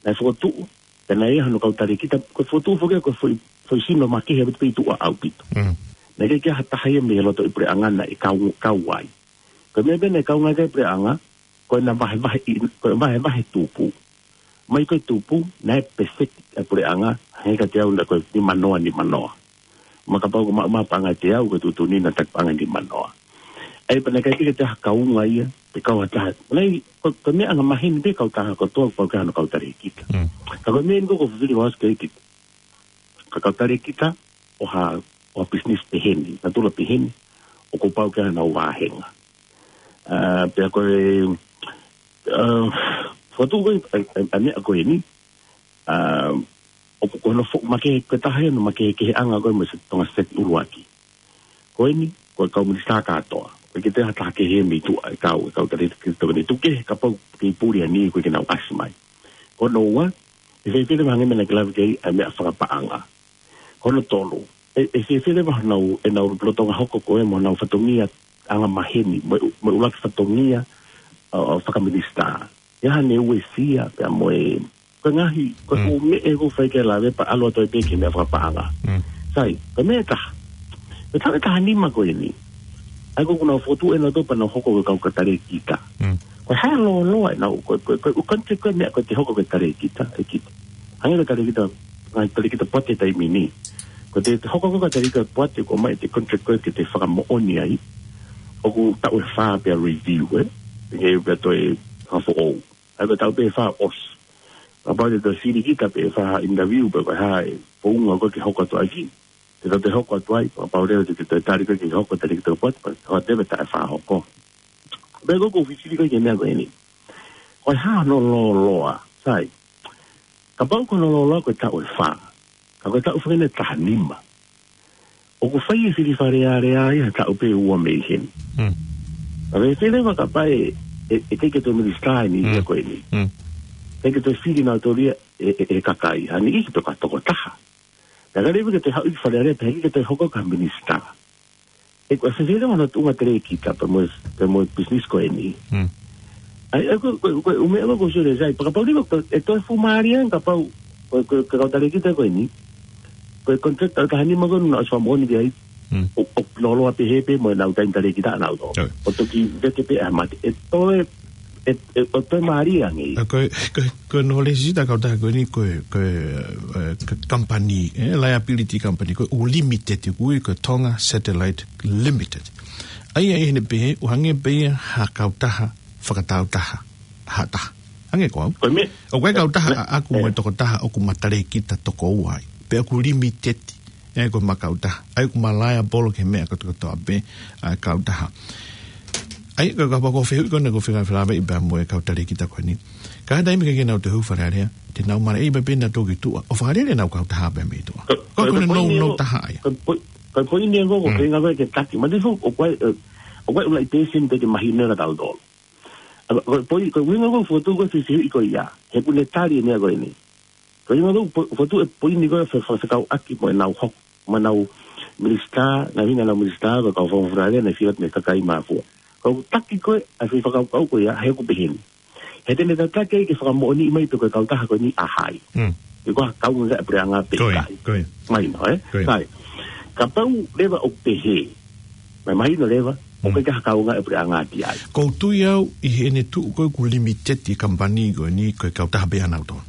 Naʻe fokotuʻu, pea naʻe ʻi ai hano kau talēkita, ko e fokotuʻu foki ko e foʻi, foʻi sino makehe ʻaupito pē ʻi tuʻa ʻaupito. Mm. Naʻe ʻikai ke ʻi ai ha taha ia mei he lotoʻi puleʻanga naʻe kau, kau ai. Ko e meʻa pē naʻe kaunga ki ai e puleʻanga, ko ʻena vahevahe ʻi, ko e vahevahe tupu. Mai ko e tupu, naʻe pēseti ʻa e puleʻanga, hangē kiate au naʻe ko e nimanoa, nimanoa. Ma kapau ko e maʻu mai ha paʻanga ʻe teau, ko e tuʻutuʻuni naʻa taki paʻanga nimanoa. ʻA ia pea naʻe ʻikai ke toe ʻi ai ha kaunga ia, pe kau ha taha. Naʻe, ko, ko e meʻa anga maheni pē kautaha kotoa, pau ke ʻi ai hano kau talēkita. Mm. Ka ko e meʻa eni ko ē ʻoku ou fifili ʻo ʻoatu ki ai, Kite. Ka kau talēkita ʻo ha, ʻo ha pisinisi pehē ni, natula pehē ni, ʻoku pau ke ʻi ai hano vāhenga. ʻA, pea ko e, ʻa, fokotuʻu ko ē, ʻa, ʻa, ʻa e meʻa ko eni, ʻa, ʻoku ko hono foʻi makehe, ko e taha ia hono makehekeheʻanga ko ē mo e Tonga State ʻuluaki. Ko eni, ko e kau minisitā kātoa. Ko e ke te hata kehe mei tuʻa e kau, e kau talēkita ko eni. Tuku kehe kapau ke puli ʻa eni ko ē ke nau ʻasi mai. Ko hono ua, ʻe fēfē leva hangē ko e meʻa naʻa ke lave ki ai ʻa e meʻa fakapaʻanga. Ko hono tolu, ʻe, ʻe fēfē leva honau, ʻenau lolotonga hoko ko ē mo honau fatongia angamaheni, mo e, mo e ʻuluaki fatongia, ʻo, ʻo fakaminisitā. ʻE ʻi ai haʻane uesia, pea mo e, ko e ngaahi, ko e Mm. ʻū meʻa ʻoku ou fai ke lave pea ʻalu atu ai pē ki he meʻa fakapaʻanga. Mm. Sai, ko e meʻa ʻe taha. Ko e taʻu ʻe taha nima ko eni. ʻA ia ko ʻenau fokotuʻu ʻenau topa nau hoko ko e kau talēkita. Mm. Ko e hā e lōloa ʻenau, ko, ko, ko, ko e contract ko e meʻa ko e te hoko ko e talēkita, ʻe kita. Hangē ko e talēkita, ngaahi talēkita poate taimi ni. Ko e te, te hoko ko e talēkita poate ko e ʻomai ʻete contract ko ē ke te fakamoʻoni ai. ʻOku taʻu ʻe fā pea review, ē? Ke pea toe hanga foʻou. ʻA ia ko e taʻu pē ʻe fā ʻosi. Kapau te te fili kita pē ʻe fā interview pē ko e hā e founga ko ē ke hoko atu ai ki. Te te hoko atu ai, kapau leva te te tali ko ē ke hoko talēkita poate, pea hoko atu pē taʻu ʻe fā hoko. Pea ko ʻeku fifili ko ē ki he meʻa ko eni. Ko e hā hono lōloa, sai. Kapau ko hono lōloa ko e taʻu ʻe fā. Ka ko e taʻu fakaʻosi ʻe taha nima. ʻOku fai e fili Fale Alea ia he taʻu pē ʻe ua mei heni. Mm. Ka fēfē leva kapau ʻe, ʻe, ʻe ʻikai ke toe minisitā eni Mm. ia ko eni. Mm. ʻIkai ke toe fili nautolu ia ʻe, ʻe, ʻe he kakai. Ha niʻihi pē ko ha tokotaha. Ka ka leva ke toe haʻu ki Fale Alea pea ʻikai ke toe hoko ko ha minisitā. ʻE ko e fēfē leva hono tuʻunga talēkita pea mo e, pea mo e business ko eni. Mm. ʻA ia, ko, ko, ko, ʻū meʻa ko ē ʻoku ou sio ki ai, pea kapau leva ko e toe fuʻu mālie ange kapau, ko, ko, ko e kau talēkita ko eni. Ko e contract taʻu ʻe taha nima ko ē naʻa nau ʻosi fakamoʻoni ki ai. Mm. ʻO, ʻo lōloa pehē pē mo ʻenau taimi talēkita ʻanautolu. ʻIo. ʻO toki vete pē ʻa e mate. ʻE toe, ʻe, ʻe, ʻo toe mālie ange. ʻA, ko e, ko e, ko e knowledge ʻa e kautaha ko eni ko e, ko e, ē, ko e company, ē, liability company, ko e ʻū limited, ko e, ko e Tonga Satellite Limited. ʻA ia ʻi heʻene pehē, ʻoku hangē pē ia ha kautaha fakataautaha, ha taha. Hangē ko au. Ko e meʻa. ʻOku ʻi ai e kautaha ʻaʻaku mo e tokotaha ʻoku ma talēkita toko ua ai. Pea ʻoku limited, ē, ko ʻema kautaha. ʻA ia ʻoku ma liable ki he meʻa kotoa pē ʻa e kautaha. ʻA ia, ka, kapau ko e fehuʻi ko ena ʻoku ou fie lave ai pea mo e kau talēkita ko eni. Ka ʻi he taimi ʻe ʻikai ke nau toe hū Fale Alea, te nau maleʻei pē pea nau toki tuʻa ʻo fakalele ʻenau kautaha pē mei tuʻa. Ko, ko, ko, ko e no, poini no ʻo, taha ia. Ko e poi-, ko e poini ʻoku ou Mm. feinga ko ē ke taki. Ma te fu, ʻoku ʻi ai, ē, ʻoku ʻi ai e ʻū laʻi pēseni te ke mahino ʻa tautolu. ʻA, ko e poi-, ko e ʻuhinga ʻoku ou fokotuʻu ko ē e fehuʻi ko ia. He ʻoku ne tali e meʻa ko eni. Ko e ʻuhinga ʻoku ou po-, fokotuʻu e poini ko ē fe-, fe-, fekauʻaki mo ʻenau hoko, mo ʻenau minisitā, ngaahi ʻenau minisitā, ko e kau fakafofonga Fale Alea, naʻe fili atu mei he kakai mafua. Ko ʻeku taki ko ē ʻa e foʻi fakakaukau ko ia, he ʻoku pehē ni. He te ne tataki ai ke fakamoʻoniʻi mai pe ko e kautaha ko eni ʻa hai. Mm. Pe ko e kaungāʻapi puleʻanga pe Ko ia, ʻikai. ko ia. Mahino, ē? Ko ia. Sai. Kapau leva ʻoku pehē. Mahino leva, ʻoku Mm. ʻikai ha kaungāʻapi puleʻanga ki ai. ʻOku ou tui au ʻi heʻene tuʻu ko ē ʻoku limited e company ko eni ko e kautaha pē ʻanautolu.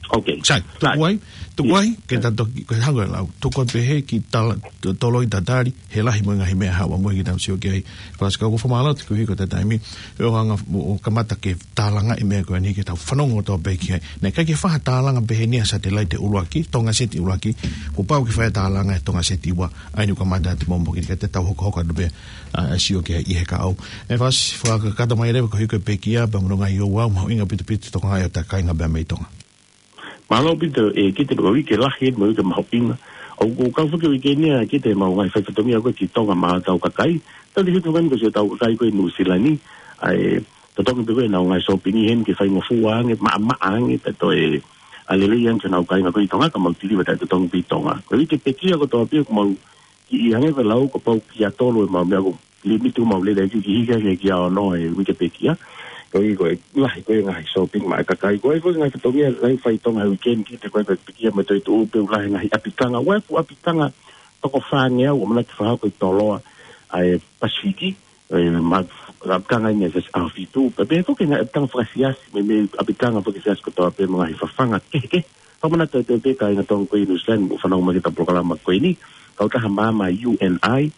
Ok. Sai, tuku Sai. ai, tuku Ia. ai, ke ta toki, ko e hanga lau. Tuku ai pē he ki tala, to-, toloi tatali, he lahi mo e ngaahi meʻa haʻu mo e ki tau sio ki ai. Pasi ka ʻoku ou fakamālō atu koeʻuhi ko e taimi, ʻo hanga, ʻo, ʻo kamata ke tālangaʻi e meʻa ko eni ke tau fanongo kotoa pē ki ai. Naʻe ʻikai ke fai ha tālanga pehē ni ʻa e satellite ʻuluaki, Tonga Sat ʻuluaki, kuo pau ke fai ha tālanga ʻe Tonga Sat ua, ʻa eni ʻoku kamata atu mo mo ki te tau hokohoko atu pē, ʻa, sio ki ai ʻi he kahaʻu. ʻE Fasi, fakakakato mai leva koeʻuhi ko e pekia, pea mo e ngaahi ouau, mahuʻinga ʻaupito ʻa e tokotaha ʻo e kāinga pea mei Tonga. Mālō ʻaupito, ʻe, ki he pē ko e uike lahi, mo e uike mahuʻinga. ʻOku, ʻoku kau foki e uike ni ʻa, ki he mau ngaahi faifatongia ko ē ki Tonga maʻa hotau kakai. Tau te hitu ngani ko siʻotau kakai ko ē ʻi Nuʻusila ni. ʻA e, totongi pē ko ē ʻenau ngaahi sōpingi heni ke faingofua ange, maʻamaʻa ange, pea toe, ʻa, lelei ange ki honau kāinga ko ē ʻi Tonga, ka mau tiliva taʻetotongi pē ʻi Tonga. Ko e uike pekia kotoa pē ʻoku mau kiʻi hangē ko e lau ko e pau kia tolu ʻemau meʻa ko e limiti ʻemau lele ki, ki hiki hake kia ono he uike pekia. Koeʻuhi ko e lahi ko ē ngaahi sōpingi maʻa e kakai. Ko e foʻi ngaahi fatongia lahi fai ʻi Tonga he uike ni ki he ko e pekia mo e toetuʻu pē ʻoku lahi ngaahi ʻapitanga. Ko e fuʻu ʻapitanga toko fāngeau ʻoku ʻamanaki ke fakahoko ʻi Toloa ʻa e Pasifiki. ʻE, ma, ʻapitanga ʻi he siasi ʻAhofitu. Pea pehē foki ngaahi ʻapitanga fakasiasi, mei, mei ʻapitanga fakasiasi kotoa pē mo e ngaahi fafanga kehekehe. Fakamanatu atu pē kāinga Tonga ko ē ʻi Nuʻusila ni, ʻoku fanongo mai ki heʻetau polokalama ko eni, kautaha maama U N I,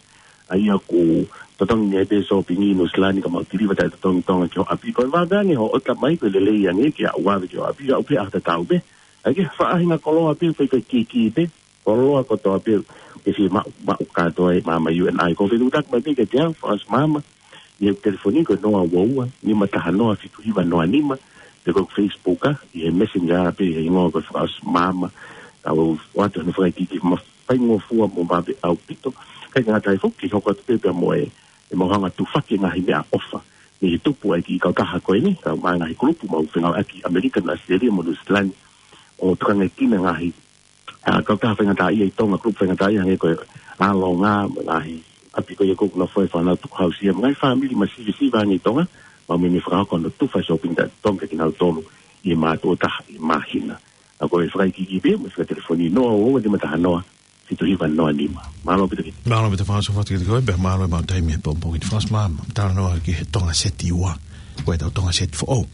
ʻa ia ʻoku totongi ni ai pē sōpingi ʻi Nuʻusila ni ka mau tiliva taʻetotongi ʻi Tonga ki ho ʻapi. Ko e vave ange hoʻo ʻota mai ko e lelei ange ke aʻu ʻo ʻave ki ho ʻapi, aʻu pē ʻaho tatau pē. ʻAi ke faʻahinga koloa pē, fai ko e kiki pē, koloa kotoa pē, ke fiemaʻu, maʻu kātoa ʻe he maama U N I. Ko e fetuʻutaki mai pē kiate au, fakaʻosi maama, ʻi heʻeku telefoni ko e noa ua ua, nima taha noa, fitu hiva noa nima, pe ko e Facebook, ʻa, ʻi he Messenger pē, ʻi he hingoa ko e fakaʻosi maama, Tau ʻoatu hono fakaikiiki mafaingofua mo maʻa pē ʻaupito. Kae ʻikai ngata ai foki, hoko atu pē pea mo e, e mau hanga tufaki ngaahi meʻaʻofa. Mei he tupu ʻa e kiʻi kautaha ko eni, tau maʻa ngaahi kulupu mau fengāueʻaki ʻAmelika, ʻAositelēlia mo Nuʻu Sila ni. ʻO tukangaekina ngaahi, ʻa, kautaha faingataʻaʻia ʻi Tonga, kulupu faingataʻaʻia hangē ko e ʻAlonga, mo e ngaahi ʻapi ko ia ʻoku nofo ai e fānau tukuhausia, mo e ngaahi fāmili masivesiva ange ʻi Tonga, mau meimei fakahoko hono tufa e shopping cart ʻa Tonga kia kinautolu ʻi he mātuʻa ʻe taha ʻi he māhina. ʻA ko e fakaikiiki pē, mo e fika telefoni noa ua ua nima taha noa, fitu hiva noa nima. Mālō ʻaupito ki. Mālō ʻaupito Faʻaso Fatu ki te koe, pea mālō e maʻu taimi he pongipongi ni Faʻaso Mā, tala noa ki he Tonga Seti Ua, ko e tau Tonga Seti Foʻou.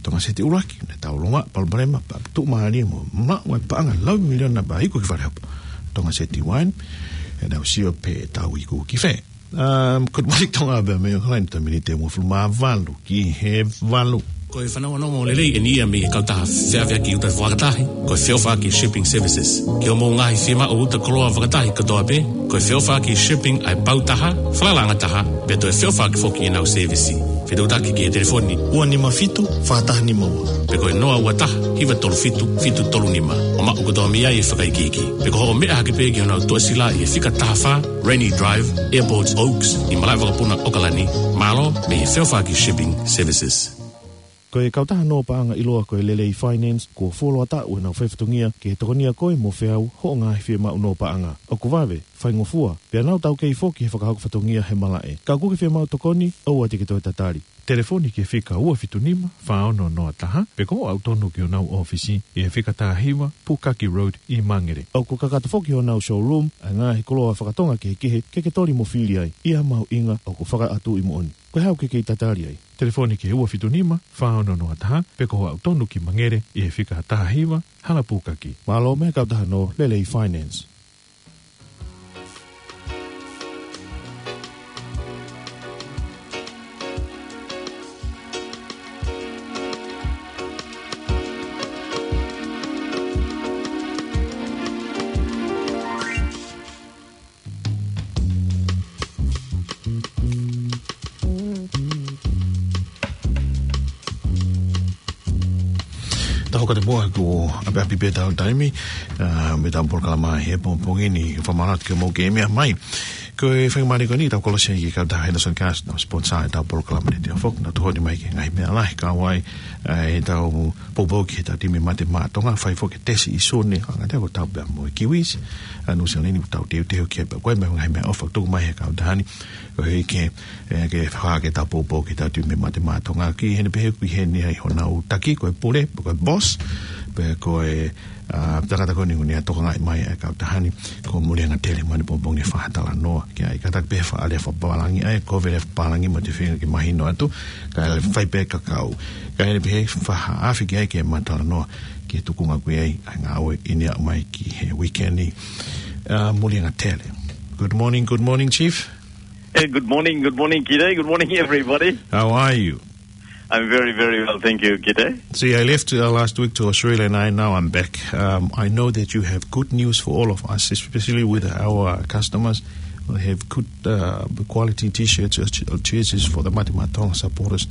Tonga Seti ʻUluaki, ne tau longa, palopalema, pea tuʻumālie mo maʻu e paʻanga lau miliona pea iku ki fale hopo. Tonga Seti Ua, ʻe nau sio pē ʻe tau iku ki fē. Um, good morning Tonga, pea mei ʻOkalani, ko e miniti ʻe uofulu mā valu ki he valu. Ko e fanauʻi ʻo e moʻui lelei eni ia mei he kautaha feʻaveʻaki ʻuta fakatahi, ko e feʻofaʻaki Shipping Services. Ki hoʻomou ngaahi fiemaʻu ʻuta koloa fakatahi kotoa pē, ko e feʻofaʻaki shipping ʻa e pau taha, falalaʻanga taha, pea toe feʻofaʻaki foki ʻenau sēvisi. Fetuʻutaki ki he telefoni ua nima fitu, fā taha nima ua. Pe ko e noa ua taha, hiva tolu fitu, fitu tolu nima. ʻO maʻu kotoa mei ai e fakaikiiki. Pe ko hoʻo meʻa hake pē ki honau tuʻasila ʻi he fika taha fā, Rainy Drive, Airport Oaks, ʻi Malaʻevakapuna, ʻOkalani, mālō mei he feʻofaʻaki Shipping Services. Ko e kautaha nō paʻanga ʻiloa ko e Lelei Finance, kuo fuoloa taʻu ʻenau faifatongia ki he tokonia koe mo feau hoʻo ngaahi fiemaʻu nō paʻanga. ʻOku vave, faingofua, pea nau taukei foki he fakahoko fatongia he malaʻe. Ka ʻoku ke fiemaʻu tokoni, ʻoua te ke toe tatali. Telefoni ki he fika ua fitu nima, fā ono noa taha, pe ko hoʻo aʻu tonu ki honau ʻōfisi ʻi he fika taha hiva, Pukaki Road ʻi Mangere. ʻOku kakato foki honau showroom ʻa e ngaahi koloa fakatonga kehekehe ke ke toli mo fili ai, ʻi ha mahuʻinga ʻoku fakaʻatuʻi moʻoni. Ko e hā ʻoku ke kei tatali ai? Telefoni ki he ua fitu nima, fā ono noa taha, pe ko hoʻo aʻu tonu ki Mangere ʻi he fika taha hiva, Hala Pukaki. Mālō mei he kautaha nō Lelei Finance. Tau hoko atu muʻa, kuo ʻapiʻapi pē ʻetau taimi, ā, mei heʻetau polokalama he pongipongi ni, fakamālō atu ki hoʻomou kei meʻa mai. Ko e faingamālie ko eni ʻetau kolosi ai ki he kautaha Henderson Cars, nau sponsor ʻetau polokalama ni, ʻio foki, nau tokoni mai ki he ngaahi meʻa lahi, kau ai, ā, ʻetau poupou ki heʻetau timi Mate Maʻa Tonga, fai foki e tesi ʻi Sune, ʻo hangē ko ʻetau pea mo e Kiwis, ā, Nuʻu Sila ni, ʻoku tau teuteu ki ai pea ko e meʻa, ngaahi meʻaʻofa ʻoku tuku mai he kautaha ni, koeʻuhi ke, ē, ke fakahā ke tau poupou ki heʻetau timi Mate Maʻa Tonga ki heʻene pehē ʻoku ʻi heni ai honau taki, ko e pule, ko e boss, pea ko e, ā, tangata ko eni ʻoku ne tokangaʻi mai e kautaha ni, ko Mulianga Tele, mo ʻene pongipongi ni fakatalanoa ki ai. Kātaki pē fakaʻalu e fakapālangi, ʻa e kole e fakapālangi mo e feinga ke mahino atu, kae fai pē kakau. Kae ʻi heʻene pehē fakaafeʻi ki ai ke ma talanoa ki he tuʻunga ʻoku ʻi ai ʻa e ngāue ʻi he aʻu mai ki he weekend ni. Ā, Mulianga Tele. Good morning, good morning, Chief. Hey, good morning, good morning, Kite. Good morning, everybody. How are you? I'm very, very well, thank you, Kite. See, I left, uh, last week to Australia, and I, now I'm back. Um, I know that you have good news for all of us, especially with our customers. We have good, uh, quality T-shirts or ch-, or jerseys for the Mate Maʻa Tonga supporters.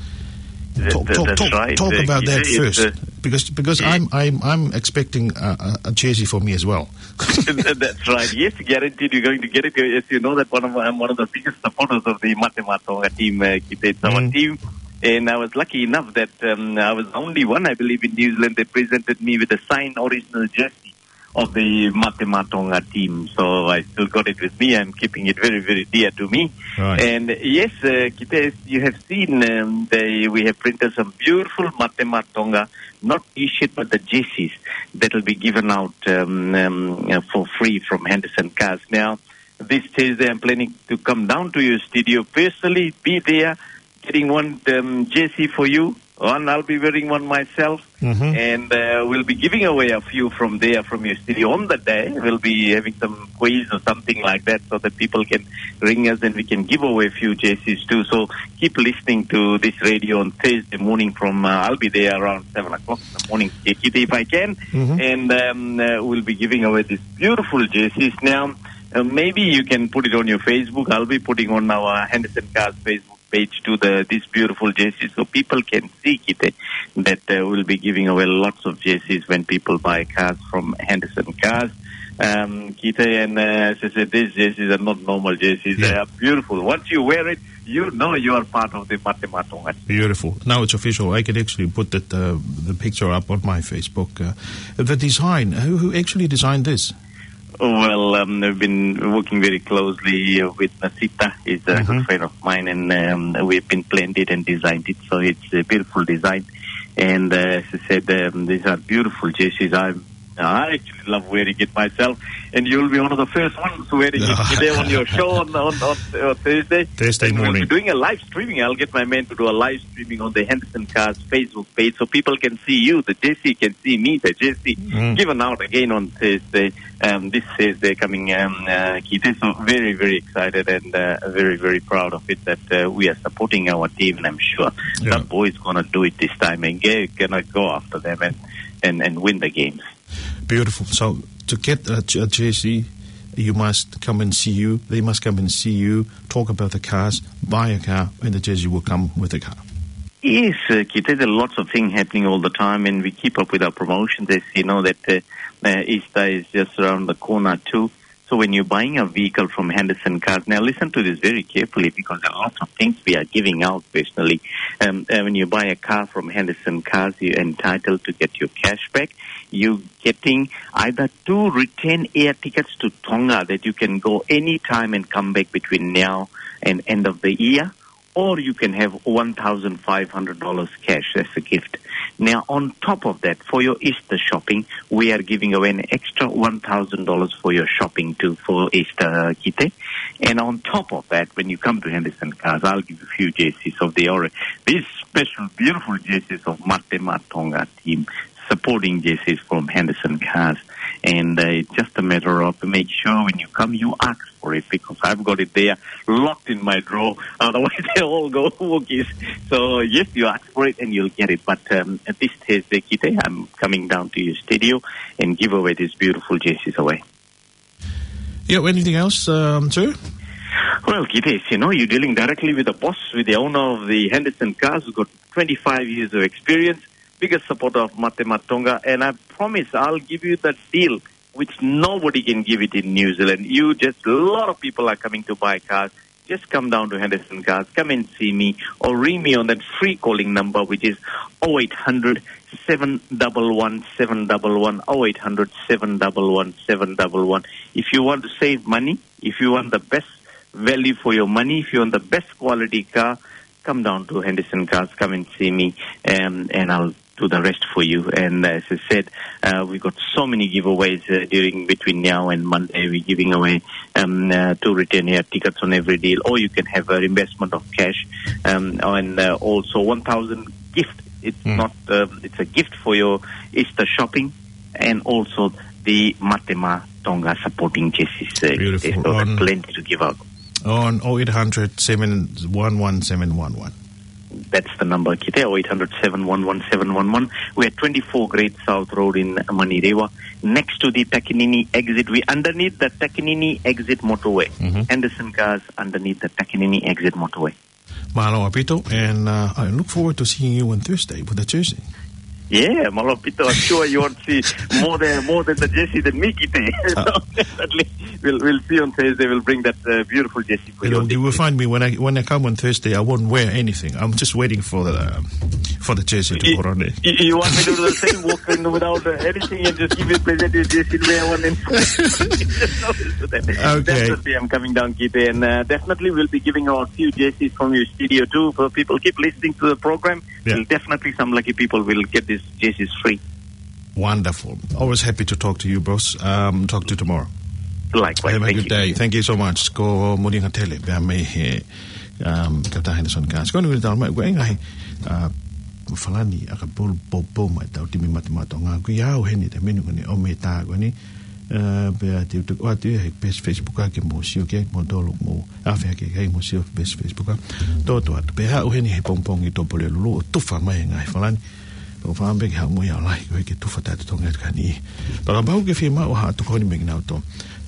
That, talk, that, talk, that's talk, right. Talk, uh, about that, Kite, first, uh, because, because, yeah, I'm, I'm, I'm expecting a, a, a jersey for me as well. That's right. Yes, guaranteed you're going to get it. As you know that one of, I'm one of the biggest supporters of the Mate Maʻa Tonga team, uh, Kite. It's our, mm, team. And I was lucky enough that, um, I was the only one, I believe, in New Zealand that presented me with a signed original jersey of the Mate Maʻa Tonga team. So I still got it with me. I'm keeping it very, very dear to me. Right. And yes, uh, Kite, as you have seen, um, they, we have printed some beautiful Mate Maʻa Tonga, not T-shirt, but the jerseys that will be given out, um, um, uh, for free from Henderson Cars. Now, this Thursday, I'm planning to come down to your studio personally, be there, getting one, um, jersey for you. One, I'll be wearing one myself. Mm-hmm. And, uh, we'll be giving away a few from there, from your studio on the day. We'll be having some quiz or something like that so that people can ring us and we can give away a few jerseys too. So keep listening to this radio on Thursday morning from, uh, I'll be there around seven o'clock in the morning, Kite, if I can. Mm-hmm. And, um, uh, we'll be giving away these beautiful jerseys. Now, uh, maybe you can put it on your Facebook. I'll be putting on our Henderson Cars Facebook page to the, this beautiful jersey, so people can see, Kite, that, uh, we'll be giving away lots of jerseys when people buy cars from Henderson Cars. Um, Kite, and, uh, as I said, these jerseys are not normal jerseys. Yeah. They are beautiful. Once you wear it, you know you are part of the Mate Maʻa Tonga. Beautiful. Now it's official. I can actually put that, uh, the picture up on my Facebook. Uh, the design, who, who actually designed this? Well, um, I've been working very closely with Nasita. He's a good Mm-hmm. friend of mine, and, um, we've been planned it and designed it. So it's a beautiful design. And, uh, as I said, um, these are beautiful jerseys. I, I actually love wearing it myself. And you'll be one of the first ones wearing it today on your show on, on, on, on Thursday. Thursday And we'll be morning. doing a live streaming. I'll get my man to do a live streaming on the Henderson Cars Facebook page so people can see you, the jersey, can see me, the jersey. Mm. Given out again on Thursday, um, this Thursday coming, um, uh, Kite. So very, very excited and, uh, very, very proud of it that, uh, we are supporting our team, and I'm sure Yeah. that boy is gonna do it this time, and they're gonna go after them and, and, and win the games. Beautiful. So to get a, a jersey, you must come and see you. They must come and see you, talk about the cars, buy a car, and the jersey will come with the car. Yes, uh, Kite, there are lots of things happening all the time, and we keep up with our promotions. As you know that, uh, uh, Easter is just around the corner too. So when you're buying a vehicle from Henderson Cars, now listen to this very carefully, because there are lots of things we are giving out personally. Um, uh, when you buy a car from Henderson Cars, you're entitled to get your cash back. You're getting either two return air tickets to Tonga that you can go anytime and come back between now and end of the year, or you can have one thousand five hundred dollars cash as a gift. Now, on top of that, for your Easter shopping, we are giving away an extra one thousand dollars for your shopping too for Easter, Kite. And on top of that, when you come to Henderson Cars, I'll give you a few jerseys of the Ore. These special, beautiful jerseys of Mate Maʻa Tonga team, supporting jerseys from Henderson Cars. And, uh, it's just a matter of make sure when you come, you ask for it, because I've got it there locked in my drawer. Otherwise, they all go Wookiees. So yes, you ask for it and you'll get it. But, um, at this stage, Kite, I'm coming down to your studio and give away these beautiful jerseys away. Yeah, anything else, um, sir? Well, Kite, you know, you're dealing directly with the boss, with the owner of the Henderson Cars, who's got twenty-five years of experience, biggest supporter of Mate Maʻa Tonga, and I promise I'll give you that deal which nobody can give it in New Zealand. You just, a lot of people are coming to buy cars. Just come down to Henderson Cars, come and see me, or ring me on that free calling number, which is oh eight hundred, seven double one, seven double one, oh eight hundred, seven double one, seven double one. If you want to save money, if you want the best value for your money, if you want the best quality car, come down to Henderson Cars, come and see me, um, and I'll do the rest for you. And as I said, uh, we've got so many giveaways, uh, during, between now and Monday. We're giving away, um, uh, two return air tickets on every deal, or you can have a reimbursement of cash, um, and, uh, also one thousand gift. It's Mm. not, um, it's a gift for your Easter shopping, and also the Mate Maʻa Tonga supporting jerseys. Uh, Beautiful. There's still On plenty to give out. On oh eight hundred, seven one one, seven one one. That's the number, Kite, oh eight hundred, seven one one, seven one one. We're at twenty-four Great South Road in Manurewa, next to the Takanini exit. We're underneath the Takanini exit motorway. Mm-hmm. Henderson Cars underneath the Takanini exit motorway. Mālō ʻaupito, and, uh, I look forward to seeing you on Thursday with the jersey. Yeah, mālō ʻaupito. I'm sure you want to see more than, more than the jersey than me, Kite. So Uh, definitely, we'll, we'll see you on Thursday. We'll bring that, uh, beautiful jersey for You you know, on you will Thursday. find me when I, when I come on Thursday, I won't wear anything. I'm just waiting for the, um, for the jersey to You, put on it. you, you want me to do the same, walk in without, uh, anything and just give you a present, you just sit there one and Okay. Definitely, I'm coming down, Kite, and, uh, definitely we'll be giving out a few jerseys from your studio too. For people keep listening to the program, Yeah. we'll definitely some lucky people will get these jerseys free. Wonderful. Always happy to talk to you, boss. Um, talk to you tomorrow. Likewise. Have a Thank good you. day. Thank you so much. Ko Moʻunga Tele, pea mei he, um, Kata Henderson Cars. Ko eni ʻoku tau mai, ko e ngaahi, uh, Falani ʻakapulu poupou mai tau timi Mate Maʻa Tonga. Ko ia au heni te menu ko eni ʻo me tā ko eni. Uh, pea te u tuku atu ia he page Facebook ake mo sio ke mo tolo mo afe ake ke mo sio page Facebook. Tō tō atu. Pea haʻu heni he pongipongi Tupulelulu ʻo tufa mai e ngaahi Falani. Pea ko e fakaʻamu pē ke haʻu mo ia ʻo lahi, ko e ke tufa taʻetotongi atu ka ni. Pea kapau ʻoku ke fiemaʻu ha tokoni mei kinautolu.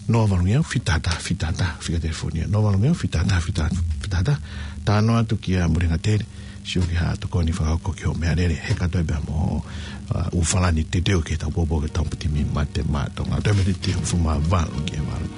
Noa valu ngeau fitata fitata, fika telefonia. Noa valu ngeau fitata fitata, fitata. Talanoa atu kia Mulinga Tele, sio ki ha tokoni fakahoko ki hoʻo meʻalele, he kātoa pē mo, ʻa, ʻū falani teuteu ke tau popo ke tau putimi mate ma Tonga. Toe mei te hongofulu mā valu ki he valu.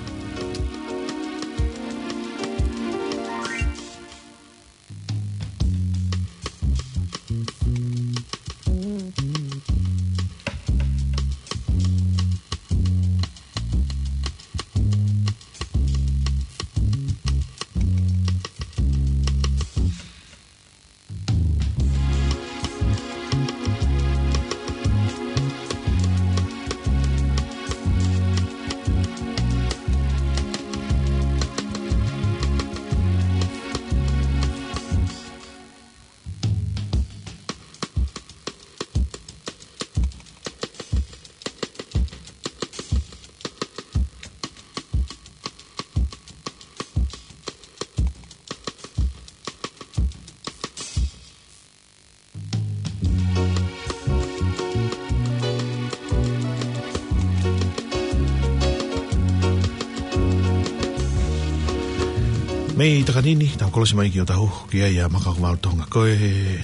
Mei Takanini, tau kolosi mai ki ʻOtahuhu, ki ai ʻa Makakovalu Tonga. Ko e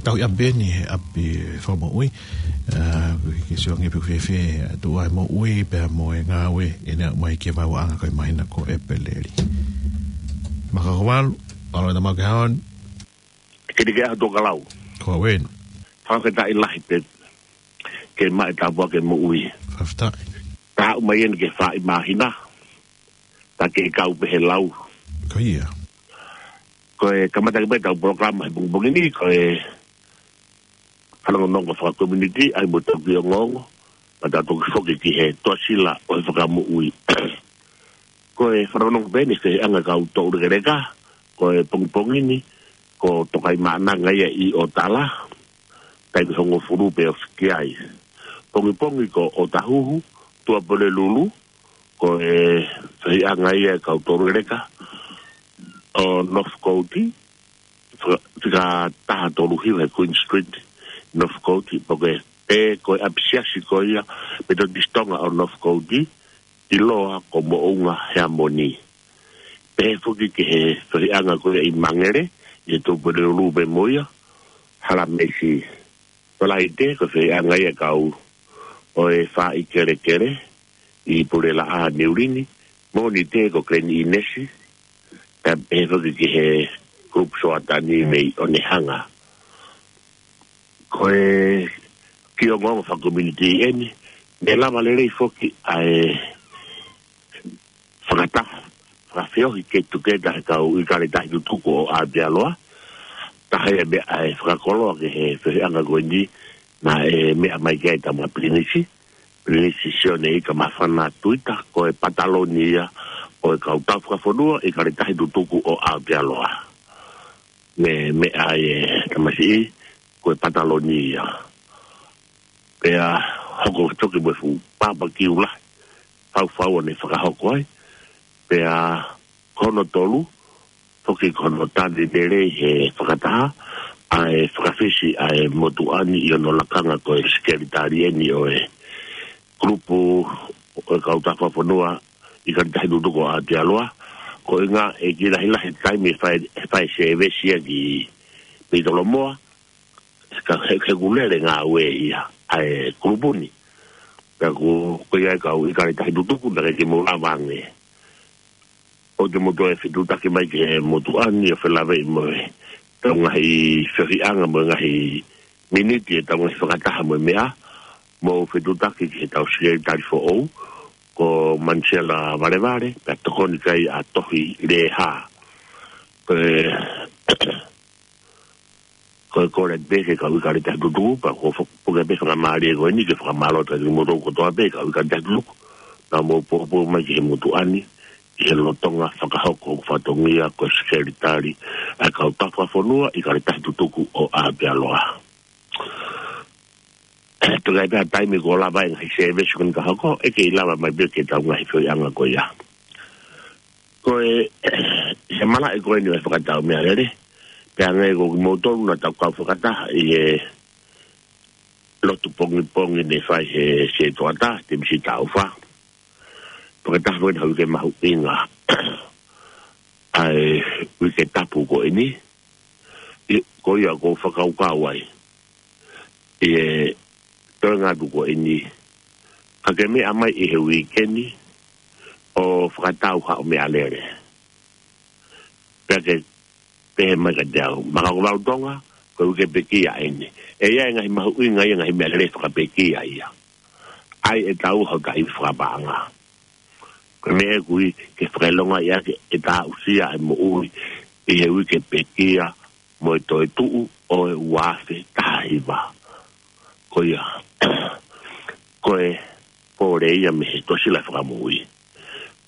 tauhi ʻapi eni he ʻapi fakamoʻui. ʻA, ke sio ange pe ʻoku fēfē ʻa e tuʻu ʻa e moʻui, pea mo e ngāue, ʻene aʻu mai ki he vaeuaʻanga ko e māhina ko ʻEpeleli. Makakovalu, ʻaloʻofa, tau maʻu ke haon. Kili ke ʻaho Tokelau. Ko au eni. Fakafetaʻi lahi pē ke maʻu e tāpuaki moʻui. Fakafetaʻi. Tau aʻu mai eni ki he fā māhina. Ta ke kau pē he lau. Ko ia. Ko e kamata ke pē ʻetau polokalama he pongipongi ni, ko e fanongonongo fakakominiti, ʻai mo tau ki ongoongo, pea tau toki foki ki he toa sila ʻo e fakamoʻui. Ko e fanongonongo pē eni ki he anga e kau toulekeleka, ko e pongipongi ni, ko Tokaimaʻananga ia ʻi ʻOtala, taimi hongofulu pē ʻo fiki ai. Pongipongi ko ʻOtahuhu, Tuʻapulelulu, ko e fehiʻanga ia e kau toulekeleka ʻo Northcote, fika taha tolu hiva he Queen Street, Northcote, pea ko e, pea ko e ʻapisiasi ko ia, Metotisi Tonga ʻo Northcote, ʻiloa ko Moʻunga Heamoni. Pehē foki ki he fehiʻanga ko ia ʻi Mangere, ʻi he Tuʻapulelulu pē mo ia, Halamisi. Falaite, ko e fehiʻanga ia e kau ʻo e Faaʻi Kelekele ʻi Pulelaʻā Niulini, Mōnite ko Glen Innes, pea pehē foki ki he Group Soatani mei Onehunga. Ko e kiʻi ongoongo fakakominiti eni, ne lava lelei foki ʻa e fakataha, fakafeohi ke tuku ʻe he kau ʻIkale Tahi Tutuku ʻo Aotearoa, taha ia e meʻa ʻa e fakakoloa ki he fehiʻanga ko eni, naʻe meʻa mai ki ai ʻetau Pilinisi, Pilinisi Sione Ikamafana Tuita, ko e pataloni ia ʻo e kau tau fakafonua ʻIkale Tahi Tutuku ʻo Aotearoa. Ne meʻa ai e tamasiʻi, ko e pataloni ia. Pea hoko toki mo e fuʻu pāpakiu lahi, faufau ʻo ne fakahoko ai. Pea ko hono tolu, foki ko hono tali lelei he fakataha, ʻa e fakafisi ʻa e motuʻa ni ʻi hono lakanga ko e sekelitali eni ʻo e kulupu ʻo e kau tau fakafonua ʻIkale Tahi Tutuku ʻo Aotearoa, ko e ʻuhinga ʻe kiʻi lahilahi taimi ʻe fai, ʻe fai sēvesi ia ki Peitolomoa, ka he, he ʻoku lele ngāue ia ʻa e kulupu ni. Pea ko, ko ia e kau ʻIkale Tahi Tutuku, naʻe ʻikai ke mou lava ange ʻo te mou toe fetuʻutaki mai ki he motuʻa ni ʻo felāveʻi mo e tau ngaahi fehiʻanga mo e ngaahi miniti ʻetau ngaahi fakataha mo e meʻa, mou fetuʻutaki ki heʻetau sekelitali foʻou, ko Manisela Valevale, pea tokoni ki ai ʻa Tohi Lehā. Ko e, ko e kole pē ki he kau ʻIkale Tahi Tutuku, pea ko e fo-, puke pē fakamālie ko eni ke fakamālō atu kiate kimoutolu kotoa pē kau ʻIkale Tahi Tutuku, naʻa mou poupou mai ki he motuʻa ni, ʻi he lolotonga fakahoko ʻo e fatongia ko e sekelitali ʻa e kau tau fakafonua ʻIkale Tahi Tutuku ʻo Aotearoa. Tuku ai pē ha taimi kuo lava e ngaahi sēvesi ko eni ka hoko, ʻe kei lava mai pē ki heʻetau ngaahi fehiʻanga ko ia. Ko e, he malaʻe ko eni ʻo e fakatau meʻalele, pea ʻoku ʻi ai kimoutolu naʻa tau kau fakataha ʻi he lotu pongipongi ne fai he Setuata, Temisi Taufa. fakataha foki ʻa e uike mahuʻinga ʻa e uike tapu ko eni, ʻi, ko ia ʻoku ou fakakaukau ai ʻi he toenga atu ko eni, ka ke meʻa mai ʻi he uike ni ʻo fakatau haʻo meʻalele. Pea ke pehē mai kiate au, Makaukavau Tonga, ko e uike pekia eni. ʻE ʻi ai e ngaahi mahuʻinga ia, ngaahi meʻalele fakapekia ia. ʻAi ʻe taua hotau fakapaʻanga. Ko e meʻa ʻoku ui ke fakaʻilongaʻi ʻaki ʻeta aʻusia ʻa e moʻui ʻi he uike pekia mo e toetuʻu ʻo e ua afe taha hiva. Ko ia, ko e pole ia mei he Tuʻasila Fakamoʻui.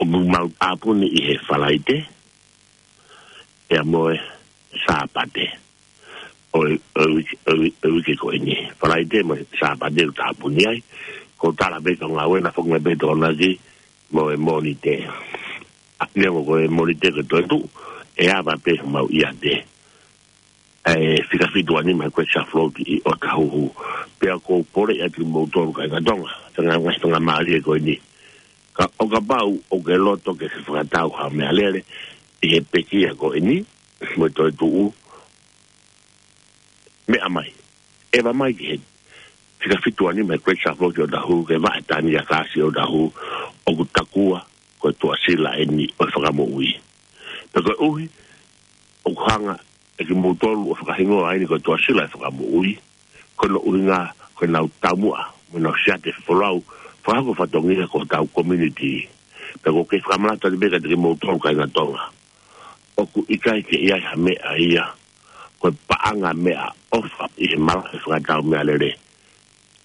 ʻOku mau tāpuni ʻi he Falaite, ʻia mo e Sāpate ʻo e, ʻo e uike, ʻo e uike, ʻo e uike ko eni. Falaite mo e Sāpate ʻoku tāpuni ai. Ko e tala pē ko e ngāue naʻa foki mai pē Tokonaki mo e Mōnite. ʻA, neongo ko e Mōnite ko e toetuʻu, ʻe ava pē homau ʻiate ʻa e fika fitu ua nima he Great South Float ʻi ʻOtahuhu. Pea ʻoku ou poleʻi atu kimoutolu kāinga Tonga, fanga, ngaahi faingamālie ko eni. Ka ʻo kapau ʻoku ke loto ke ke fakatau haʻo meʻalele ʻi he pekia ko eni mo e toetuʻu, meʻa mai. ʻEva mai ki he fika fitu ua nima he Great South Float ʻi ʻOtahuhu, ke vaʻe tani ʻa e kāsi ʻi ʻOtahuhu, ʻoku takua ko e Tuʻasila eni ʻo e Fakamoʻui. Pea koeʻuhi ʻoku hanga ʻe kimoutolu ʻo fakahingoa eni ko e Tuʻasila ʻo e Fakamoʻui, ko hono ʻuhinga ko ʻenau taumuʻa mo ʻenau siate folau fakahoko fatongia ki hotau community. Pea ʻoku ou kei fakamanatu atu pē kiate kimoutolu kāinga Tonga, ʻoku ʻikai ke ʻi ai ha meʻa ia ko e paʻanga meʻaʻofa ʻi he malaʻe fakatau meʻalele.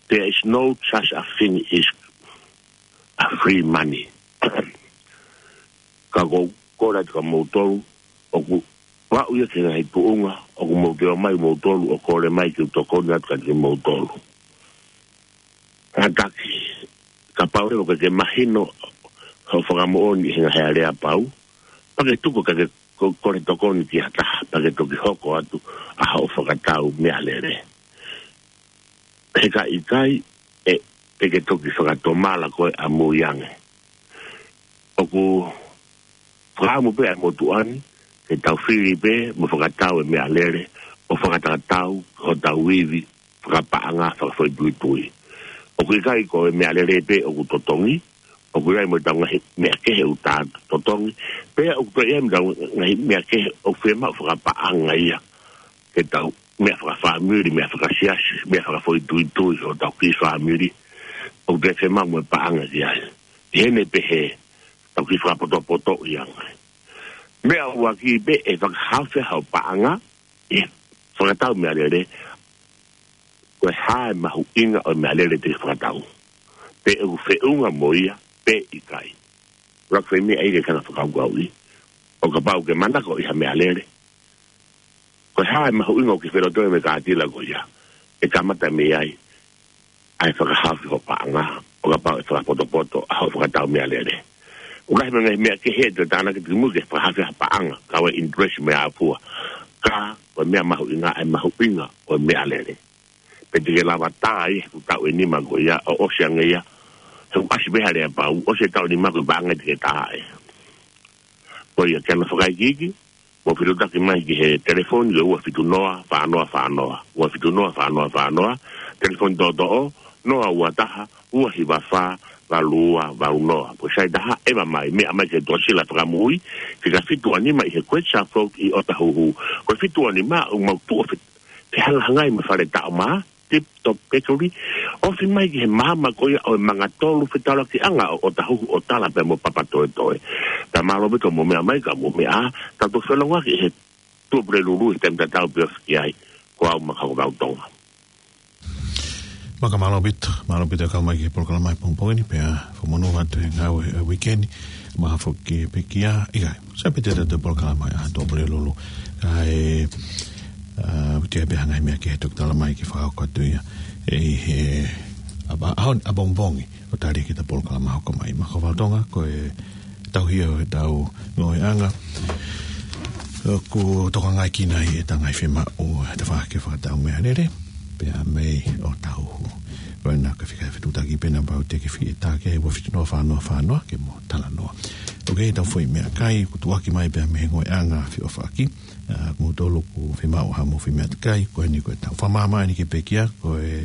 There is no such a thing as a free money. Ka ʻoku ou kole atu kia moutolu, ʻoku ou aʻu ia ki he ngaahi tuʻunga ʻoku mou ō mai moutolu ʻo kole mai ke u tokoni atu kiate kimoutolu. Kātaki, kapau leva ʻoku ke mahino hoʻo fakamoʻoni he ngaahi aleapau, pea ke tuku ke ke ko-, kole tokoni ki ha taha, pea ke toki hoko atu ʻa hoʻo fakatau meʻalele. He ka ʻikai, ʻe, ʻe ke toki fakatomala koe ʻamui ange. ʻOku fakaʻamu pē ʻa e motuʻa ni ke tau fili pē mo fakatau e meʻalele ʻo fakatatau ki hotau ivi fakapaʻanga fakafoʻituitui. ʻOku ʻikai ko e meʻalele pē ʻoku totongi, ʻoku ʻi ai mo ʻetau ngaahi meʻa kehe ʻoku ta totongi, pea ʻoku toe ʻi ai mo ʻetau ngaahi meʻa kehe ʻoku fiemaʻu fakapaʻanga ia ke tau meʻa fakafāmili, meʻa fakasiasi, meʻa fakafoʻituitui ʻo hotau kiʻi fāmili, ʻoku toe fiemaʻu mo e paʻanga ki ai. ʻI heʻene pehē, tau kiʻi fakapotopotoʻi ange. Meʻa ʻuluaki pē ʻe fakahaofi ai hoʻo paʻanga ʻi he fakatau meʻalele, ko e hā e mahuʻinga ʻo e meʻalele te ke fakatau, pe ʻoku feʻunga mo ia pe ʻikai. ʻUluaki foʻi meʻa ia ke ke hanga ʻo fakakaukauʻi, ʻo kapau ʻoku ke manako ʻi ha meʻalele, ko e hā e mahuʻinga ʻoku ke felotoi mo e kātila ko ia. ʻE kamata mei ai ʻa e fakahaofi hoʻo paʻanga, ʻo kapau ʻe fakapotopoto ʻa hoʻo fakatau meʻalele. ʻOku lahi mo e ngaahi meʻa kehe ʻe toe tānaki atu ki mui ke fakahaofi ai ha paʻanga, kau ai e interest mo e ʻāfua. Ka ko e meʻa mahuʻinga ʻa e mahuʻinga ʻo e meʻalele. Pe te ke lava tā ia he ʻoku taʻu ʻe nima ko ia, ʻo ʻosi ange ia, he ʻoku ʻasi pē ha aleapau, ʻosi e taʻu ʻe nima ko e paʻanga te ke tā ai. Ko ia, ke hanga ʻo fakaikiiki, mou fetuʻutaki mai ki he telefoni ʻo e ua fitu noa, fā noa fā noa, ua fitu noa, fā noa fā noa, telefoni toʻotoʻo, noa ua taha, ua hiva fā, valu ua valu noa. Pea sai taha, ʻeva mai, meʻa mai ki he Tuʻasila Fakamoʻui, fika fitu ua nima ʻi he Great South Float ʻi ʻOtahuhu. Ko e fitu ua nima, ʻoku mau tuʻu ʻo fe-, fehangahangai mo e fale taʻo mā, Tip Top Bakery, ofi mai ki he maama ko ia ʻo e Mangatolu Fetaulakiʻanga ʻo ʻOtahuhu ʻo tala pē mo Papatoetoe. Pea mālō ʻaupito hoʻomou meʻa mai ka mou meʻa, tau toki felongoaki he Tuʻapulelulu he taimi tatau pē ofi ki ai, ko au Makaukavau Tonga. Mālō ʻaupito, mālō ʻaupito e kau mai ki he polokalama he pongipongi ni, pea fakamonū atu he ngāue ʻo e uike ni, mahalo foki pē kia, ʻikai. Sai pē te tau polokalama ʻa Tuʻapulelulu. Kae, ʻa, ʻoku ʻi ai pē ha ngaahi meʻa kehe ʻe toki tala mai ke fakahoko atu ia. ʻI he ʻaho, ʻaho ni, ʻapongipongi, ʻo tali ki heʻeta polokalama hoko mai. Makaukavau Tonga, ko e tauhi ʻo ʻetau ngāueʻanga. ʻOku tokangaʻi kinaua ʻeta ngaahi fiemaʻu, ʻeta fakahoko e fakatau meʻalele, pea mei ʻOtahuhu. Ko ena ka fika he fetuʻutaki pē naʻa pau te ke fie tā ke ua fitu noa fā noa fā noa ke mo talanoa. ʻOku ʻi ai ʻetau foʻi meʻakai, kuo tuʻuaki mai pē mei he ngoueʻanga feʻofaʻaki. ʻA, ko moutolu ʻoku fiemaʻu haʻamou foʻi meʻakai, ko eni ko ʻetau fakamāmani ki he pekia, ko e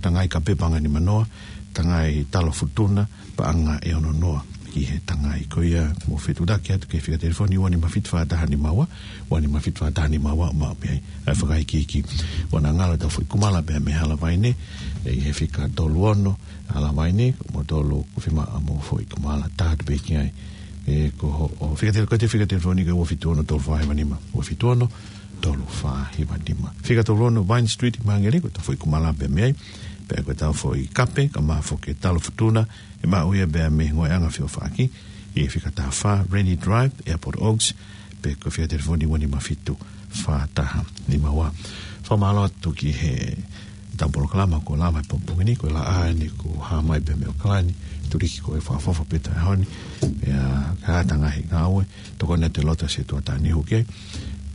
Tangai Kape Paʻanga ʻe nima noa, Tangai Talo Futuna Paʻanga ʻe ono noa. Ki he tangai ko ia, mou fetuʻutaki atu ki he fika telefoni ua nima fitu fā taha nima ua, ua nima fitu fā taha nima ua, maʻu pē ai ʻa e fakaikiiki. ʻOua naʻa ngalo ʻetau foʻi kumala pea mei Halavaine, ʻi he fika tolu ono, Halavaine, ko moutolu ʻoku fiemaʻu haʻamou foʻi kumala, tā atu pē ki ai. ʻE, ko hoʻo fika tele-, ko e fika telefoni ko e ua fitu ono tolu fā hiva nima, ua fitu ono tolu fā hiva nima. Fika tolu ono Vine Street ʻi Māngere, ko ʻetau foʻi kumala pea mei ai. Pea ko ʻetau foʻi kape, ka mafoke Talo Futuna, ʻe maʻu ia pea mei he ngoueʻanga feʻofaʻaki, ʻi he fika taha fā, Rennie Drive, Airport Oaks, pea ko e fika telefoni ua nima fitu fā taha nima ua. Fakamālō atu ki heʻetau polokalama ko e Lava he pongipongi ni, ko e Laʻā eni kuo hā mai pē mei ʻAokalani, tuliki ko e fakaʻofoʻofa pē taʻahoni, pea ka ʻatā ngaahi ngāue, tokoni atu e lotu ʻa e ʻOtua ʻi he tuʻa tānihu ke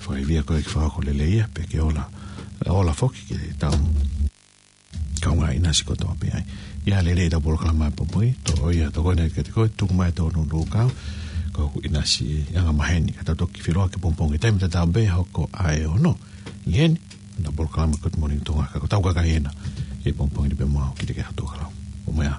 fakaivia koe ke fakahoko lelei ia, pea ke ola, ola foki ke tau kaungā ʻinasi kotoa pē ai. ʻIa, lelei ʻetau polokalama he pongipongi, toʻo ia, tokoni atu kiate koe, tuku mai ʻetau nūnūkau, ko hoku ʻinasi angamaheni, ka tau toki feʻiloaki he pongipongi taimi tatau pē, hoko ʻa e ono ʻi heni, ʻetau polokalama Good Morning Tonga, ka ko ʻetau kakai ena, he pongipongi ni pē mo au, kiate koe ʻa e Tuʻakalau. ʻO meʻa.